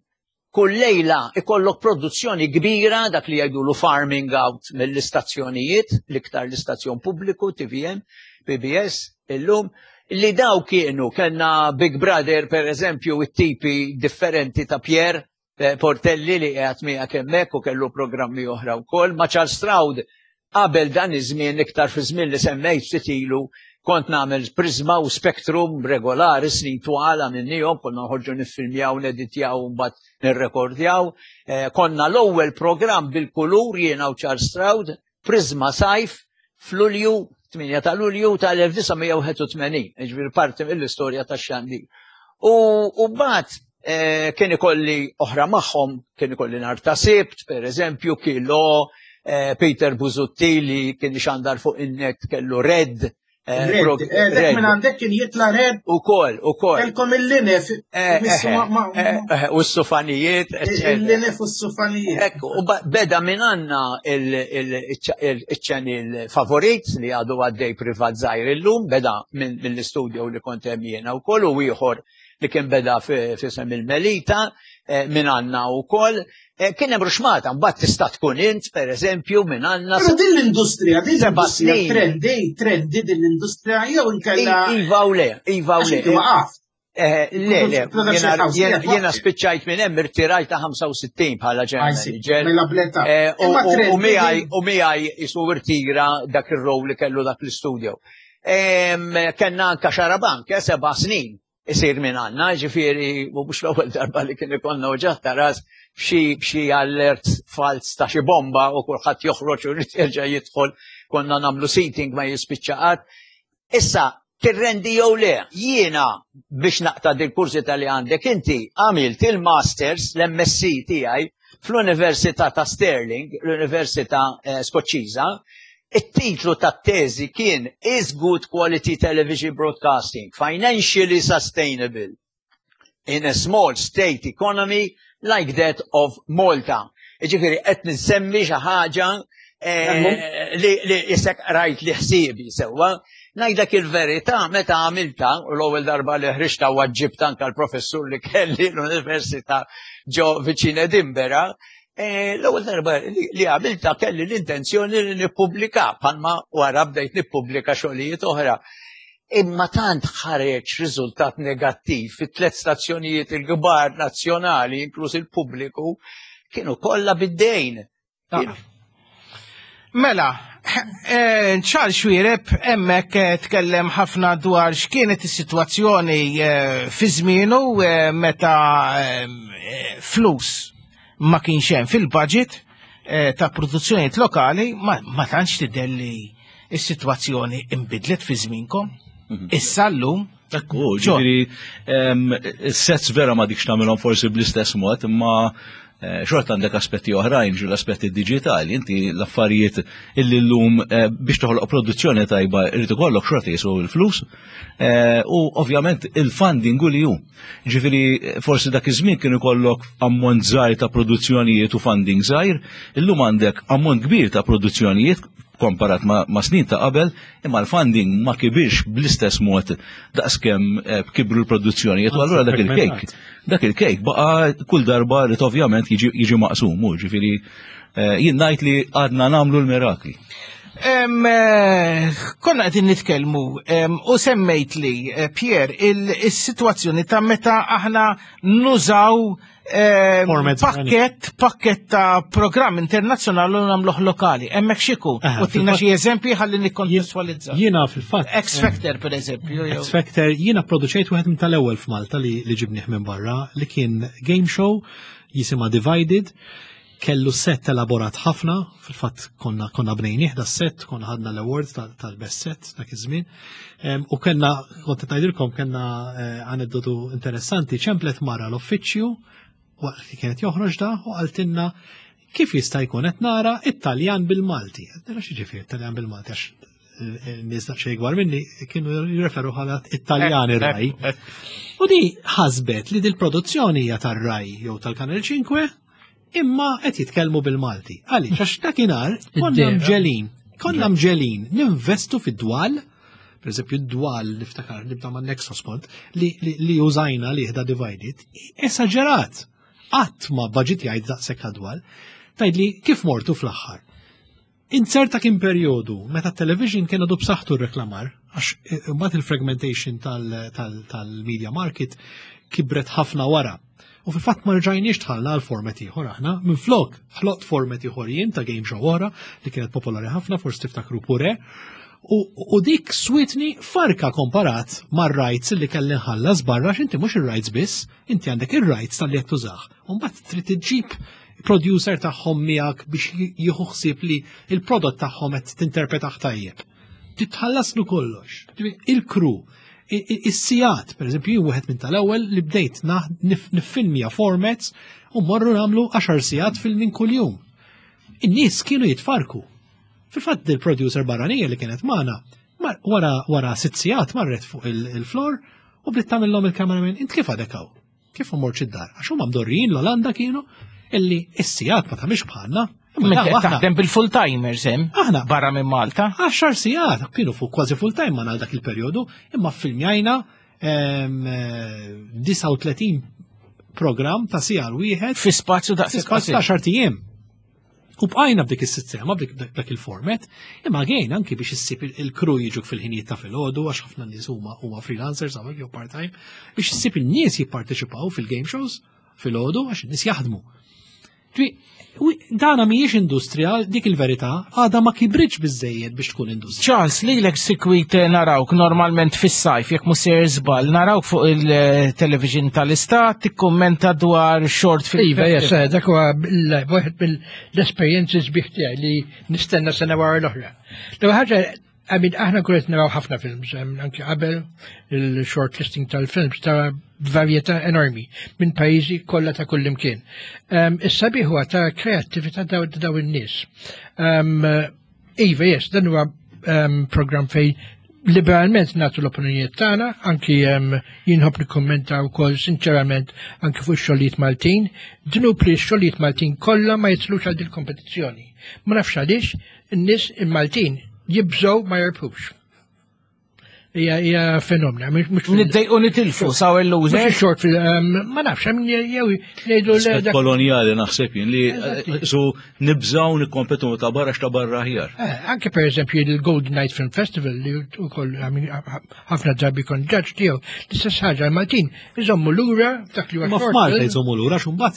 kull lejla ikollok produzzjoni kbira, dak li jgħidulu farming out mill-istazzjonijiet, l-iktar l-istazzjon pubbliku, T V M, P B S, illum, li daw kienu, kellna Big Brother, per eżempju, it-tipi differenti ta' Pierre eh, Portelli li qiegħed miegħek hemmhekk u kellu programmi oħra wkoll, ma' Charles Stroud qabel dan iż-żmien, iktar fi żmien li semmejt ftit ilu, kont nagħmel Prisma u Spectrum regolari snin twal għamilnihom, konna noħorġu niffilmjaw, neditjaw u mbagħad nirrekordjaw. Eh, konna l-ewwel programm bil-kulur jiena u Charles Stroud, Prisma Sajf, f'Lulju, tmienja ta' Lulju tal-elf disa' mija u wieħed u tmenin, ġifieri parti mill-istorja tax-xandir. U u mbagħad eh, kien ikolli oħra magħhom, kien ikolli nhar ta' Sibt, per eżempju, Kilo, eh, Peter Busuttil li kien xandar fuq in-net kellu Red. eh, Red, prog- eh, dak minn għandek kien jitla Red. U kol, u kol. Kelkom il-linef. Eh, missu ma- ma- eh, eh, U s-sufanijiet, eccetera. Il-linef u s-sufanijiet. Ekku, u ba- beda minn għanna il-channel favorit li għadu għaddej privat żgħir illum, beda minn mill-studio li kont hemm jiena wkoll u ieħor li kien beda fi f'isem il-Melita eh, minn għanna wkoll. Eh, Kien hemm ruxmata, mbagħad tista' tkun int, per eżempju, minn għanna. Però din l-industrija, din Seba' l-industrija snin. trendi, trendi din l-industrija jew inkella. Iva u le, iva u Għax le. inti waqaft. Eh, Le, le, Production jena- house, jena jena jena waqft. spiċċajt minn hemm irtirajt ta' ħamsa u sittin bħala general I see. manager. Mela bleta. Eh, U Imma u- u trendi miegħi din- u miegħi jisu irtira dak ir-rol li kellu dak l-istudio. Em, Kenna anka Xarabank, eh, seba' snin isir minn għanna, ġifieri, u mhux l-ewwel darba li kien ikollna uġigħ ta' ras b'xi b'xi alert fals ta' xi bomba u kulħadd joħroġ u jrid jerġa' jidħol, konna nagħmlu seating ma jispiċċa qatt. Issa, tirrendi jew le, jiena biex naqta' dil kurżità li għandek inti għamilt il-Masters, l-M S C tiegħi fl-Università ta' Stirling, l-Università eh, Skoċċiża. It-titlu tat-teżi kien "Is Good Quality Television Broadcasting Financially Sustainable in a Small State Economy Like That of Malta?" Ġifieri, qed nsemmi xi ħaġa eh, li li jisek rajt li ħsiebi sewwa. Ngħidlek il-verità, meta għamilta, u l-ewwel darba li ħriġta waġġibt anka l-professur li kelli l-Università ġo viċin Edinburgh, eh, l-ewwel darba li li għamilta kelli l-intenzjoni li nippubblika, bħalma wara bdejt nippubblika xogħlijiet oħra. Imma tant ħareġ riżultat negattiv fit tliet stazzjonijiet il-kbar nazzjonali, inkluż il-pubbliku, kienu kollha bid-dejn. Mela, eh, Charles Xuereb hemmhekk eh, tkellem ħafna dwar x'kienet is-sitwazzjoni eh, fi żmienu eh, meta eh, flus ma kienx hemm fil-budget eh, ta' produzzjonijiet lokali, ma, ma tantx tidher li s-sitwazzjoni imbidlet fi żminkom. Issa llum. Ekku, ġifieri, sets vera ma dikx tagħmilhom forsi bl-istess mod, imma eh, xorta għandek aspetti oħrajn, ġu l-aspetti digitali, inti l-affarijiet illi llum eh, biex toħloq produzzjoni tajba irid ikollok xorta jiswew il-flus, eh, u ovvjament il-funding u li hu. Ġifieri, forsi dak iż-żmien kien ikollok ammont żgħir ta' produzzjonijiet u funding żgħir, illum għandek ammont kbir ta' produzzjonijiet komparat ma, ma snin ta' qabel, imma l-funding ma kibirx bl-istess mod daqskemm eh, kibru l-produzzjonijiet, u allura dak il-kejk, dak il-kejk baqa kull darba li ovvjament jiġi, jiġi maqsum, u ġifieri eh, jien ngħid li għadna nagħmlu l-mirakli. Em, eh, Konna qegħdin nitkellmu em, u semmejt li eh, Pierre il-sitwazzjoni ta' meta aħna nużaw em, Formats pakket pakket ta' programm internazzjonali u nagħmluh lokali. Hemmhekk x'iku? Aha, U tina fil-fatt- xi eżempji ħalli nikkontestualizza. Jiena fil-fatt. X Factor, per eżempju. jew- X Factor, jiena produċejt wieħed minn tal-ewwel f'Malta li, li ġibnieh minn barra, li kien game show jisimha Divided, kellu set elaborat ħafna, fil-fatt konna konna bnejnieh da set, konna ħadna l-awards tal- tal-best set dak iż-żmien. Em, U kellna, kont qed ngħidilkom, kellna eh, aneddotu interessanti, ċemplet mara l-uffiċċju waqt li kienet joħroġ da u qaltilna kif jista' jkun qed nara Italjan bil-Malti. Nara xi ġifier Italjan bil-Malti, għax nies daqsxejn ikbar minni kienu jirreferu bħala Italjan ir-Rai. U di ħasbet li dil-produzzjoni hija tar-Rai jew tal-Kanal ħamsa imma qed jitkellmu bil-Malti. Għaliex, għax dakinhar konna Id-dera. mġelin, konna mġelin ninvestu fid-dwal, per eżempju d-dwal niftakar nibda ma' Nexus kont, li, li, li użajna li ħda Divided, esaġerat. Qatt ma budget jgħid daqshekk dwal. Tgħidli kif mortu fl-aħħar. Inzerta kien periodu meta television kien għadu b'saħħtu r-reklamar, għax eh, mbagħad il-fragmentation tal-media market kibret ħafna wara. U fil-fatt ma rġajniex dħalna għal format ieħor aħna, minflok ħloqt format ieħor jien ta' game show oħra li kienet popolari ħafna, forsi tiftakru Pure. U, u dik switni farka komparat mar rights li kelli nħallas barra, għax inti mhux ir-rights biss, inti għandek ir-rights tal-li qed tużah. U mbagħad trid iġġib producer tagħhom miegħek biex jieħu ħsieb li il-prodott tagħhom qed tinterpretah tajjeb. Titħallaslu kollox. Il-crew, is-sigħat, per eżempju, jien wieħed minn tal-ewwel li bdejt nifilmja formats u morru nagħmlu għaxar sigħat filming kuljum. In-nies kienu jitfarku. Fil-fatt il-producer barranija li kienet magħna, wara wara sitt sigħat marret fuq il-floor u bdiet tagħmilhom il-cameraman, int kif għadek hawn? Kif mort id-dar? Għax huma mdorrijin l-Olanda kienu illi is-sigħat ma tagħmilx bħalna. Taħdem bil-full timers hemm. Aħna barra minn Malta. Għaxar sigħat kienu fuq kważi full time ma dak il-perjodu, imma filmjajna disgħa u tletin program ta' siegħa wieħed fi spazju daqs spazju ta' għaxart ijiem. U bqajna b'dik is-sistema, b'dik il-format, imma għejn anki biex issib il-crew jiġuk fil-ħinijiet ta' filgħodu għax ħafna nies huma huma freelancers hawnhekk jew part-time, biex issib in-nies jipparteċipaw fil-game shows filgħodu għax in-nies jaħdmu. Dana mhijiex industrija, dik il-verità, għadha ma kibritx biżejjed biex tkun industrija. Charles, lilek sikwit narawk normalment fis-sajf, jekk mhux sejjer żball, narawk fuq il-television tal-istat, tikkummenta dwar short film. Iva, yes, dak huwa wieħed mill-esperjenzi sbieħ tiegħi li nistenna sena wara l-oħra. L-ewwel ħaġa, I mean, aħna kull naraw ħafna films, anki qabel il-short listing tal-films ta' varjetà enormi minn pajjiżi kollha ta' kull imkien. Is-sabiħ huwa ta' kreattività daw daw in-nies. Iva, yes, dan huwa program fej liberalment nagħtu l-opinjonijiet tagħna, anki jien nħobb nikkummenta wkoll sinċerament anki fuq ix-xogħlijiet Maltin, dnub li x-xogħlijiet Maltin kollha ma jitlux għal dil-kompetizzjoni. Ma nafx għaliex in-nies il-Maltin jibżgħu ma jirbħux. Hija hija fenomena. Niddejqu nitilfu saw il-loser. Mhux short film, ma nafx, jew ngħidu l kolonjali naħseb jien li su nibżgħu nikkompetu ta' barra x'ta' barra aħjar. Anke per eżempju il-Golden Night Film Festival li wkoll ħafna drabi kon ġaġ tiegħu, l-istess ħaġa l-Maltin iżommu lura dak li huwa Ma f'Malta jżommu lura x'mbagħad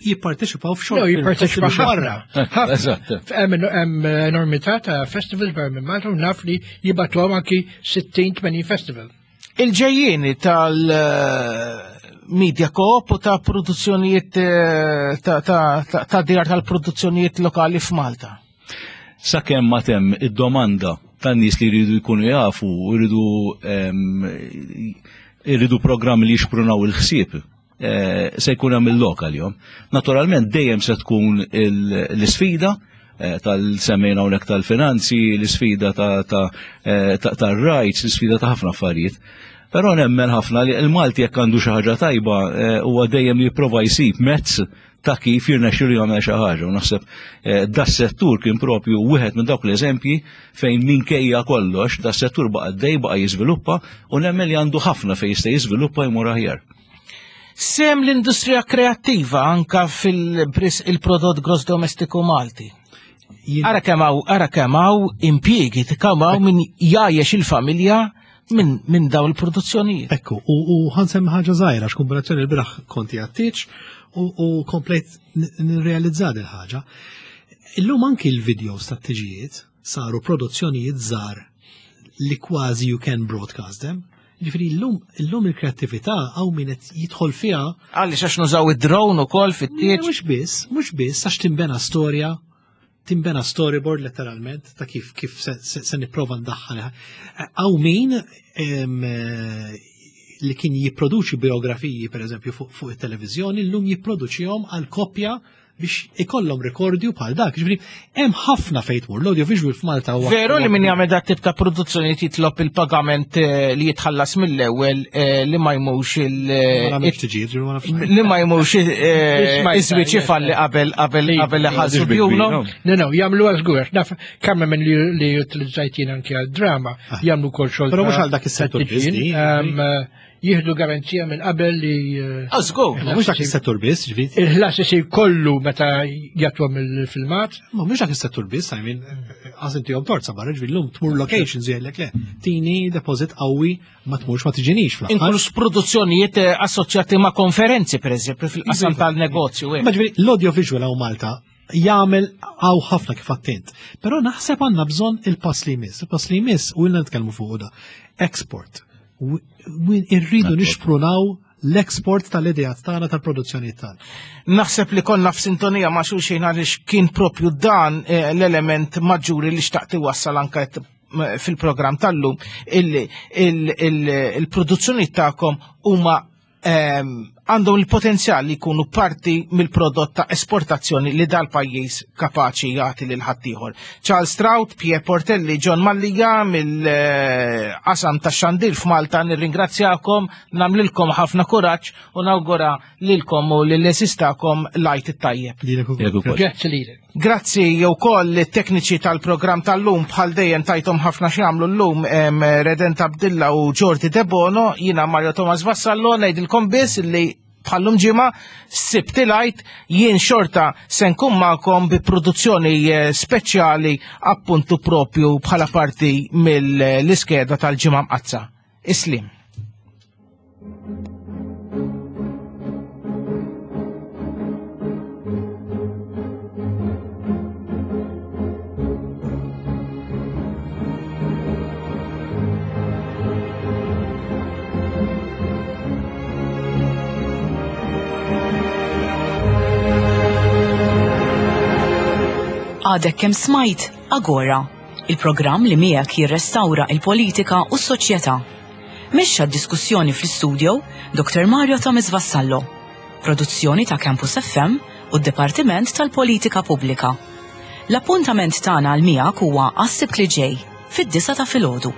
jipparteċipaw f'short No, jipparteċipaw barra. Eżatt. Hemm enormità ta' festivals barra minn Malta u naf li jibgħatuhom anki sittin tmenin festival. Il-ġejjieni tal-media coop u ta' produzzjonijiet ta' djar tal-produzzjonijiet lokali f'Malta. Sakemm ma temm id-domanda tan-nies li jridu jkunu jafu, jridu jridu programmi li jixprunaw il-ħsieb, se jkun hemm il-lokal jom. Naturalment dejjem se tkun l-isfida tal-semmejna hawnhekk tal-finanzi, l-isfida tar-rights, l-isfida ta' ħafna affarijiet. Però nemmen ħafna li l-Malti jekk għandu xi ħaġa tajba huwa dejjem jipprova jsib mezz ta' kif jirnexxielu jagħmel xi ħaġa. U naħseb das-settur kien propju wieħed minn dawk l-eżempji fejn minkejja kollox das-settur baqa' dej baqa' jiżviluppa u nemmen li għandu ħafna fejn jista' jiżviluppa jmur aħjar. Sem l-industrija kreattiva anka fil-prodott gross domestiku Malti. Ara kemm hawn, ara kemm hawn impjiegi, kemm hawn min jgħajjex il-familja minn min dawn il-produzzjonijiet. Ekku, u ħansem ħaġa żgħira x'kombinazzjoni l-bieraħ konti għat-tieġ u komplejt nirrealizza din ħaġa. Illum anki l-videos tat-tiġijiet saru produzzjonijiet żgħar li kważi you can broadcast them. Ġifieri illum illum il-kreattività hawn min qed jidħol fiha. Għaliex għax nużaw id-drone ukoll fit-tieġ. Mhux biss, mhux biss għax timbena storja, timbena storyboard letteralment ta' kif kif se, se, se nipprova ndaħħal. Hawn min li kien jipproduċi biografiji per eżempju fuq fu it-televiżjoni, llum jipproduċihom għal koppja biex ikollhom rekordju bħal dak. Ġifieri hemm ħafna fejn tmur l-audiovisual f'Malta huwa. Veru li min jagħmel dak tip ta' produzzjoni jitlob il-pagament li jitħallas mill-ewwel li ma jmux il li ma jmux iż-żwieġ ifalli qabel qabel qabel iħallsu djunhom. No, no, jagħmlu żgur. Naf kemm minn li utilizzajt jien anke għal-drama, jagħmlu wkoll xogħol. Però mhux għal dak is-settur biss. Jieħdu garanzija minn qabel li. Żgur. Ma mhux dak is-settur biss, ġifieri. Il-ħlas isir kollu meta jagħtuhom il-filmat. Ma mhux dak is-settur biss, I mean, għaż intihom torza barra, ġifieri llum tmur locations jgħidlek le, tini deposit qawwi ma tmurx ma tiġinix fl-aħħar. Inkluż produzzjonijiet assoċjati ma' konferenzi, pereżempju, fil-qasam tal-negozju. Ma ġifieri l-audiovisual hawn Malta jagħmel hawn ħafna kif attent. Però naħseb għandna bżonn il-pass li jmiss. Il-pass li jmiss u ilna nitkellmu fuq da. Export. Irridu nixprunaw l-export tal-idejat tagħna tal-produzzjoni tagħna. Naħseb li konna f'sintonija ma' xulxin għaliex kien propju dan l-element maġġuri li xtaqt iwassal anke fil-programm tal-lum illi il-produzzjoni tagħkom huma għandhom il-potenzjal li jkunu parti mill-prodott ta' esportazzjoni li dal-pajjiż kapaċi jagħti lil ħaddieħor. Charles Strout, Pierre Portelli, John Mallia mill-qasam tax-xandir f'Malta, nirringrazzjakom, nagħmlilkom ħafna kuraġġ u nawgura lilkom u lill-esistakom lajt it-tajjeb. Grazzi lilek. Grazzi wkoll it-tekniċi tal-programm tal-lum, bħal dejjem tajthom ħafna x'jagħmlu llum, Redent Abdilla u Jordi Debono, jiena Mario Thomas Vassallo, ngħidilkom biss li bħallum ġimgħa Sibt il-Għid jien xorta se nkun magħkom bi produzzjoni speċjali appuntu propju bħala parti mill-iskeda tal-ġimgħa mqazza. Islim. Għadek kemm smajt Agora, il-programm li miegħek jirrestawra il-politika u s-soċjetà. Mexxa d-diskussjoni fl-istudio Doktor Mario Thomas Vassallo. Produzzjoni ta' Campus F M u d-Dipartiment tal-Politika Pubblika. L-appuntament tagħna għal miegħek huwa għas-Sibt li ġej fid-disgħa ta' filgħodu.